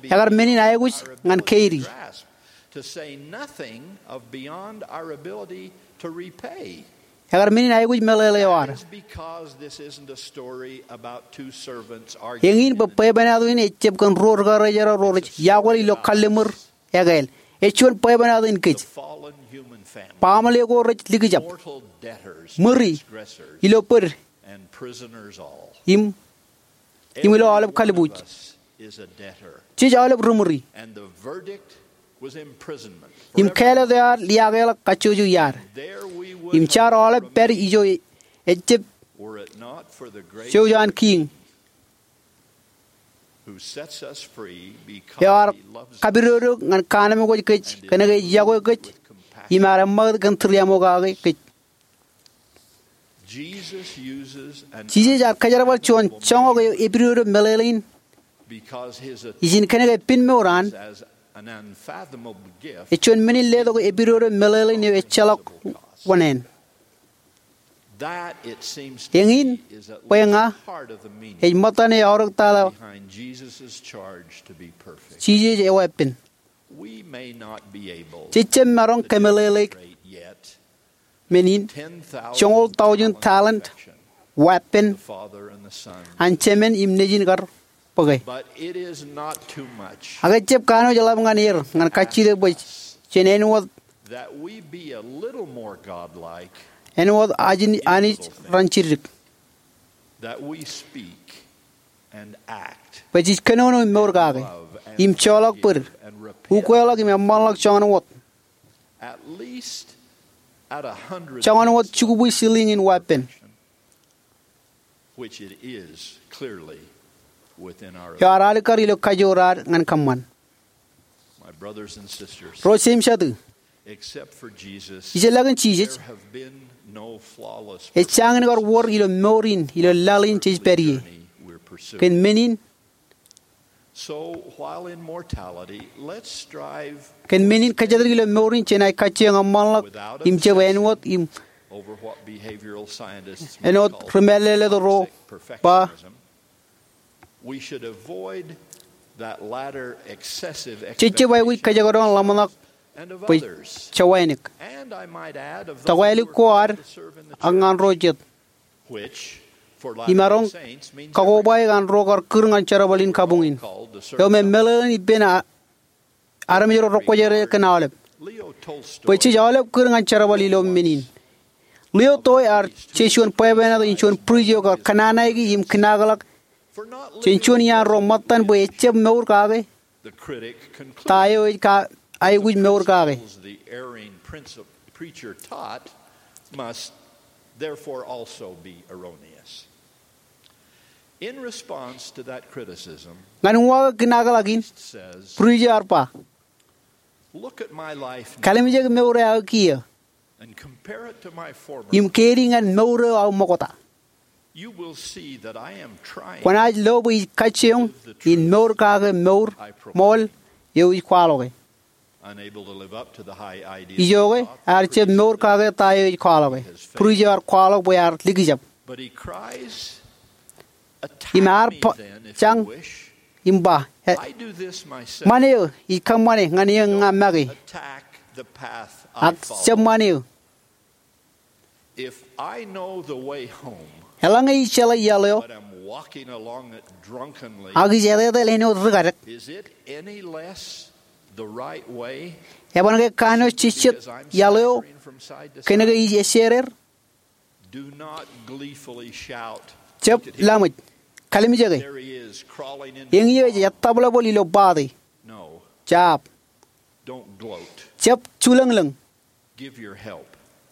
ekar men in aikuj ñan keidi. Ekar men in aikuj meḷeḷe eo ad. Eñin bwe bwebwenato in ejjab kōn ruo ri karijerọ ro rej iakwōl ilo kalliṃur ekāāl. Ej juon bwebwenato in kōj. Baaṃle ko rej likjab, ṃuri, ilo bōd, im, im ilo aolep kalbuuj. Jej aolep ri ṃuri. Im kāālōt eo ad liaakḷọk kajjojo iaad. Im jaar aolep pād ijo ejjab jouj an Kiiñ, eo ear kapidodo ñan kaanemkwōj kōj kōnke ej yokwe kōj im ear eṃṃakūt kōn tūriaṃo kake kōj. Jisōs ear kōjerbal juon joñak eo epidodo meḷeḷein ijin kōnke pen mour an ej juon men in letok epidodo meḷeḷein eo ejjeḷọk wōṇāān. Eñin bwe ña ej ṃōttan eo eaorōk tata Jisōs eweeppān. Jej jab maroñ kōmeḷeḷeik men in joñoul taujin talent weeppān an Jemān im Nejin kar bōke. Ak ejjab kanooj ḷap ñan er ñan kajjitōk bwe jen āinwōt, āinwōt Anij ren jiddik. Bwe jej kōnono im mour kake, im joḷọk bōd, ukweḷọk im eṃṃanḷọk joñan wōt, joñan wōt jukubwi silin in weeppān. Eo ear alikkar ilo kajoor ad ñan kōṃṃan. Ro jeiū im jatū, ijellọkin Jisōs, ejjañin kar wōr ilo mour in ilo laḷ in jej pād ie. Kōn men in, kōn men in kōjatdikdik ilo mour in, jenaaj kajjioñ eṃṃanḷọk im jab āinwōt im āinwōt ri mālōtlōt ro ba, jej jab aikuj kōjekdọọn ḷōmṇak bwe jewānōk, tokālik ko ad, ak ñan ro jet. Imaroñ kakobaik an ro kar kūr ñan jerbal in kabuñ in, eo me meḷeḷein ippān armej ro rekwōjarjar kōn aolep, bwe jej aolep kūr ñan jerbal ilo men in. Leo Toy ear je juon bwebwenato in juon bwij eo kar kōnnaanaiki im kinaakḷọk jān juon iaan ro ṃōttan bwe ejjab mour kake ta eo ej aikuj mour kake. Ñan uwaak kinaakḷọk in, bwij eo ear ba, kalimjek mour eo aō kiiō im keidi ñan mour eo aō ṃokta. Kwōnaaj lo bwe ij kajjioñ in mour kake mour ṃool eo ij kwaḷọke. Ijoke ear jab mour kake ta eo ej kwaḷọke. Bwij eo ear kwaḷọk bwe ear likjab. Im ear jañ im ba, ṃan eō, ij kōṃṃane ñan eō ña make. Ak jab ṃan eō. Eḷaññe ij jeḷā iaḷ eo ak ij etetal āinwōt ri kadek, eban ke kanooj jejjet iaḷ eo kōnke ij ejjeer er? Jab laṃōj, kalimjeke. Eñin ej ettōpḷapḷọk ilo bate. Jab. Jab julōñlōñ.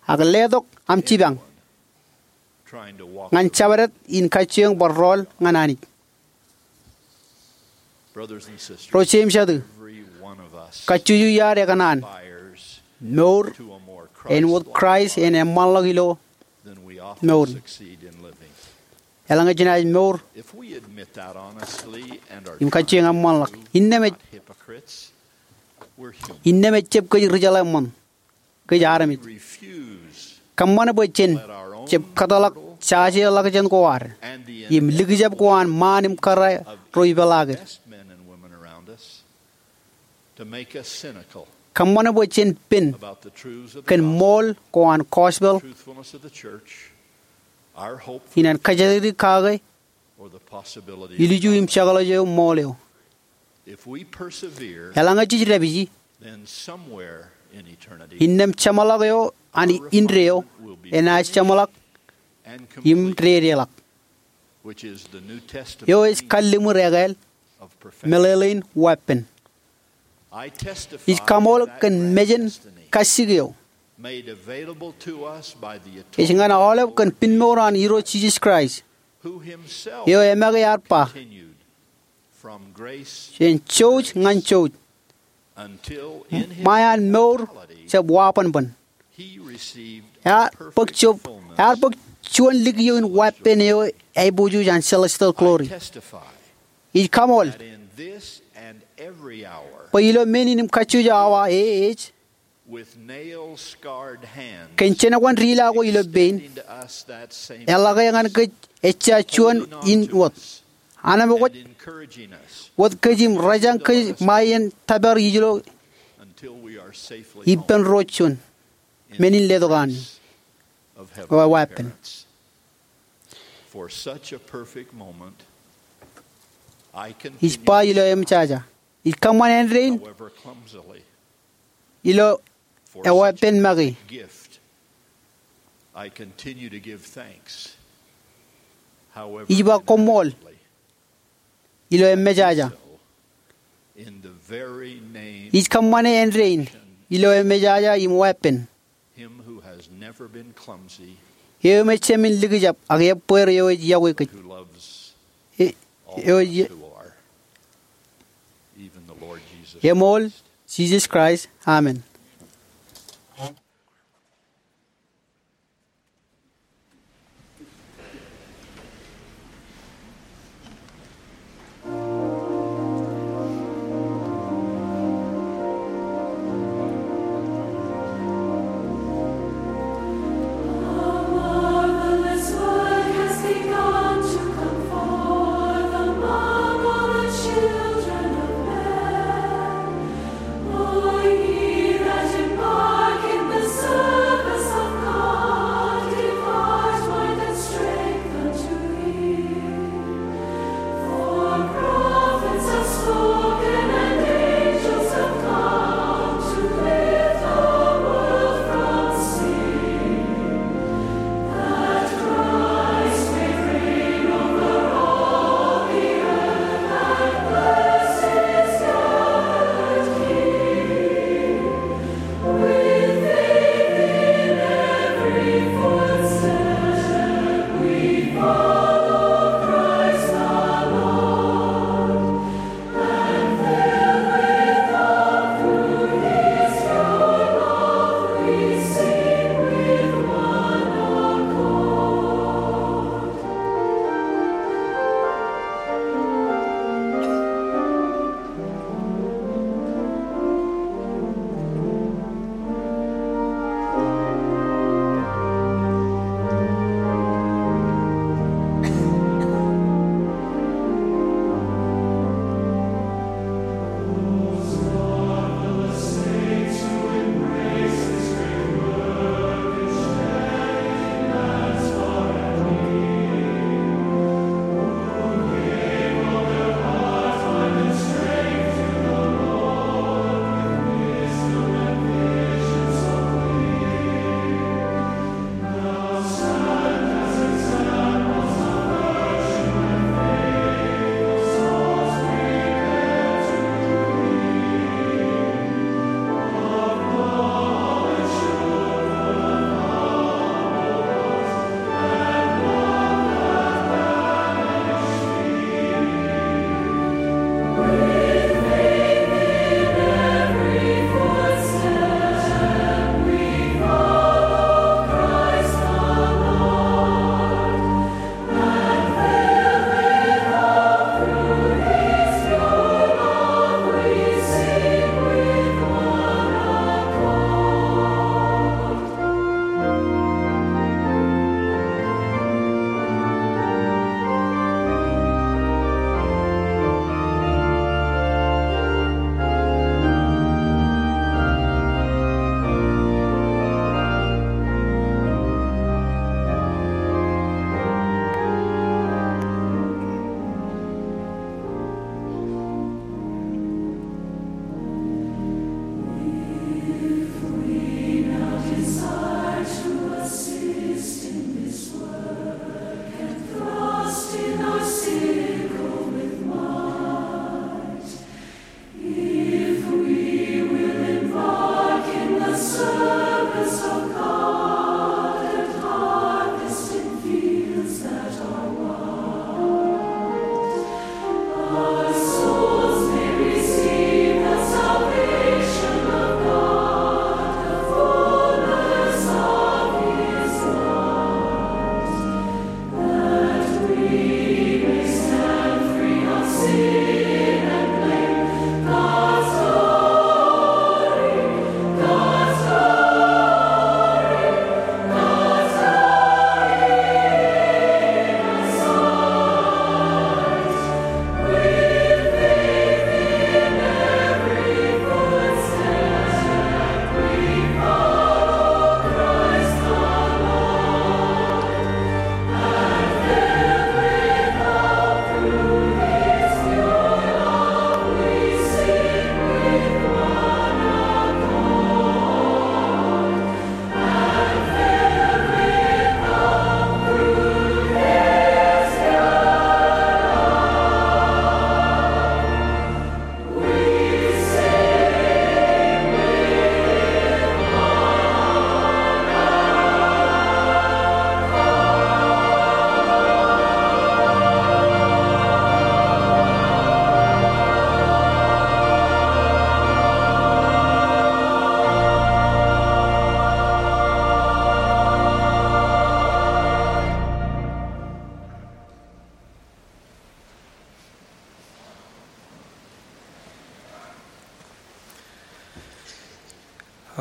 Ak letok aṃ jipañ ñan jabdewōt in kajjioñ bar rọọl ñan Anij. Ro jeiū im jatū, kajjojo iaad ekōṇaan mour āinwōt Kraist en eṃṃanḷọk ilo mour in. Eḷaññe jenaaj mour im kajjioñ eṃṃanḷọk, innām ej, innām ejjab kōj ri jeḷā eṃṃan. Kōj armej. Kōṃṃan bwe jen jab kōtḷọk jajeḷọkjeṇ ko ad im likjab ko an ṃaan im kōrā ro ipeḷaakid. Kōṃṃan bwe jen pen kōn ṃool ko an gospel in an kōjatdikdik kake, ilju im jekḷaj eo ṃool eo. Eḷaññe jej dāpiji, innām jeṃḷọk eo an indeeo enaaj jeṃḷọk im dedeḷọk, eo ej kalliṃur ekāāl meḷeḷein weeppān. Ij kaṃool kōn mejān kajjik eo ej ñan aolep kōn pinmour an Irooj Jisōs Kraist, eo emake ear ba, jān jouj ñan jouj, ṃae an mour jab wabanban, ear bōk juon lik ioin weeppān eo aiboojoj an celestial glory. Ij kaṃool bwe ilo men in im kajjojo awa e ej, kōn jenōkwan dila ko ilo pein, eḷak ñan kōj ejja juon in wōt, anemkwōj wōt kōj im rōjañ kōj ṃae iien tōpar ijlo ippān ro juon men in letok an weeppān. Ij ba ilo eṃōjaja, ij kōṃṃan āindein ilo eweeppān make. Ij ba koṃṃool ilo eṃōjaja. Ij kōṃṃane āindein ilo eṃōjaja im weeppān, eo im ejāmin likjab ak ebbweer eo ej yokwe kōj, eo ej eṃool Jisōs Kraist, amen.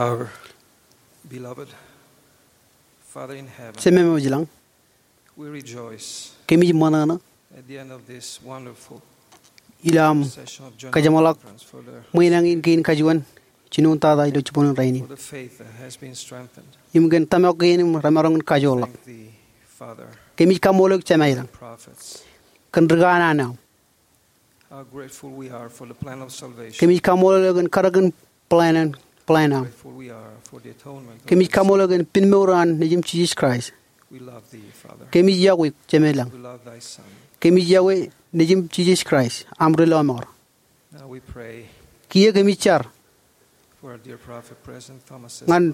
Our beloved Father in heaven, Jemem eo ej ilañ, we rejoice kemij ṃōṇōṇō at the end of this wonderful ilo aṃ session of General kōjeṃḷọk Conference for the ṃweeṇañ in kein kajuon jinoin tata ilo jibboñin rainin, for the faith that has been strengthened. Im kōn tōmak kein im remaroñ in kajoorḷọk. Thank thee, Father, kemij kaṃṃoolol eok Jema ilañ, prophets, kōn ri kanaan eo aṃ. How grateful we are for the plan of salvation. Kemij kaṃṃoolol eok kōn karōk in plan, plan eo aṃ. Grateful we are for the atonement of our sins. Kemij kaṃṃoolol eok kōn pinmour eo an Nejiṃ Jisōs Kraist. We love thee, Father. Kemij iọkwe eok Jema ilañ. We love thy Son. Kemij iọkwe Nejiṃ Jisōs Kraist, aṃ Ri-lọmọọr. Now we pray. Kiiō kemij jar for our dear prophet, President Thomas S. Monson, ñan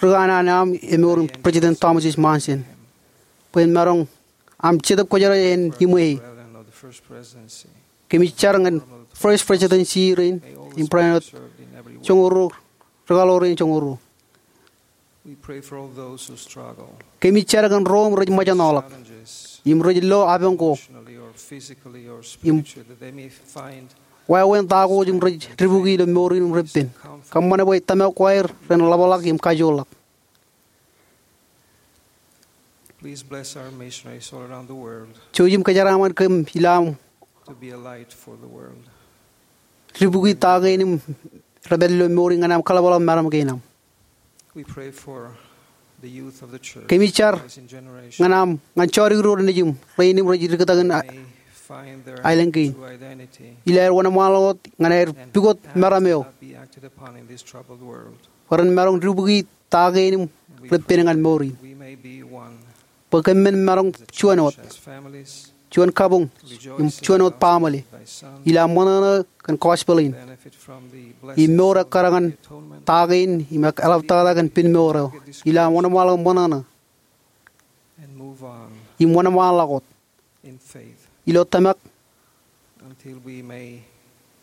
ri kanaan eo aṃ, emour in President Thomas S. Monson, bwe en maroñ aṃ Jetōb Kwōjarjar en iṃweie. Kemij jar ñan First Presidency rein im bwe en wōt joñoul ruo, rūkaḷoor rein joñoul ruo. Kemij jar kōn ro im rej ṃōjṇọḷọk im rej lo apañ ko im wāween ta ko im rej dibukwi ilo mour in im reppen. Kōṃṃane bwe tōmak ko aer ren ḷapḷọk im kajoorḷọk. Jouj im kōjeraaṃṃan kōm ilo aṃ dibukwi ta kein im rej pād ilo mour in ñan aṃ kaḷapḷọk meram kein aṃ. Kemij jar ñan aṃ, ñan jodikdik ro nejiṃ rein im rej diktakin aelōñ kein. Ilo aer wōnṃaanḷọk wōt ñan aer pukot meram eo bwe ren maroñ dibukwi ta kein im reppen ñan mour in. Bwe kōm men maroñ juon wōt, juon kabuñ, im juon wōt baaṃle ilo aṃ ṃōṇōṇō kōn gospel in im mour ekkar ñan ta kein im eḷaptata kōn pinmour eo ilo aṃ wōnṃaanḷọk ṃōṇōṇō im wōnṃaanḷọk wōt ilo tōmak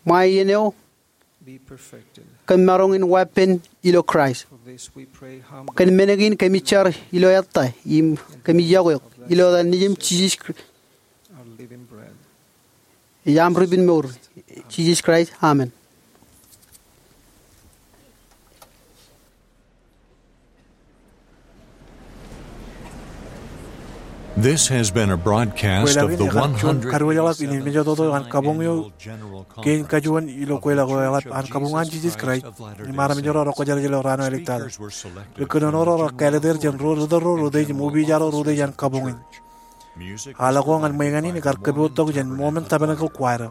ṃae iien eo kōm maroñ in weeppān ilo Kraist. Kōn men kein kōmij jar ilo ettā im kōmij iọkwe eok ilo etan Nejiṃ Jisōs Kraist, ej aṃ Ri-pinmour, Jisōs Kraist. Amen. This has been a broadcast of the one hundred eighty-seventh annual General Conference of the Church of Latter-day Saints. Kwōjeḷā in ear juon kadiwōjḷọk in mejatoto an kabuñ eo kein kajuon ilo kweilọk eo eḷap an kabuñ an Jisōs Kraist im armej ro rekwōjarjar ilo raan eo āliktata. Ri kōnono ro rekāālōt er jān ro ri tōl ro rej utiej im opiij ro rej utiej an kabuñ in. Aḷ ko ñan ṃweeṇ in ekar kōpooj tok jān Mormon Tabernacle Choir.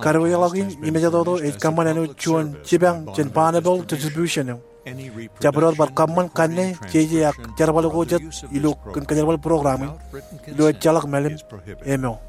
Kadiwōjḷọk in mejatoto ej kōṃṃan āinwōt juon jipañ jān Bonneville Distribution eo. Jabdewōt bar kōṃṃan kanne, jeje ak jerbal ko jet ilo kōn kōjerbal program in ilo ejjeḷọk mālim eo.